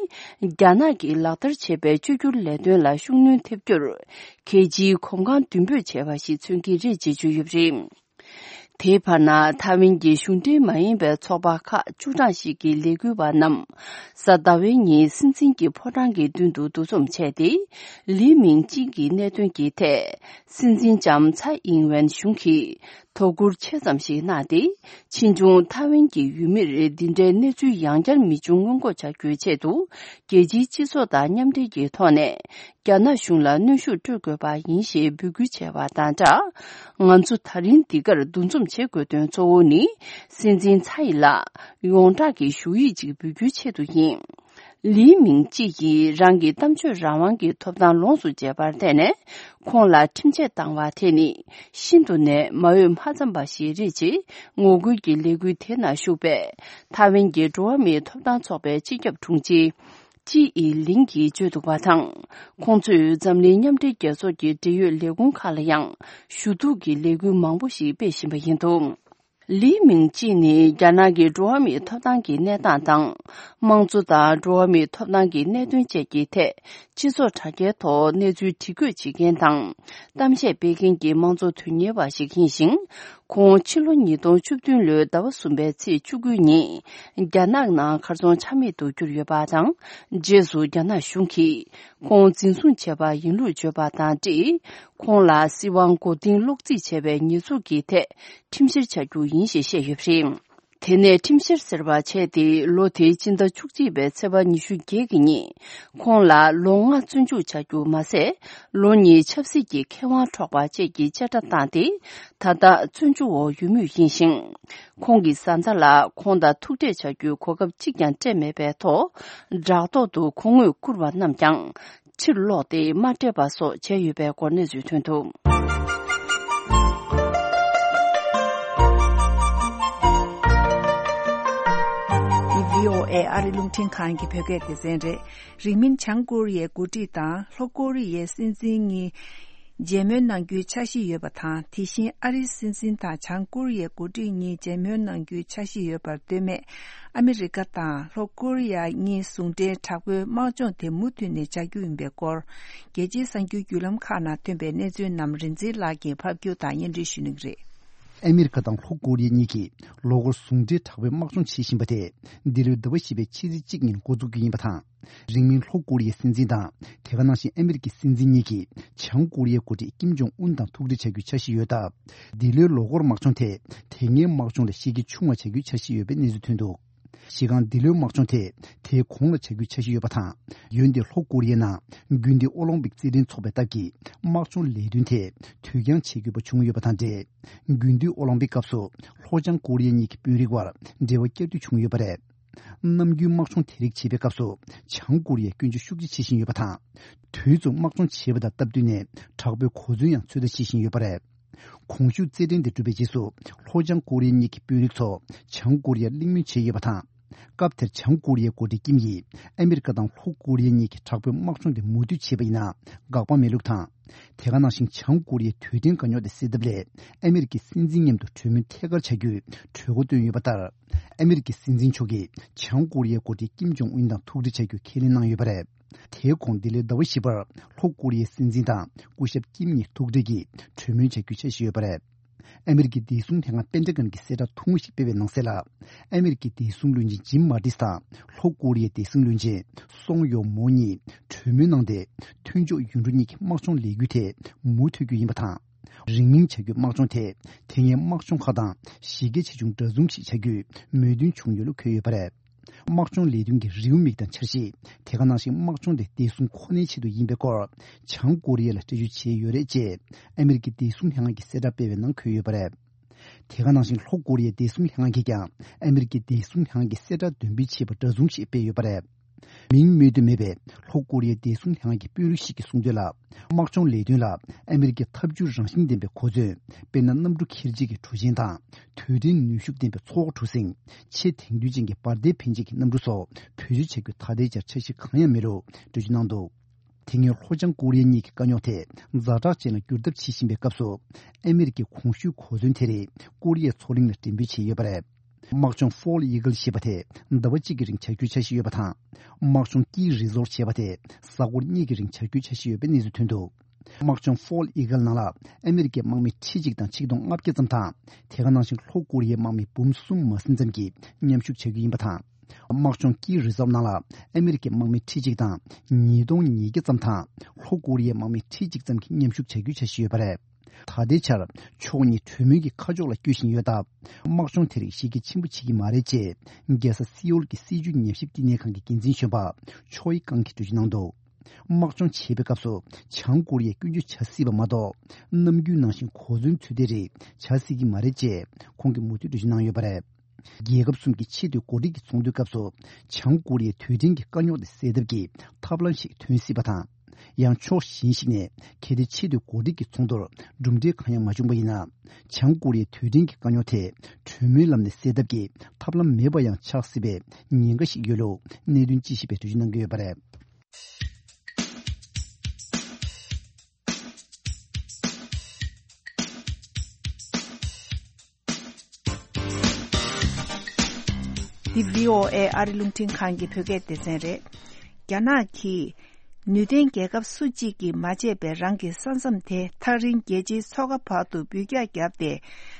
རྒྱ་ནག་གིས་ལག་བསྟར་བྱས་པའི་བཅོས་བསྒྱུར་ལས་དོན་ལ་ཤུགས་སྣོན་ཐེབས་རྒྱུར་གལ་ཆེའི་གོམ་གང་མདུན་སྤོས་བྱས་པ་ཞིག་མཚོན་གྱི་རེད་ཅེས་བརྗོད་ཡོད་པ་རེད། དེའི་བར་ན་ཐའེ་ཝན་གྱི་གཞུང་འབྲེལ་མ་ཡིན་པའི་ཚོགས་པ་ཁག་བཅུ་གྲངས་ཤིག་གི་ལས་འགུལ་བ་རྣམས་གཟའ་ཟླ་བའི་ཉིན་སྲིད་འཛིན་གྱི་ཕོ་བྲང་གི་མདུན་དུ་འདུ་འཛོམས་བྱས་ཏེ། ལི་མིང་ཅིན་གྱི་གནད་དོན་གྱི་ཐད་སྲིད་འཛིན་ལྕམ་ཚའེ་ཨིང་ཝེན་གཞུང་གིས་དོ་ཁུར་ཆེ་ཙམ་ཞིག་གནང་སྟེ། ཕྱིས་འབྱུང་ཐའེ་ཝན་གྱི་ཡུལ་མིར་འདི་འདྲའི་གནས་ཚུལ་ཡང་བསྐྱར་མི་འབྱུང་སྔོན་འགོག་བྱ་རྒྱུའི་ཆེད་དུ། རྒྱལ་སྤྱིའི་སྤྱི་ཚོགས་དང་མཉམ་འབྲེལ་གྱི་ཐོག་ནས། རྒྱ་ནག་གཞུང་ལ་གནོན་ཤུགས་སྤྲོད་དགོས་པ་ཡིན་ཞེས་འབོད་སྐུལ་བྱས་པ་དང་སྦྲགས། ང་ཚོ་ད་རིང་འདི་གར་འདུ་འཛོམས་བྱེད་དགོས་དོན་གཙོ་བོ་ནི། སྲིད་འཛིན་ཚའེ་ལ་ཡོངས་གྲགས་ཀྱི་ཞུ་ཡིག་ཅིག་འབུལ་རྒྱུའི་ཆེད་དུ་ཡིན། ལི་མིང་ཅི་ཡིས་རང་གི་གཏམ་བརྗོད་རང་དབང་གི་ཐོབ་ཐང་ལོངས་སུ་སྤྱད་པར་བརྟེན་ནས། ཁོང་ལ་ཁྲིམས་ཆད་བཏང་བ་དེ་ནི་ཤིན་ཏུ་ནས་མ་འོས་མ་འཚམས་པ་ཞིག་རེད་ཅེས་ངོ་རྒོལ་གྱི་ལས་འགུལ་དེ་ནང་ཞུགས་པའི་ཐའེ་ཝན་གྱི་འགྲོ་བ་མིའི་ཐོབ་ཐང་ཚོགས་པའི་སྤྱི་ཁྱབ་དྲུང་ཆེ། ཅི་ཨི་ལིང་གིས་བརྗོད་འདུག་པ་དང་། ཁོང་ཚོས་འཛམ་གླིང་མཉམ་འབྲེལ་རྒྱལ་ཚོགས་ཀྱི་འབྲེལ་ཡོད་ལས་ཁུངས་ཁག་ལ་ཡང་ཞུ་གཏུག་གི་ལས་འགུལ་མང་པོ་ཞིག་སྤེལ་བཞིན་པ་ཡིན་འདུག་ལི་མིང་ཅི་ནི་རྒྱ་ནག་གི་འགྲོ་བ་མིའི་ཐོབ་ཐང་གི་གནས་སྟངས་དང་། དམངས་གཙོ་དང་འགྲོ་བ་མིའི་ཐོབ་ཐང་གི་གནད་དོན་བཅས་ཀྱི་ཐད་སྤྱི་ཚོགས་དྲ་རྒྱའི་ཐོག་གནས་ཚུལ་བྲིས་འགོད་བྱེད་མཁན་དང་། གཏམ་བཤད་སྤེལ་མཁན་གྱི་དམངས་གཙོ་དོན་གཉེར་བ་ཞིག་ཡིན་ཞིང་། ཁོང་ཕྱི་ལོ་ཉིས་སྟོང་བཅུ་བདུན་ལོའི་ཟླ་བ་གསུམ་པའི་ཚེས་བཅུ་དགུ་ཉིན་རྒྱ་ནག་ནང་གར་སོང་ཆ་མེད་དུ་གྱུར་ཡོད་པ་དང་། རྗེས་སུ་རྒྱ་ནག་གཞུང་གིས་ཁོང་འཛིན་བཟུང་བྱས་པ་ཡིན་ལུགས་བརྗོད་པ་དང་འབྲེལ། ཁོང་ལ་སྲིད་དབང་མགོ་རྟིང་སློག་རྩིས་བྱས་པའི་ཉེས་འཛུགས་ཀྱི་ཐད་ཁྲིམས་བཤེར་བྱ་རྒྱུ་ཡིན་ཞེས་བཤད་ཡོད་པ་རེད། དེ་ནས་ཁྲིམས་བཤེར་ཟེར་བ་བྱས་ཏེ་ལོ་དེའི་སྤྱི་ཟླ་བཅུ་གཅིག་པའི་ཚེས་པ་ཉི་ཤུ་བརྒྱད་ཀྱི་ཉིན། ཁོང་ལ་ལོ་ལྔ་བཙོན་འཇུག་བྱ་རྒྱུ་མ་ཟད། ལོ་གཉིས་ཆབ་སྲིད་ཀྱི་ཁེ་དབང་འཕྲོག་པ་བཅས་ཀྱི་བཅད་ཁྲ་བཏང་སྟེ། ད་ལྟ་བཙོན་འཇུག་འོག་ཡོད་མུས་ཡིན་ཞིང་། ཁོང་གི་བཟའ་ཟླ་ལ་ཁོང་དང་ཐུག་འཕྲད་བྱ་རྒྱུའི་གོ་སྐབས་གཅིག་ཀྱང་སྤྲད་མེད་པའི་ཐོག་བྲག་ཐོག་ཏུ་གོང་འོས་བཀུར་བ་རྣམས་ཀྱང་ཕྱིར་ལོག་སྟེ་མ་སྤྲད་པ་སོགས་བྱས་ཡོད་པའི་སྐོར་གནས་ཚུལ་ཐོན་འདུག་འདི་བྷི་ཨོ་ཨེ་ཨ་རི་རླུང་འཕྲིན་ཁང་གི་བོད་སྐད་སྡེ་ཚན་རེད། རིང་མིན་བྱང་ཀོ་རི་ཡའི་འགོ་ཁྲིད་དང་ལྷོ་ཀོ་རི་ཡའི་སྲིད་འཛིན་གཉིས་མཇལ་མོལ་གནང་རྒྱུའི་འཆར་གཞི་ཡོད་པ་དང་། དེ་བཞིན་ཨ་རིའི་སྲིད་འཛིན་དང་བྱང་ཀོ་རི་ཡའི་འགོ་ཁྲིད་གཉིས་མཇལ་མོལ་གནང་རྒྱུའི་འཆར་གཞི་ཡོད་པར་ལྟོས་མེད། ཨ་མི་རི་ཀ་དང་ལྷོ་ཀོ་རི་ཡ་གཉིས་ཟུང་འབྲེལ་དྲག་པོའི་དམག་སྦྱོང་དེ་མུ་མཐུད་ནས་བྱ་རྒྱུ་ཡིན་པའི་སྐོར། རྒྱལ་སྤྱིའི་གསར་འགྱུར་བརྒྱུད་ལམ་ཁག་ནང་ཐོན་པའི་གནས་ཚུལ་རྣམས་རིན་འཛིན་ལགས་ཀྱིས་ཕབ་སྒྱུར་དང་སྙན་སྒྲོན་ཞུ་གནང་གི་རེད། ཨ་མི་རི་ཀ་དང་ལྷོ་ཀོ་རི་ཡ་གཉིས་ཀྱིས་ལོ་འཁོར་ཟུང་འབྲེལ་དྲག་པོའི་དམག་སྦྱོང་བྱེད་བཞིན་པ་དེ་འདི་ལོའི་ཟླ་བ་བཞི་པའི་ཕྱི་ཚེས་གཅིག་ཉིན་འགོ་འཛུགས་རྒྱུ་ཡིན་པ་དང་། རིང་མིན་ལྷོ་ཀོ་རི་ཡའི་སྲིད་འཛིན་དང་དེ་ག་ནང་བཞིན་ཨ་མི་རི་ཀའི་སྲིད་འཛིན་གཉིས་ཀྱིས་བྱང་ཀོ་རི་ཡའི་འགོ་ཁྲིད་ཀིམ་ཇོང་ཨུན་དང་ཐུག་འཕྲད་བྱ་རྒྱུའི་འཆར་གཞི་ཡོད་སྟབས། འདི་ལོའི་ལོ་འཁོར་དམག་སྦྱོང་དེ་དེ་སྔའི་དམག་སྦྱོང་ལས་གཞི་རྒྱ་ཆུང་བ་བྱ་རྒྱུའི་འཆར་གཞི་ཡོད་པའི་གནས་ཚུལ་ཐོན་འདུག་གཞི་རྐང་འདི་ལོའི་དམག་སྦྱོང་དེ་དེའི་གོང་ལ་བྱ་རྒྱུའི་འཆར་གཞི་ཡོད་པ་དང་། འོན་ཏེ་ལྷོ་ཀོ་རི་ཡའི་ནང་དགུན་དུས་ཨོ་ལིམ་པིག་རྩེད་འགྲན་འཚོགས་པའི་སྟབས་ཀྱིས་དམག་སྦྱོང་ལས་དོན་དེ་དུས་འགྱངས་བྱེད་དགོས་པ་བྱུང་ཡོད་པ་དང་འབྲེལ། དགུན་དུས་ཨོ་ལིམ་པིག་སྐབས་སུ་ལྷོ་བྱང་ཀོ་རི་ཡ་གཉིས་ཀྱི་དཔོན་རིགས་དབར་འབྲེལ་བ་བསྐྱར་མཐུད་བྱུང་ཡོད་པ་རེད། ནམ་རྒྱུན་དམག་སྦྱོང་དེ་རིགས་བྱེད་པའི་སྐབས་སུ་བྱང་ཀོ་རི་ཡས་སྐྱོན་བརྗོད་ཤུགས་ཆེ་བྱེད་བཞིན་ཡོད་པ་དང་། དུས་མཚུངས་དམག་སྦྱོང་བྱེད་པ་དང་སྟབས་བསྟུན་ནས་དྲག་པོའི་གོ་མཚོན་ཡང་ཚོད་ལྟ་བྱེད་བཞིན་ཡོད་པ་རེད། གོང་ཞུས་རྩེད་འགྲན་དེ་གྲུབ་པའི་རྗེས་སུ་ལྷོ་བྱང་ཀོ་རི་ཡ་གཉིས་ཀྱི་དཔོན་རིགས་ཚོ་བྱང་ཀོ་རི་ཡར་གླེང་མོལ་བྱས་ཡོད་པ་དང་། སྐབས་དེར་བྱང་ཀོ་རི་ཡའི་འགོ་ཁྲིད་ཀིམ་ཡིས་ཨ་མི་རི་ཀ་དང་ལྷོ་ཀོ་རི་ཡ་གཉིས་ཀྱིས་དྲག་པོའི་དམག་སྦྱོང་དེ་མུ་མཐུད་བྱས་པ་ཡིན་ན་དགག་པ་མེད་ལུགས་དང་། དེ་ག་ནང་བཞིན་བྱང་ཀོ་རི་ཡའི་དུས་དྲན་དཀའ་རྙོག་དེ་སེལ་ཐབས་སླད་ཨ་མི་རི་ཀའི་སྲིད་འཛིན་མཉམ་དུ་གྲོས་མོལ་ཐད་ཀར་བྱ་རྒྱུའི་གྲོས་འགོ་བཏོན་ཡོད་པ་ལྟར། ཨ་མི་རི་ཀའི་སྲིད་འཛིན་མཆོག་གིས་བྱང་ཀོ་རི་ཡའི་འགོ་ཁྲིད་ཀིམ་ཇོང་ཨུན་དང་ཐུག་འཕྲད་བྱ་རྒྱུ་ཁས་ལེན་གནང་ཡོད་པ་རེད། དེའི་གོང་འདི་ལོའི་ཟླ་བ་བཞི་པར་ལྷོ་ཀོ་རི་ཡའི་སྲིད་འཛིན་དང་སྐུ་ཞབས་ཀིམ་གཉིས་ཐུག་འཕྲད་ཀྱིས་གྲོས་མོལ་བྱ་རྒྱུའི་འཆར་གཞི་ཡོད་པ་རེད། ཨ་མི་རི་ཀའི་བདེ་སྲུང་ལྷན་ཁང་པེན་ཏ་གོན་གྱིས་གསལ་བསྒྲགས་ཐུང་ངུ་ཞིག་སྤེལ་བའི་ནང་གསལ་ལ། ཨ་མི་རི་ཀའི་བདེ་སྲུང་བློན་ཆེན་ཇིམ་མ་ཏིས་དང་ལྷོ་ཀོ་རི་ཡའི་བདེ་སྲུང་བློན་ཆེན་སོང་ཡོ་མོ་གཉིས་གྲོས་མོལ་གནང་སྟེ། མཐུན་ཕྱོགས་ཡུལ་གྲུ་གཉིས་ཀྱི་དམག་སྦྱོང་ལས་འགུལ་དེ་མུ་མཐུད་རྒྱུ་ཡིན་པ་དང་། རིང་མིན་བྱ་རྒྱུའི་དམག་སྦྱོང་དེ་དེ་སྔའི་དམག་སྦྱོང་ཁག་དང་གཞི་རྒྱ་ཆེ་ཆུང་འདྲ་མཚུངས་ཤིག་བྱ་རྒྱུའི་མོས་མཐུན་བྱུང་ཡོད་ལུགས་འཁོད་ཡོད་པ་རེད། དམག་སྦྱོང་ལས་དོན་གྱི་རེའུ་མིག་དང་འཆར་གཞི། དེ་ག་ནང་བཞིན་དམག་སྦྱོང་དེ་བདེ་སྲུང་ཁོ་ནའི་ཆེད་དུ་ཡིན་པའི་སྐོར། བྱང་ཀོ་རི་ཡ་ལ་སྤྲད་རྒྱུ་བྱས་ཡོད་རེད་ཅེས་ཨ་མི་རི་ཀའི་བདེ་སྲུང་ལྷན་ཁང་གིས་གསལ་བསྒྲགས་སྤེལ་བའི་ནང་འཁོད་ཡོད་པ་རེད། དེ་ག་ནང་བཞིན་ལྷོ་ཀོ་རི་ཡའི་བདེ་སྲུང་ལྷན་ཁང་གིས་ཀྱང་ཨ་མི་རི་ཀའི་བདེ་སྲུང་ལྷན་ཁང་གིས་གསལ་བསྒྲགས་འདོན་སྤེལ་བྱས་པ་འདྲ་མཚུངས་ཤིག་སྤེལ་ཡོད་པ་རེད། མིང་སྨོས་འདོད་མེད་པའི་ལྷོ་ཀོ་རི་ཡའི་བདེ་སྲུང་ལྷན་ཁང་གི་དཔོན་རིགས་ཤིག་གིས་གསུངས་དོན་ལ། དམག་སྦྱོང་ལས་དོན་ལ་ཨ་མི་རི་ཀའི་འཐབ་ཇུས་རང་བཞིན་ལྡན་པའི་གོ་མཚོན། དཔེར་ན། གནམ་གྲུ་འཁྱེར་བྱེད་ཀྱི་གྲུ་ཆེན་དང་། དུས་དྲན་ནུས་ཤུགས་ལྡན་པའི་མཚོ་འོག་གྲུ་གཟིངས། ཆེས་དེང་དུས་ཅན་གྱི་འབར་མདེལ་འཕེན་བྱེད་ཀྱི་གནམ་གྲུ་སོགས་བེད་སྤྱོད་བྱ་རྒྱུ་ད་ལྟའི་ཆར་འཆར་གཞི་གང་ཡང་མེད་ལུགས་འགྲེལ་བརྗོད་གནང་འདུག་དེ་སྔོན་ལྷོ་བྱང་ཀོ་རི་ཡ་གཉིས་ཀྱི་དཀའ་རྙོག་དེ་ཛ་དྲག་ཅན་ལ་འགྱུར་ཐབས་བྱེད་བཞིན་པའི་སྐབས་སུ། ཨ་མི་རི་ཀའི་གོང་ཞུས་གོ་མཚོན་དེ་རིགས་ཀོ་རི་ཡའི་མཚོ་གླིང་ལ་འགྲེམས་སྤེལ་བྱས་ཡོད་པ་རེད། དམག་སྦྱོང་Fall Eagle་ཞེས་པ་དེ་ཟླ་བ་གཅིག་གི་རིང་བྱ་རྒྱུའི་འཆར་གཞི་ཡོད་པ་དང་། དམག་སྦྱོང་Key Resort་ཞེས་པ་དེ་གཟའ་འཁོར་གཉིས་ཀྱི་རིང་བྱ་རྒྱུའི་འཆར་གཞི་ཡོད་པའི་གནས་ཚུལ་ཐོན་འདུག་དམག་སྦྱོང་ཧྥོལ་ཨི་གལ་ནང་ལ་ཨ་མི་རི་ཀའི་དམག་མི་ཁྲི་གཅིག་དང་ཆིག་སྟོང་ལྔ་བརྒྱ་ཙམ་དང་། དེ་ག་ནང་བཞིན་ལྷོ་ཀོ་རི་ཡའི་དམག་མི་འབུམ་གསུམ་མ་ཟིན་ཙམ་གྱིས་མཉམ་ཞུགས་བྱ་རྒྱུ་ཡིན་པ་དང་། དམག་སྦྱོང་ཀི་རི་ཛརབ་ནང་ལ་ཨ་མི་རི་ཀའི་དམག་མི་ཁྲི་གཅིག་དང་ཉིས་སྟོང་ཉིས་བརྒྱ་ཙམ་དང་། ལྷོ་ཀོ་རི་ཡའི་དམག་མི་ཁྲི་གཅིག་ཙམ་གྱིས་མཉམ་ཞུགས་བྱ་རྒྱུའི་འཆར་གཞི་ཡོད་པ་རེད། ད་ལྟའི་ཆར་ཕྱོགས་གཉིས་གྲོས་མོལ་གྱི་ཁ་ཕྱོགས་ལ་བསྐྱོད་བཞིན་ཡོད་སྟབས། དམག་སྦྱོང་དེ་རིགས་གཞི་རྒྱ་ཆེན་པོ་བྱེད་ཀྱི་མ་རེད་ཅེས། རྒྱལ་ས་སེའུལ་གྱི་སྲིད་བྱུས་ཉམས་ཞིབ་བསྟི་གནས་ཁང་གི་འགན་འཛིན་གཞོན་པ་ཆོའི་ཀང་གིས་འགྲེལ་བརྗོད་གནང་འདུག་དམག་སྦྱོང་བྱེད་པའི་སྐབས་སུ། བྱང་ཀོ་རི་ཡས་སྐྱོན་བརྗོད་བྱ་སྲིད་པ་མ་གཏོགས། ནམ་རྒྱུན་ནང་བཞིན་གོ་མཚོན་ཚུལ་དེ་རིགས་བྱ་སྲིད་ཀྱི་མ་རེད་ཅེས། ཁོང་གིས་མུ་མཐུད་འགྲེལ་བརྗོད་གནང་ཡོད་པ་རེད། རྒྱལ་ཁབ་གསུམ་གྱི་ཆེས་མཐོའི་འགོ་ཁྲིད་ཀྱི་ཚོགས་འདུའི་སྐབས་སུ། བྱང་ཀོ་རི་ཡའི་དུས་དྲན་གྱི་དཀའ་རྙོག་དེ་སེལ་ཐབས་ཀྱི་ཐབས་ལམ་ཞིག་ཐོན་སྲིད་པ་དང་། ཡང་ཕྱོགས་གཞན་ཞིག་ནས་གལ་ཏེ་ཆེས་མཐོའི་འགོ་ཁྲིད་ཀྱི་ཚོགས་འདུར་གྲུབ་འབྲས་གང་ཡང་མ་བྱུང་བ་ཡིན་ན། བྱང་ཀོ་རི་ཡའི་དུས་དྲན་གྱི་དཀའ་རྙོག་དེ་གྲོས་མོལ་ལམ་ནས་སེལ་ཐབས་ཀྱི་ཐབས་ལམ་མེད་པ་ཡང་ཆགས་སྲིད་པའི་ཉེན་ཁ་ཞིག་ཡོད་ལུགས་གནད་དོན་དཔྱད་ཞིབ་པས་འགྲེལ་བརྗོད་གནང་གི་ཡོད་པ་རེད། འདི་བྷི་ཨོ་ཨེ་ཨ་རི་རླུང་འཕྲིན་ཁང་གི་བོད་སྐད་སྡེ་ཚན་རེད། རྒྱ་ནག་གིས་ནུས་ལྡན་རྒྱལ་ཁབ་སུ་གཅིག་གིས་མ་བྱས་པའི་རང་གི་ས་མཚམས་དེ་ཐག་རིང་རྒྱལ་སྤྱིའི་མཚོ་ཁ་བར་དུ་འབུད་རྒྱག་བརྒྱབ་སྟེ་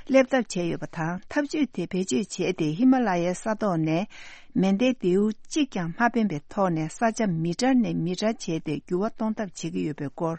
སླེབས་ཐབས་བྱས་ཡོད་པ་དང་། ཐབས་ཇུས་དེ་བེད་སྤྱོད་བྱས་ཏེ་ཧི་མ་ལ་ཡའི་ས་ཐོག་ནས་མེ་མདའི་མདེའུ་གཅིག་ཀྱང་མ་འཕེན་པའི་ཐོག་ནས་ས་ཆ་མི་ཊར་ནས་མི་ཊར་བྱས་ཏེ་འགྱུར་བ་གཏོང་ཐབས་བྱེད་ཀྱི་ཡོད་པའི་སྐོར།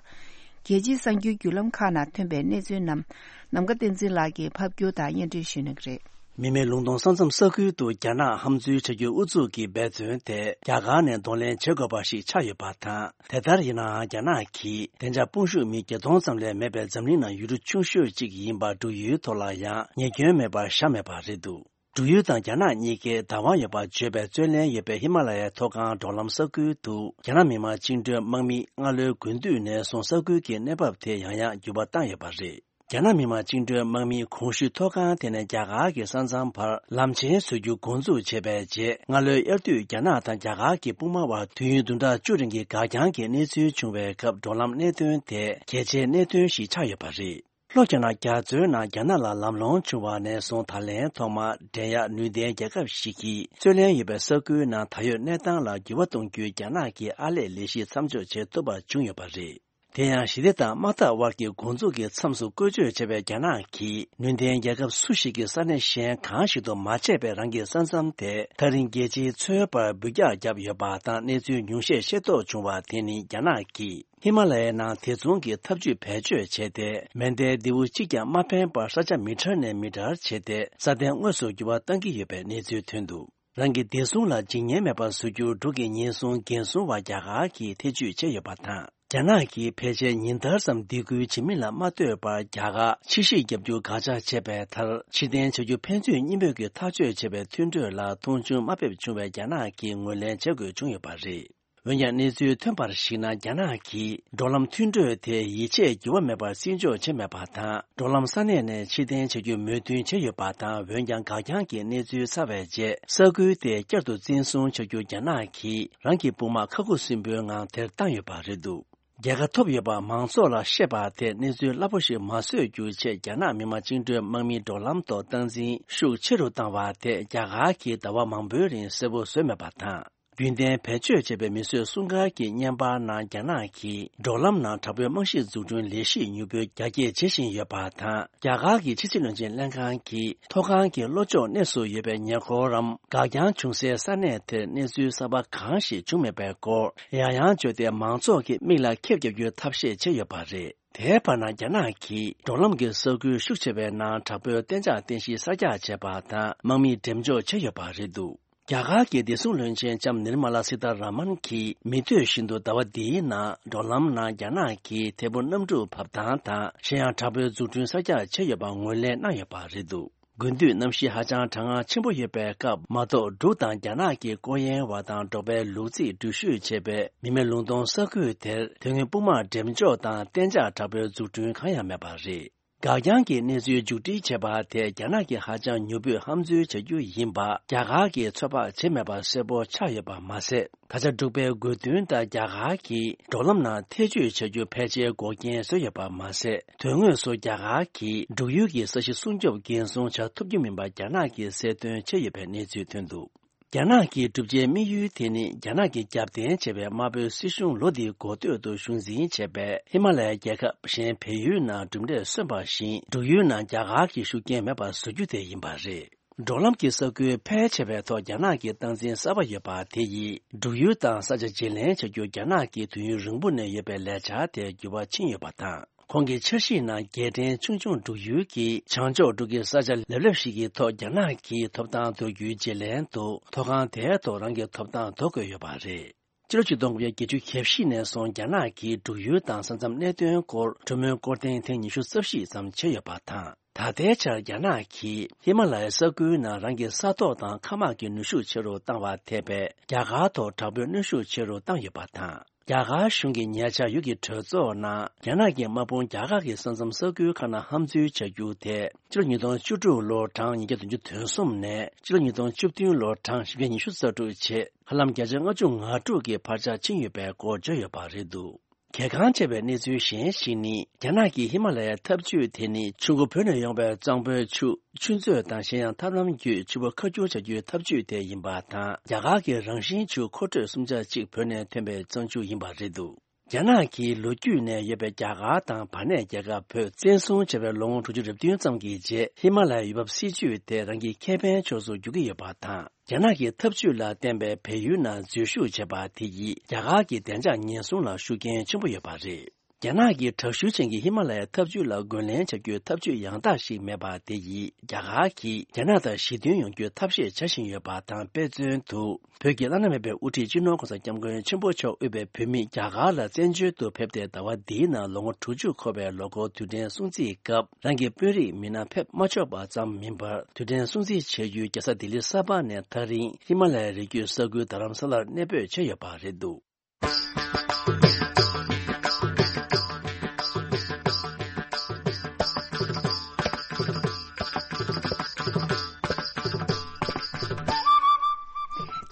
རྒྱལ་སྤྱིའི་གསར་འགྱུར་བརྒྱུད་ལམ་ཁག་ནང་ཐོན་པའི་གནས་ཚུལ་རྣམས་ནམ་མཁའ་བསྟན་འཛིན་ལགས་ཀྱིས་ཕབ་སྒྱུར་དང་སྙན་སྒྲོན་ཞུ་གནང་གི་རེད། མི་མེད་ལུང་སྟོང་ས་མཚམས་ས་ཁུལ་དུ་རྒྱ་ནག་ཧམ་འཛུལ་བྱ་རྒྱུའི་ཨུ་ཚུགས་ཀྱི་འབད་བརྩོན་དེ་རྒྱ་གར་ནས་གདོང་ལེན་བྱེད་དགོས་པ་ཞིག་ཆགས་ཡོད་པ་དང་། དེ་ལྟར་ཡིན་ནའང་རྒྱ་ནག་གིས་བདེ་འཇགས་དཔུང་ཤུགས་མི་བརྒྱད་སྟོང་ཙམ་ལས་མེད་པའི་འཛམ་གླིང་ནང་ཡུལ་གྲུ་ཆུང་ཤོས་གཅིག་ཡིན་པ་འབྲུག་ཡུལ་ཐོག་ལ་ཡང་ཉེས་སྐྱོན་མེད་པར་བཞག་མེད་པ་རེད་འདུག་འབྲུག་ཡུལ་དང་རྒྱ་ནག་གཉིས་ཀའི་བདག་དབང་ཡོད་པར་བརྗོད་པའི་རྩོད་ལེན་ཡོད་པའི་ཧི་མ་ལ་ཡའི་མཐོ་སྒང་འབྲོག་ལམ་ས་ཁུལ་དུ། རྒྱ་ནག་མི་དམངས་བཅིངས་འགྲོལ་དམག་མིས་སྔ་ལོའི་དགུན་དུས་ནས་བཟུང་ས་ཁུལ་གྱི་གནས་བབ་དེ་ཡང་ཡང་འགྱུར་བ་བཏང་ཡོད་པ་རེད། རྒྱ་ནག་མི་དམངས་བཅིངས་འགྲོལ་དམག་མིས་གོང་ཞུས་མཐོ་སྒང་དེ་ནས་རྒྱ་གར་གྱི་ས་མཚམས་བར་ལམ་ཆེན་བཟོ་རྒྱུ་འགོ་འཛུགས་བྱས་པའི་རྗེས། སྔ་ལོའི་དབྱར་དུས་རྒྱ་ནག་དང་རྒྱ་གར་གྱི་དཔུང་དམག་དབར་དུས་ཡུན་བདུན་ཕྲག་བཅུ་རིང་གི་འགག་རྐྱང་གི་གནས་ཚུལ་བྱུང་བའི་སྐབས། འབྲོག་ལམ་གནད་དོན་དེ་གལ་ཆེའི་གནད་དོན་ཞིག་ཆགས་ཡོད་པ་རེད། ལྷོ་རྒྱ་ནག་རྒྱ་མཚོའི་ནང་རྒྱ་ནག་ལ་ལམ་ལྷོང་བྱུང་བ་ནས་བཟུང་། ད་ལན་ཐོག་མར་འགྲན་ཡག་ནུས་ལྡན་རྒྱལ་ཁབ་ཞིག་གིས་རྩོད་ལེན་ཡོད་པའི་ས་ཁུལ་ནང་ད་ཡོད་གནས་སྟངས་ལ་འགྱུར་བ་གཏོང་རྒྱུའི་རྒྱ་ནག་གི་ཨར་ལས་ལས་གཞི་མཚམས་འཇོག་བྱེད་ཐུབ་པ་བྱུང་ཡོད་པ་རེད། དེ་ཡང་ཞི་བདེ་དང་དམག་འཐབ་དབར་གྱི་འགོ་འཛུགས་ཀྱི་མཚམས་སུ་བཀོལ་སྤྱོད་བྱས་པའི་རྒྱ་ནག་གིས་ནུས་ལྡན་རྒྱལ་ཁབ་སུ་ཞིག་གི་ས་གནས་གཞན་གང་ཞིག་ཏུ་མ་བྱས་པའི་རང་གི་ས་མཚམས་དེ་ཐག་རིང་རྒྱལ་སྤྱིའི་མཚོའི་བར་འབུད་རྒྱག་བརྒྱབ་ཡོད་པ་དང་། གནས་ཚུལ་ཉུང་ཤས་ཤེས་རྟོགས་བྱུང་བ་དེ་ནི་རྒྱ་ནག་གིས། ཧི་མ་ལ་ཡའི་ནང་དེ་མཚུངས་ཀྱི་ཐབས་ཇུས་བེད་སྤྱོད་བྱས་ཏེ། མེ་མདའི་མདེའུ་གཅིག་ཀྱང་མ་འཕེན་པར་ས་ཆ་མི་ཊར་ནས་མི་ཊར་བྱས་ཏེ། སྲ་བརྟན་དངོས་སུ་འགྱུར་བ་གཏང་གི་ཡོད་པའི་གནས་ཚུལ་ཐོན་འདུག་རང་གི་བདེ་སྲུང་ལ་འཇིགས་ཉེན་མེད་པར་བཟོ་རྒྱུར། འབྲུག་གི་ཉེན་སྲུང་འགན་སྲུང་བ་རྒྱ་གར་གྱིས་ཐེ་བྱུས་བྱས་ཡོད་པ་དང་། རྒྱ་ནག་གིས་ཕལ་ཆེར་ཉིན་ལྟར་ཙམ་སྡིགས་སྐུལ་བྱེད་མིན་ལ་མ་ལྟོས་པར། རྒྱ་གར་ཕྱི་བཤིག་བརྒྱབ་རྒྱུ་དགག་བྱ་བྱས་པའི་མཐར། ཕྱིར་འཐེན་བྱ་རྒྱུ་ཕན་ཚུན་གཉིས་པོས་ཀྱིས་ཐག་གཅོད་བྱས་པའི་མཐུན་གྲོས་ལ་མཐོང་ཆུང་མ་ཕེབས་བྱུང་བས། རྒྱ་ནག་གིས་ངོས་ལེན་བྱ་དགོས་བྱུང་ཡོད་པ་རེད། འོན་ཀྱང་། གནས་ཚུལ་ཐོན་པར་གཞིགས་ན། རྒྱ་ནག་གིས་འབྲོག་ལམ་མཐུན་གྲོས་དེ་ཡིད་ཆེས་འགྱུར་བ་མེད་པར་བརྩི་འཇོག་བྱས་མེད་པ་དང་། འབྲོག་ལམ་ས་གནས་ནས་ཕྱིར་འཐེན་བྱ་རྒྱུའི་མོས་མཐུན་བྱས་ཡོད་པ་དང་། འོན་ཀྱང་། འགག་རྐྱང་གི་གནས་ཚུལ་ཚར་བའི་རྗེས། ས་ཁུལ་དེ་བསྐྱར་དུ་འཛིན་བཟུང་བྱ་རྒྱུ་རྒྱ་ནག་གིས་རང་གི་དཔུང་དམག་ཁ་ཁུ་སིམ་པོའི་ངང་དེར་བཏང་ཡོད་པ་རེད་འདུག་རྒྱལ་ཁ་ཐོབ་ཡོད་པ་མང་ཚོགས་ལ་བཤད་པ་དེ་གནས་ཚུལ་སླ་པོ་ཞིག་མ་བཟོ་རྒྱུའི་ཆེད། རྒྱ་ནག་མི་དམངས་བཅིངས་འགྲོལ་དམག་མིས་འབྲོག་ལམ་ཐོག་སྟངས་འཛིན་ཤུགས་ཆེ་རུ་བཏང་བ་དེ། རྒྱ་གར་གྱིས་ཟླ་བ་མང་པོའི་རིང་གསལ་པོ་བཟོས་མེད་པ་དང་། རྒྱུན་ལྡན་བེད་སྤྱོད་བྱས་པའི་མིས་བཟོས་སྲུང་སྐར་གྱི་བརྙན་པར་ནང་། རྒྱ་ནག་གིས་འབྲོག་ལམ་ནང་དྲག་པོའི་རྨང་གཞི་འཛུགས་སྐྲུན་ལས་གཞི་མྱུར་པོས་རྒྱ་སྐྱེད་བྱེད་བཞིན་ཡོད་པ་དང་། རྒྱ་གར་གྱི་ཕྱི་སྲིད་བློན་ཆེན་ལྷན་ཁང་གིས། མཐོ་སྒང་གི་ལྷོ་ཕྱོགས་གནས་སུ་ཡོད་པའི་ཉེ་འཁོར་རམ། འགག་རྐྱང་བྱུང་སའི་ས་གནས་དེར་གནས་ཚུལ་གསར་པ་གང་ཞིག་བྱུང་མེད་པའི་སྐོར། ཡང་ཡང་བརྗོད་དེ། མང་ཚོགས་ཀྱི་མིག་ལ་ཁེབས་རྒྱག་རྒྱུའི་ཐབས་ཤེས་བྱས་ཡོད་པ་རེད། དེའི་བར་ན། རྒྱ་ནག་གིས་འབྲོག་ལམ་གྱི་ས་ཁུལ་ཤུགས་ཆེ་བའི་ནང་དྲག་པོའི་གཏན་འཇགས་རྟེན་གཞི་གསར་རྒྱག་བྱས་པ་དང་། དམག་མི་འགྲེམས་འཇོག་བྱས་ཡོད་པ་རེད་འདུག་རྒྱ་གར་གྱི་བདེ་སྲུང་བློན་ཆེན་ལྕམ་ནིར་མ་ལ་སི་ཐ་ར་མན་གྱིས། མི་འདོད་བཞིན་དུ་ཟླ་བ་འདིའི་ནང་། འབྲོག་ལམ་ནང་རྒྱ་ནག་གིས་དེ་སྦུག་གནམ་གྲུ་བབས་སྟངས་དང་། གཞན་ཡང་། དྲག་པོའི་འཛུགས་སྐྲུན་གསར་རྒྱག་བྱས་ཡོད་པ་ངོས་ལེན་གནང་ཡོད་པ་རེད་འདུག་དགུན་དུས་གནམ་གཤིས་ཧ་ཅང་གྲང་ངར་ཆེན་པོ་ཡོད་པའི་སྐབས། མ་གཏོགས། འབྲུག་དང་རྒྱ་ནག་གི་སྐོར་གཡེང་བ་དང་། འབྲོག་པའི་ལུག་རྫིས་འགྲུལ་བཞུད་བྱེད་པའི་མི་མེད་ལུང་སྟོང་ས་ཁུལ་དེར། དོན་དངོས་དཔུང་དམག་འགྲེམས་འཇོག་དང་གཏན་འཇགས་དྲག་པོའི་འཛུགས་སྐྲུན་གང་ཡང་མེད་པ་རེད། འགག་རྐྱང་གི་གནས་ཚུལ་མཇུག་སྒྲིལ་བྱས་པ་དེ། རྒྱ་ནག་གིས་ཧ་ཅང་མྱུར་པོས་ཧམ་འཛུལ་བྱ་རྒྱུ་ཡིན་པ། རྒྱ་གར་གྱིས་ཚོད་དཔག་བྱས་མེད་པ་གསལ་པོ་ཆགས་ཡོད་པ་མ་ཟད། ད་ཆ་འབྲུག་པའི་དགོས་འདུན་ལྟར། རྒྱ་གར་གྱིས་འབྲོག་ལམ་ནང་ཐེ་བྱུས་བྱ་རྒྱུ་ཕལ་ཆེར་འགོག་རྐྱེན་བཟོས་ཡོད་པ་མ་ཟད། དོན་དངོས་སུ་རྒྱ་གར་གྱིས་འབྲུག་ཡུལ་གྱི་ས་གཞི་སྲུང་སྐྱོབ་འགན་སྲུང་བྱ་ཐུབ་རྒྱུ་མིན་པ་རྒྱ་ནག་གིས་གསལ་སྟོན་བྱས་ཡོད་པའི་གནས་ཚུལ་ཐོན་འདུག་རྒྱ་ནག་གི་བསྒྲུབ་བྱའི་དམིགས་ཡུལ་དེ་ནི། རྒྱ་ནག་གིས་རྒྱབ་རྟེན་བྱས་པའི་དམར་པོའི་སྲིད་གཞུང་ལོ་འདིའི་འགོ་སྟོད་དུ་གཞུང་འཛིན་བྱས་པའི་ཧི་མ་ལ་ཡའི་རྒྱལ་ཁབ་གཞན་བལ་ཡུལ་ནང་གྲུབ་འབྲས་སོན་པ་བཞིན། འབྲུག་ཡུལ་ནང་རྒྱ་གར་གྱི་ཤུགས་རྐྱེན་མེད་པར་བཟོ་རྒྱུ་དེ་ཡིན་པ་རེད། འབྲོག་ལམ་གྱི་ས་ཁུལ་ཕལ་ཆེ་བའི་ཐོག་རྒྱ་ནག་གི་སྟངས་འཛིན་གསར་པ་ཡོད་པ་དེ་ཡིས། འབྲུག་ཡུལ་དང་ས་ཆ་བརྗེ་ལེན་བྱ་རྒྱུ་རྒྱ་ནག་གིས་དུས་ཡུན་རིང་པོ་ནས་ཡོད་པའི་ལས་འཆར་དེར་འགྱུར་བ་ཕྱིན་ཡོད་པ་དང་། ཁོང་གི་འཆར་གཞིའི་ནང་རྒྱལ་ཕྲན་ཆུང་ཆུང་འབྲུག་ཡུལ་གྱི་བྱང་ཕྱོགས་འབྲུག་གི་ས་ཆ་ལེབ་ལེབ་ཞིག་གི་ཐོག་རྒྱ་ནག་གིས་ཐོབ་ཐང་དོར་རྒྱུའི་རྗེས་ལན་དུ། ཐོག་ཁང་དེའི་ཐོག་རང་གི་ཐོབ་ཐང་དོར་དགོས་ཡོད་པ་རེད། ཕྱི་ལོ་ཆིག་སྟོང་དགུ་བརྒྱ་བརྒྱད་ཅུ་གྱ་བཞི་ནས་བཟུང་རྒྱ་ནག་གིས་འབྲུག་ཡུལ་དང་ས་མཚམས་གནད་དོན་སྐོར་གྲོས་མོལ་སྐོར་ཐེངས་ཐེངས་ཉི་ཤུ་རྩ་བཞི་ཙམ་བྱས་ཡོད་པ་དང་། ད་ལྟའི་ཆར་རྒྱ་ནག་གིས་ཧི་མ་ལ་ཡའི་ས་ཁུལ་ནང་རང་གི་ས་ཐོག་དང་མཁའ་དམག་གི་ནུས་ཤུགས་ཆེ་རུ་བཏང་བ་ཐེ་བའི་རྒྱ་གར་ཐོག་དྲག་པོའི་གནོན་ཤུགས་ཆེ་རུ་བཏང་ཡོད་པ་དང་། རྒྱ་གར་གཞུང་གིས་ཉེ་ཆར་ཡུལ་གྱི་གྲོས་ཚོགས་ནང་རྒྱ་ནག་གི་དམག་དཔུང་རྒྱ་གར་གྱི་ས་མཚམས་ས་ཁུལ་ཁག་ནང་ཧམ་འཛུལ་བྱ་རྒྱུ་དེ། ཕྱི་ལོ་ཉིས་སྟོང་བཅུ་དྲུག་ལོ་གྲངས་ཉིས་བརྒྱ་བདུན་ཅུ་དོན་གསུམ་ནས་ཕྱི་ལོ་ཉིས་སྟོང་བཅུ་བདུན་ལོ་གྲངས་བཞི་བརྒྱ་ཉི་ཤུ་རྩ་དྲུག་བྱས། ཧ་ལམ་བརྒྱ་ཆ་ལྔ་བཅུ་ང་དྲུག་གི་འཕར་ཆ་ཕྱིན་ཡོད་པའི་སྐོར་བརྗོད་ཡོད་པ་རེད་འདུག་གལ་འགངས་ཆེ་བའི་གནས་ཚུལ་གཞན་ཞིག་ནི། རྒྱ་ནག་གིས་ཧི་མ་ལ་ཡའི་འཐབ་ཇུས་དེ་ནི་ཆུ་མགོ་བོད་ནས་ཡོང་བའི་གཙང་པོའི་ཆུ། ཆུ་མཛོད་དང་གཞན་ཡང་ཐབས་ལམ་བརྒྱུད་ཆུ་བོ་ཁ་བསྒྱུར་བྱ་རྒྱུའི་འཐབ་ཇུས་དེ་ཡིན་པ་དང་། རྒྱ་གར་གྱི་རང་བཞིན་ཆུ་མཁོ་སྤྲོད་སུམ་ཆ་གཅིག་བོད་ནས་ཐོན་པའི་གཙང་ཆུ་ཡིན་པ་རེད་འདུག་རྒྱ་ནག་གིས་ལོ་རྒྱུས་ནས་ཡོད་པའི་རྒྱ་གར་དང་བར་གནས་རྒྱལ་ཁབ་བོད་བཙན་བཟུང་བྱས་པའི་ལོ་ངོ་དྲུག་ཅུ་རེ་བདུན་ཙམ་གྱི་རྗེས། ཧི་མ་ལ་ཡའི་ཡུལ་བབ་སྲིད་ཇུས་དེ་རང་གི་ཁེ་ཕན་ཕྱོགས་སུ་བསྒྱུར་གྱི་ཡོད་པ་དང་། རྒྱ་ནག་གི་འཐབ་ཇུས་ལ་བརྟེན་པའི་བལ་ཡུལ་ནང་འཛུལ་ཞུགས་བྱས་པ་དེ་ཡིས་རྒྱ་གར་གྱི་བདེ་འཇགས་ཉེན་སྲུང་ལ་ཤུགས་རྐྱེན་ཆེན་པོ་ཡོད་པ་རེད། རྒྱ་ནག་གིས་དྲག་ཤུགས་ཅན་གྱི་ཧི་མ་ལ་ཡའི་འཐབ་ཇུས་ལ་རྒོལ་ལན་བྱ་རྒྱུའི་འཐབ་ཇུས་ཡང་དག་ཞིག་མེད་པ་དེ་ཡིས། རྒྱ་གར་གྱིས་རྒྱ་ནག་དང་ཞི་མཐུན་ཡོང་རྒྱུའི་ཐབས་ཤེས་བྱ་བཞིན་ཡོད་པ་དང་། དཔེ་མཚོན་དུ། བོད་ཀྱི་བླ་ན་མེད་པའི་དབུ་ཁྲིད་སྤྱི་ནོར་༸གོང་ས་༸སྐྱབས་མགོན་ཆེན་པོ་མཆོག་དབུས་པའི་བོད་མིས་རྒྱ་གར་ལ་བཙན་བྱོལ་དུ་ཕེབས་ཏེ་ཟླ་བ་འདིའི་ནང་ལོ་ངོ་དྲུག་ཅུ་འཁོར་བའི་ལོ་འཁོར་དུས་དྲན་སྲུང་བརྩིའི་སྐབས། རང་གི་དཔོན་རིགས་མི་སྣ་ཕེབས་མ་ཆོག་པ་ཙམ་མིན་པར། དུས་དྲན་སྲུང་བརྩི་བྱ་རྒྱུའི་རྒྱལ་ས་ལྡི་ལི་གསར་པ་ནས་ཐག་རིང་ཧི་མ་ལ་ཡའི་རི་རྒྱུད་ས་ཁུལ་རྡ་རམ་ས་ལར་གནས་སྤོས་བྱས་ཡོད་པ་རེད་འདུག་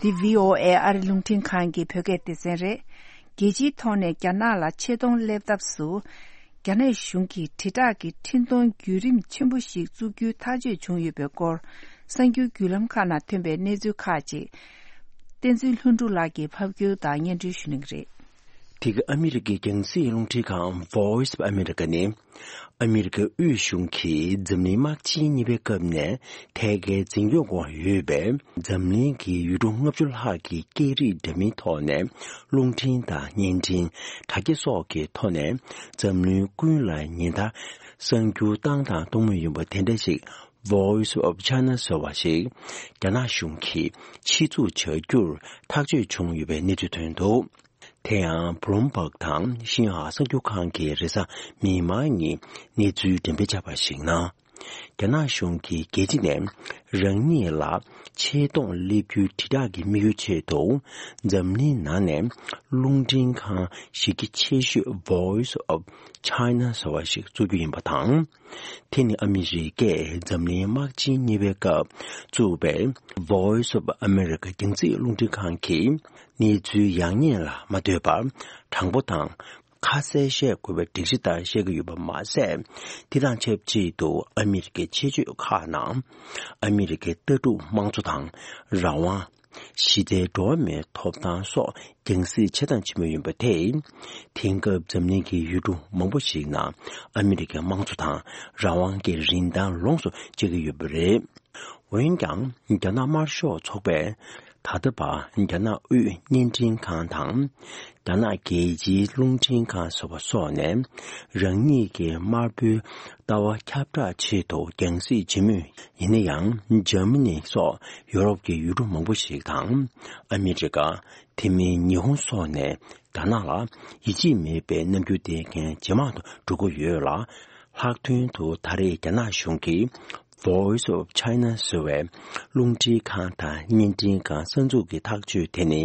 འདི་བྷི་ཨོ་ཨེ་ཨ་རི་རླུང་འཕྲིན་ཁང་གི་བོད་སྐད་སྡེ་ཚན་རེད། རྒྱལ་སྤྱིའི་ཐོག་ནས་རྒྱ་ནག་ལ་ཆེ་མཐོང་སླེབས་ཐབས་སུ། རྒྱ་ནག་གཞུང་གིས་དྲིལ་བསྒྲགས་ཀྱི་འཕྲིན་གཏོང་བརྒྱུད་རིམ་ཆེན་པོ་ཞིག་བཙུགས་རྒྱུའི་ཐག་གཅོད་བྱུང་ཡོད་པའི་སྐོར། གསར་འགྱུར་བརྒྱུད་ལམ་ཁག་ནང་ཐོན་པའི་གནས་ཚུལ་ཁག་ཅིག་བསྟན་འཛིན་ལྷུན་གྲུབ་ལགས་ཀྱིས་ཕབ་སྒྱུར་དང་སྙན་སྒྲོན་ཞུ་གནང་གི་རེད། དེ་ག་ཨ་མི་རི་ཀའི་རྒྱང་སྲིང་རླུང་འཕྲིན་ཁང་Voice of America ནི། ཨ་མི་རི་ཀའི་དབུས་གཞུང་གིས་འཛམ་གླིང་དམག་ཆེན་གཉིས་པའི་སྐབས་ནས་ཐད་ཀའི་འཛིན་སྐྱོང་འོག་ཡོད་པའི་འཛམ་གླིང་གི་ཡུལ་གྲུ་ལྔ་བཅུ་ལྷག་གི་སྐད་རིགས་འདྲ་མིན་ཐོག་ནས་རླུང་འཕྲིན་དང་བརྙན་འཕྲིན། དྲ་རྒྱ་སོགས་ཀྱི་ཐོག་ནས་འཛམ་གླིང་ཀུན་ལ་ཉིན་ལྟར་གསར་འགྱུར་བཏང་དང་གཏོང་མུས་ཡིན་པ་དེ་འདྲ་ཞིག Voice of China ཟེར་བ་ཞིག་རྒྱ་ནག་གཞུང་གིས་ཕྱིར་ཚུགས་བྱ་རྒྱུར་ཐག་གཅོད་བྱུང་ཡོད་པའི་གནས་ཚུལ་ཐོན་འདུག་དེ་ཡང་Bloomberg དང་ཤིན་ཧྭ་གསར་འགྱུར་ཁང་གི་རེས་གཟའ་མིག་དམར་ཉིན་གནས་ཚུལ་འགྲེམས་སྤེལ་བྱས་པར་གཞིགས་ན། རྒྱ་ནག་གཞུང་གིས་རྒྱལ་སྤྱི་ནས་རང་ཉིད་ལ་ཆེ་མཐོང་སླེབས་རྒྱུའི་དྲིལ་བསྒྲགས་ཀྱི་དམིགས་ཡུལ་ཆེད་དུ། འཛམ་གླིང་ནང་ནས་རླུང་འཕྲིན་ཁང་གཞི་རྒྱ་ཆེ་ཤོས་Voice of China ཟེར་བ་ཞིག་བཙུགས་རྒྱུ་ཡིན་པ་དང་། དེ་ནི་ཨ་མི་རི་ཀས་འཛམ་གླིང་དམག་ཆེན་གཉིས་པའི་སྐབས་བཙུགས་པའི་Voice of America རྒྱང་སྲིང་རླུང་འཕྲིན་ཁང་གིས་གནས་ཚུལ་ཡག་ཉེས་ལ་མ་ལྟོས་པར། དྲང་པོ་དང་ཁ་གསལ་བཤད་དགོས་པའི་སྒྲིག་གཞི་ལྟར་བཤད་ཀྱི་ཡོད་པ་མ་ཟད། དེ་དང་ཆབས་ཅིག་ཏུ་ཨ་མི་རི་ཀའི་ཆེད་སྤྱོད་ཁག་ནང་ཨ་མི་རི་ཀའི་ལྟ་གྲུབ་དམངས་གཙོ་དང་རང་དབང་། གཞི་རྩའི་འགྲོ་བ་མིའི་ཐོབ་ཐང་སོགས་རྒྱང་སྲིང་བྱེད་དང་བྱེད་མུས་ཡིན་པ་དེས། དེང་སྐབས་འཛམ་གླིང་གི་ཡུལ་གྲུ་མང་པོ་ཞིག་ནང་ཨ་མི་རི་ཀའི་དམངས་གཙོ་དང་རང་དབང་གི་རིན་ཐང་ལོངས་སུ་སྤྱད་ཀྱི་ཡོད་པ་རེད། འོན་ཀྱང་རྒྱ་ནག་དམར་ཤོག་ཚོགས་པས་ད་ལྟ་བར་རྒྱ་ནག་དབུས་བརྙན་འཕྲིན་ཁང་དང་། རྒྱ་ནག་རྒྱལ་སྤྱིའི་རླུང་འཕྲིན་ཁང་ཟེར་བ་སོགས་ནས་རང་ཉིད་ཀྱི་དམར་པོའི་ལྟ་བ་ཁྱབ་བསྒྲགས་ཆེད་དུ་རྒྱང་སྲིང་བྱེད་མུས་ཡིན་ན་ཡང་། འཇར་མ་ནི་སོགས་ཡོ་རོབ་ཀྱི་ཡུལ་གྲུ་མང་པོ་ཞིག་དང་། ཨ་མི་རི་ཀ། དེ་མིན་ཉི་ཧོང་སོགས་ནས་རྒྱ་ནག་ལ་ཡིད་ཆེས་མེད་པའི་རྣམ་འགྱུར་བསྟན་མཁན་ཇེ་མང་དུ་འགྲོ་གི་ཡོད་ལ། ལྷག་དོན་དུ་ད་རེས་རྒྱ་ནག་གཞུང་གིས་Voice of China ཟེར་བའི་རླུང་འཕྲིན་ཁང་དང་བརྙན་འཕྲིན་ཁང་གསར་འཛུགས་ཀྱི་ཐག་གཅོད་དེ་ནི།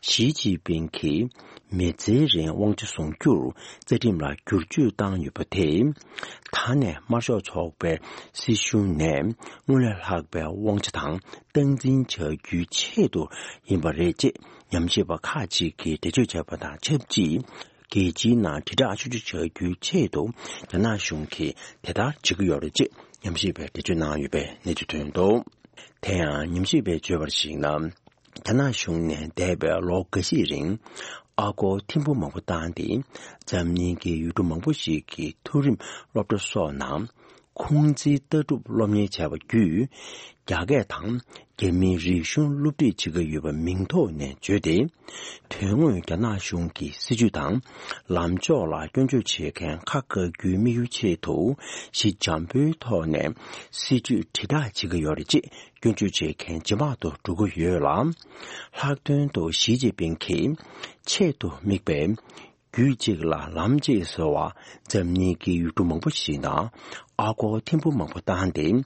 ཞི་ཅིན་ཕིང་གིས་མི་ཚེའི་རིང་དབང་ཆ་བཟུང་རྒྱུར་རྩ་ཁྲིམས་ལ་བསྒྱུར་བཅོས་བཏང་ཡོད་པ་དེས། ད་ནས་དམར་ཤོག་ཚོགས་པའི་སྲིད་གཞུང་ནས་སྔོན་ལས་ལྷག་པའི་དབང་ཆ་དང་སྟངས་འཛིན་བྱ་རྒྱུའི་ཆེད་དུ་ཡིན་པ་རེད་ཅེས་ཉམས་ཞིབ་པ་ཁག་ཅིག་གིས་འགྲེལ་བརྗོད་བྱས་པ་དང་ཆབས་ཅིག་རྒྱལ་སྤྱིའི་ནང་དྲིལ་བསྒྲགས་ཆུང་ཆུང་བྱ་རྒྱུའི་ཆེད་དུ་རྒྱ་ནག་གཞུང་གིས་དེ་ལྟར་བྱེད་ཀྱི་ཡོད་རེད་ཅེས་ཉམས་ཞིབ་པས་འགྲེལ་བརྗོད་གནང་ཡོད་པའི་གནས་ཚུལ་ཐོན་འདུག་དེ་ཡང་ཉམས་ཞིབ་པས་བརྗོད་པར་གཞིགས་ན། རྒྱ་ནག་གཞུང་ནས་འདས་པའི་ལོ་འགའ་ཞིག་རིང་ཨ་སྒོར་ཐེར་འབུམ་མང་པོ་བཏང་སྟེ། འཛམ་གླིང་གི་ཡུལ་གྲུ་མང་པོ་ཞིག་གི་མཐོ་རིམ་སློབ་གྲྭ་སོགས་ནང་ཁུང་ཙི་ལྟ་གྲུབ་སློབ་གཉེར་བྱས་པ་བརྒྱུད། རྒྱ་སྐད་དང་རྒྱ་མིའི་རིག་གཞུང་སློབ་ཁྲིད་བྱེད་ཀྱི་ཡོད་པ་མིང་ཐོག་ནས་བརྗོད་དེ། དོན་དངོས་རྒྱ་ནག་གཞུང་གི་སྲིད་ཇུས་དང་ལམ་ཕྱོགས་ལ་སྐྱོན་བརྗོད་བྱེད་མཁན་ཁ་བཀག་རྒྱུའི་དམིགས་ཡུལ་ཆེད་དུ། ཞི་འཇམ་པོའི་ཐོག་ནས་སྲིད་ཇུས་དྲིལ་བསྒྲགས་བྱེད་ཀྱི་ཡོད་རེད་ཅེས། སྐྱོན་བརྗོད་བྱེད་མཁན་ཇེ་མང་དུ་འགྲོ་གི་ཡོད་ལ། ལྷག་དོན་དུ་ཞི་ཅིན་ཕིང་གིས་ཆེད་དུ་དམིགས་པའི་རྒྱུད་གཅིག་ལ་ལམ་གཅིག་ཟེར་བ། འཛམ་གླིང་གི་ཡུལ་གྲུ་མང་པོ་ཞིག་ནང་ཨ་སྒོར་ཐེར་འབུམ་མང་པོ་བཏང་སྟེ།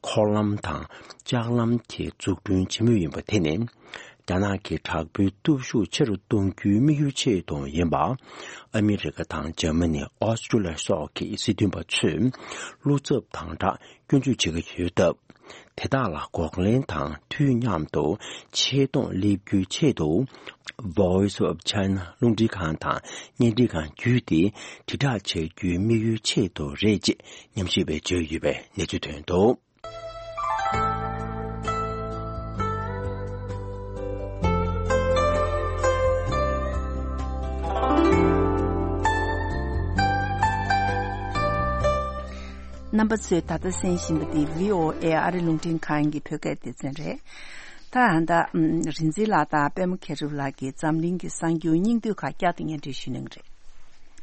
འཁོར་ལམ་དང་ལྕགས་ལམ་དེ་འཛུགས་སྐྲུན་བྱེད་མུས་ཡིན་པ་དེ་ནི། རྒྱ་ནག་གི་དྲག་པོའི་སྟོབས་ཤུགས་ཆེ་རུ་གཏོང་རྒྱུའི་དམིགས་ཡུལ་ཆེད་དུ་ཡིན་པ། ཨ་མི་རི་ཀ་དང་འཇར་མ་ནི། ཨོ་སི་ཀྲུ་ལི་ཡ་སོགས་ཀྱི་སྲིད་དོན་པ་ཚོས་བློ་འཚབ་དང་སྦྲགས་སྐྱོན་བརྗོད་བྱེད་ཀྱི་ཡོད་སྟབས། དེ་དག་ལ་འགོག་ལན་དང་དུས་མཉམ་དུ་ཆེ་མཐོང་སླེབས་རྒྱུའི་ཆེད་དུ། Voice of China རླུང་འཕྲིན་ཁང་དང་བརྙན་འཕྲིན་ཁང་བརྒྱུད་དེ་དྲིལ་བསྒྲགས་བྱ་རྒྱུའི་དམིགས་ཡུལ་ཆེད་དུ་རེད་ཅེས་ཉམས་ཞིབ་པས་བརྗོད་ཡོད་པའི་གནས་ཚུལ་ཐོན་འདུག། རྣམ་པ་ཚོས་ད་ལྟ་གསན་བཞིན་པ་འདི་བྷི་ཨོ་ཨེ་ཨ་རི་རླུང་འཕྲིན་ཁང་གི་བོད་སྐད་སྡེ་ཚན་རེད། ད་ཨ་ད་ཨམ་རིག་འཛིན་ལགས་དང་པད་མ་མཁས་གྲུབ་ལགས་ཀྱིས་འཛམ་གླིང་གི་གསར་འགྱུར་སྙིང་བསྡུས་ཁག་བསྐྱར་དུ་སྙན་སྒྲོན་ཞུ་གནང་གི་རེད།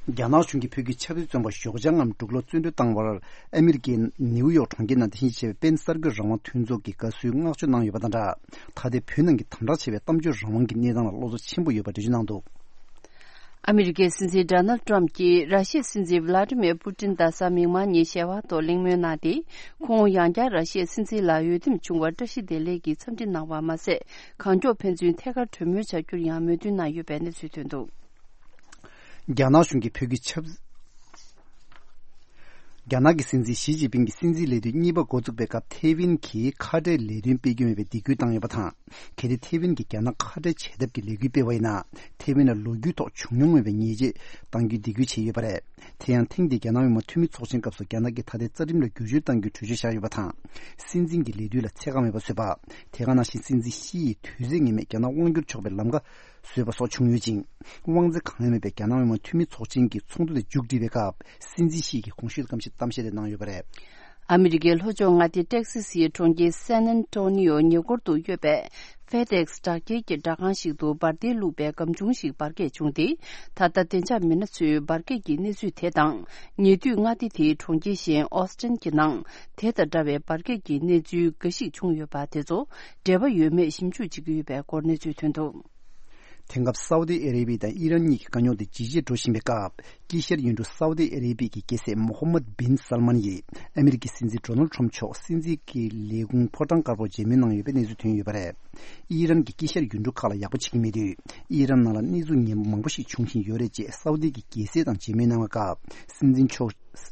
རྒྱ་ནག་གཞུང་གིས་བོད་ཀྱི་ཆབ་སྲིད་བཙོན་པ་ཞོགས་ལྗང་ངམ་འབྲུག་ལོ་བཙོན་གྲོལ་བཏང་བར་ཨ་མི་རི་ཀའི་ནེའུ་ཡོག་གྲོང་ཁྱེར་ནང་དེ་བཞིན་གཤེགས་པའི་པེན་གསར་འགོད་རང་དབང་མཐུན་ཚོགས་ཀྱི་དགའ་བསུའི་བསྔགས་བརྗོད་གནང་ཡོད་པ་དང་སྦྲགས། ད་ལྟའི་བོད་ནང་གི་དམ་དྲག་ཆེ་བའི་གཏམ་བརྗོད་རང་དབང་གི་གནས་སྟངས་ལ་བློ་འཚབ་ཆེན་པོ་ཡོད་པ་འགྲེལ་བརྗོད་གནང་འདུག། ཨ་མི་རི་ཀའི་སྲིད་འཛིན་ཌོ་ནལ་ཊམ་གྱིས་ར་ཤི་ཡའི་སྲིད་འཛིན་ཝི་ལ་ཏི་མིར་པུ་ཏིན་གཟའ་མིག་དམར་ཉིན་ཞལ་པར་ཐོག་གླེང་མོལ་གནང་སྟེ། ཁོང་ཡང་བསྐྱར་ར་ཤི་ཡའི་སྲིད་འཛིན་ལ་འོས་འདེམས་བྱུང་བར་བཀྲ་ཤིས་བདེ་ལེགས་ཀྱི་འཚམས་འདྲི་གནང་བ་མ་ཟད། གང་མགྱོགས་ཕན་ཚུན་ཐད་ཀར་གྲོས་མོལ་བྱ་རྒྱུར་ཡང་མོས་མཐུན་གནང་ཡོད་པའི་གནས་ཚུལ་ཐོན་འདུག། རྒྱ་ནག་གཞུང་གིས་བོད་ཀྱི་ཆབ། རྒྱ་ནག་གི་སྲིད་འཛིན་ཞི་ཅིན་ཕིང་གི་སྲིད་འཛིན་ལས་དུས་གཉིས་པ་འགོ་འཛུགས་པའི་སྐབས་ཐེ་ཝན་གྱིས་ཁ་བྲལ་ལས་དོན་སྤེལ་རྒྱུ་མེད་པའི་སྡིགས་སྐུལ་བཏང་ཡོད་པ་དང་། གལ་ཏེ་ཐེ་ཝན་གྱིས་རྒྱ་ནག་ཁ་བྲལ་བྱས་ཐབས་ཀྱི་ལས་འགུལ་སྤེལ་བ་ཡིན་ན། ཐེ་ཝན་ལ་ལོ་རྒྱུས་ཐོག་བྱུང་མྱོང་མེད་པའི་ཉེས་ཆད་གཏང་རྒྱུའི་སྡིགས་སྐུལ་བྱས་ཡོད་པ་རེད། དེ་ཡང་ཐེངས་འདིའི་རྒྱ་ནག་མི་དམངས་འཐུས་མི་ཚོགས་ཆེན་སྐབས་སུ་རྒྱ་ནག་གིས་ད་ལྟའི་རྩ་ཁྲིམས་ལ་བསྒྱུར་བཅོས་གཏང་རྒྱུའི་གྲོས་ཆོད་བཞག་ཡོད་པ་དང་། སྲིད་འཛིན་གྱི་ལས་དུས་ལ་ཚད་བཀག་མེད་པ་བཟོས་པ། དེ་ག་ནང་བཞིན་སྲིད་འཛིན་ཤི་ཡི་དུས་ཚོད་ངེས་མེད་རྒྱ་ནག་དབང་བསྒྱུར་ཆོག་པའི་ལམ་ཁ་བཟོས་པ་སོགས་བྱུང་ཡོད་ཅིང་། དབང་ཚད་གང་ཡང་མེད་པའི་རྒྱ་ནག་མི་དམངས་འཐུས་མི་ཚོགས་ཆེན་གྱི་ཚོགས་འདུ་དེ་མཇུག་བསྒྲིལ་བའི་སྐབས། སྲིད་འཛིན་ཤི་ཡི་གོང་ཞུས་གཏམ་བཤད་གཏམ་བཤད་དེ་གནང་ཡོད་པ་རེད། ཨ་མི་རི་ཀའི་ལྷོ་ཕྱོགས་མངའ་སྡེ་ཏེག་སི་སིའི་གྲོང་ཁྱེར་སན་ཨན་ཏོ་ནི་ཡོ་ཉེ་འཁོར་དུ་ཡོད་པའི་ཧྥེ་ཏེག་སི་དྲག་རྒྱལ་གྱི་སྦྲག་ཁང་ཞིག་ཏུ་འབར་མདེལ་བླུགས་པའི་སྒམ་ཆུང་ཞིག་འབར་གས་བྱུང་སྟེ། ད་ལྟ་བདེ་འཇགས་མི་སྣ་ཚོས་འབར་གས་ཀྱི་གནས་ཚུལ་དེ་དང་། ཉེ་དུས་མངའ་སྡེ་དེའི་གྲོང་ཁྱེར་གཞན་ཨོ་སི་ཏན་གྱི་ནང་དེ་དང་འདྲ་བའི་འབར་གས་ཀྱི་གནས་ཚུལ་འགའ་ཞིག་བྱུང་ཡོད་པ་དེ་ཚོ་འབྲེལ་བ་ཡོད་མེད་ཞིབ་འཇུག་བྱེད་ཀྱི་ཡོད་པའི་སྐོར་གནས་ཚུལ་ཐོན་འདུག། དེང་སྐབས་སའུ་ཏི་ཨ་རེ་བི་དང་ཨི་རན་གཉིས་ཀྱི་དཀའ་རྙོག་དེ་ཇེ་ཆེར་འགྲོ་བཞིན་པའི་སྐབས། དཀྱིལ་ཤར་ཡུལ་གྲུ་སའུ་ཏི་ཨ་རེ་བི་གི་རྒྱལ་སྲས་མོ་ཧམ་མད་བིན་སལ་མན་ཡིས་ཨ་མི་རི་ཀའི་སྲིད་འཛིན་ཌོ་ནལ་ཁྲམ་མཆོག་སྲིད་འཛིན་གྱི་ལས་ཁུངས་ཕོ་བྲང་དཀར་པོར་མཇལ་མོལ་གནང་ཡོད་པའི་གནས་ཚུལ་ཐོན་ཡོད་པ་རེད། ཨི་རན་གྱིས་དཀྱིལ་ཤར་ཡུལ་གྲུ་ཁག་ལ་ཡག་པོ་བྱེད་ཀྱི་མེད་དུས། ཨི་རན་ནང་ལ་གནས་ཚུལ་ངན་པ་མང་པོ་ཞིག་འབྱུང་བཞིན་ཡོད་རེད་ཅེས་སའུ་ཏི་གི་རྒྱལ་སྲས་དང་མཇལ་མོལ་གནང་བའི་སྐབས། སྲིད་འཛིན་མཆོག་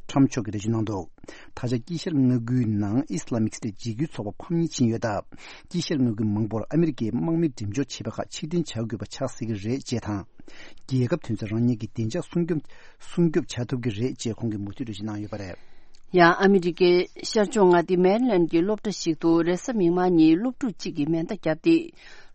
ཁྲམ་མཆོག་གིས་འགྲེལ་བརྗོད་གནང་འདུག། ད་ཆ་དཀྱིལ་ཤར་མངའ་ཁུལ་ནང་ཨི་སི་ལ་མིག་སི་ཊེཊ་འཇིགས་སྐུལ་ཚོགས་པ་ཕམ་ཉེས་ཕྱིན་ཡོད་སྟབས། དཀྱིལ་ཤར་མངའ་ཁུལ་མང་པོར་ཨ་མི་རི་ཀའི་དམག་མི་འགྲེམས་འཇོག་བྱས་པ་ཁག་ཕྱིར་འཐེན་བྱ་དགོས་པ་ཆགས་སྲིད་ཀྱི་རེད་ཅེས་དང་། རྒྱལ་ཁབ་དོན་ཚན་རང་ཉིད་ཀྱི་བདེ་འཇགས་སྲུང་སྐྱོབ་སྲུང་སྐྱོབ་བྱ་ཐུབ་ཀྱི་རེད་ཅེས་ཁོང་གིས་མུ་མཐུད་འགྲེལ་བརྗོད་གནང་ཡོད་པ་རེད། ཡང་ཨ་མི་རི་ཀའི་ཤར་ཕྱོགས་མངའ་སྡེ་མེ་རི་ལན་གྱི་སློབ་གྲྭ་ཞིག་ཏུ་རེས་གཟའ་མིག་དམར་ཉིན་སློབ་ཕྲུག་གཅིག་གིས་མེ་མདའ་བརྒྱབ་སྟེ།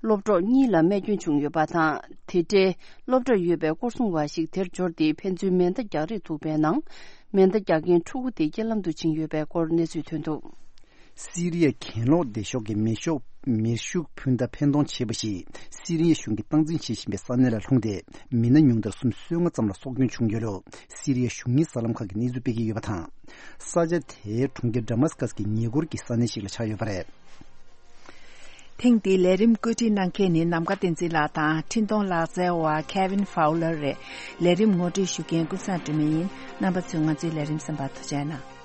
སློབ་གྲོགས་གཉིས་ལ་རྨས་སྐྱོན་བྱུང་ཡོད་པ་དང་། དེ་འབྲེལ་སློབ་གྲྭར་ཡོད་པའི་སྐོར་སྲུང་བ་ཞིག་དེར་འབྱོར་ཏེ་ཕན་ཚུན་མེ་མདའ་རྒྱག་རེས་ཐུག་པའི་ནང་། མེ་མདའ་རྒྱག་མཁན་ཕྲུ་གུ་དེ་རྐྱེན་ལམ་དུ་ཕྱིན་ཡོད་པའི་སྐོར་གནས་ཚུལ་ཐོན་འདུག། སི་རི་ཡའི་གྱེན་ལོག་སྡེ་ཤོག་གི་མེ་ཤོག་མེ་ཤུགས་འཕུར་མདའ་འཕེན་གཏོང་བྱས་པ་ཞིག་སི་རི་ཡའི་གཞུང་གིས་སྟངས་འཛིན་བྱེད་བཞིན་པའི་ས་གནས་ལ་ལྷུང་སྟེ། མི་སྣ་ཉུང་མཐར་སུམ་ཅུ་སོ་ལྔ་ཙམ་ལ་སྲོག་སྐྱོན་བྱུང་ཡོད་ལུགས་སི་རི་ཡའི་གཞུང་གཉེར་གསར་ལམ་ཁག་གིས་གནས་ཚུལ་སྤེལ་གྱི་ཡོད་པ་དང་། ས་ཆ་དེའི་གྲོང་ཁྱེར་ཌ་མཱ་སི་ཀ་སི་གི་ཉེ་འཁོར་གྱི་ས་གནས་ཤིག་ལ་ཆགས་ཡོད་པ་རེད། ཐེངས་འདིའི་ལས་རིམ་བཀོད་སྒྲིག་གནང་མཁན་ནི་ནམ་མཁའ་བསྟན་འཛིན་ལགས་དང་འཕྲིན་གཏོང་ལག་རྩལ་བ་Kevin Fowler་རེད། ལས་རིམ་ངོ་སྤྲོད་ཞུ་མཁན་ཀུན་བཟང་སྒྲོལ་མ་ཡིན། རྣམ་པ་ཚོས་ང་ཚོའི་ལས་རིམ་གསན་པར་ཐུགས་རྗེ་གནང་།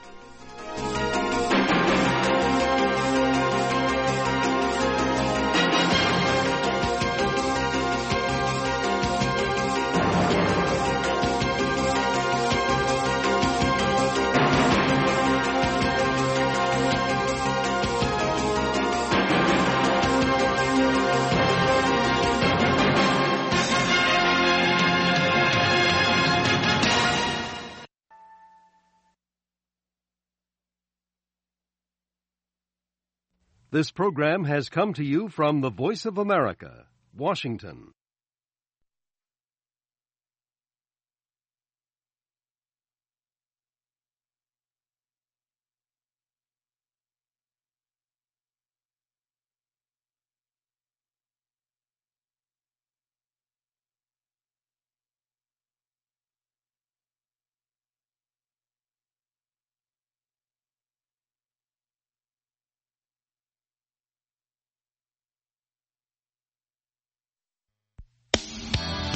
This program has come to you from the Voice of America, Washington.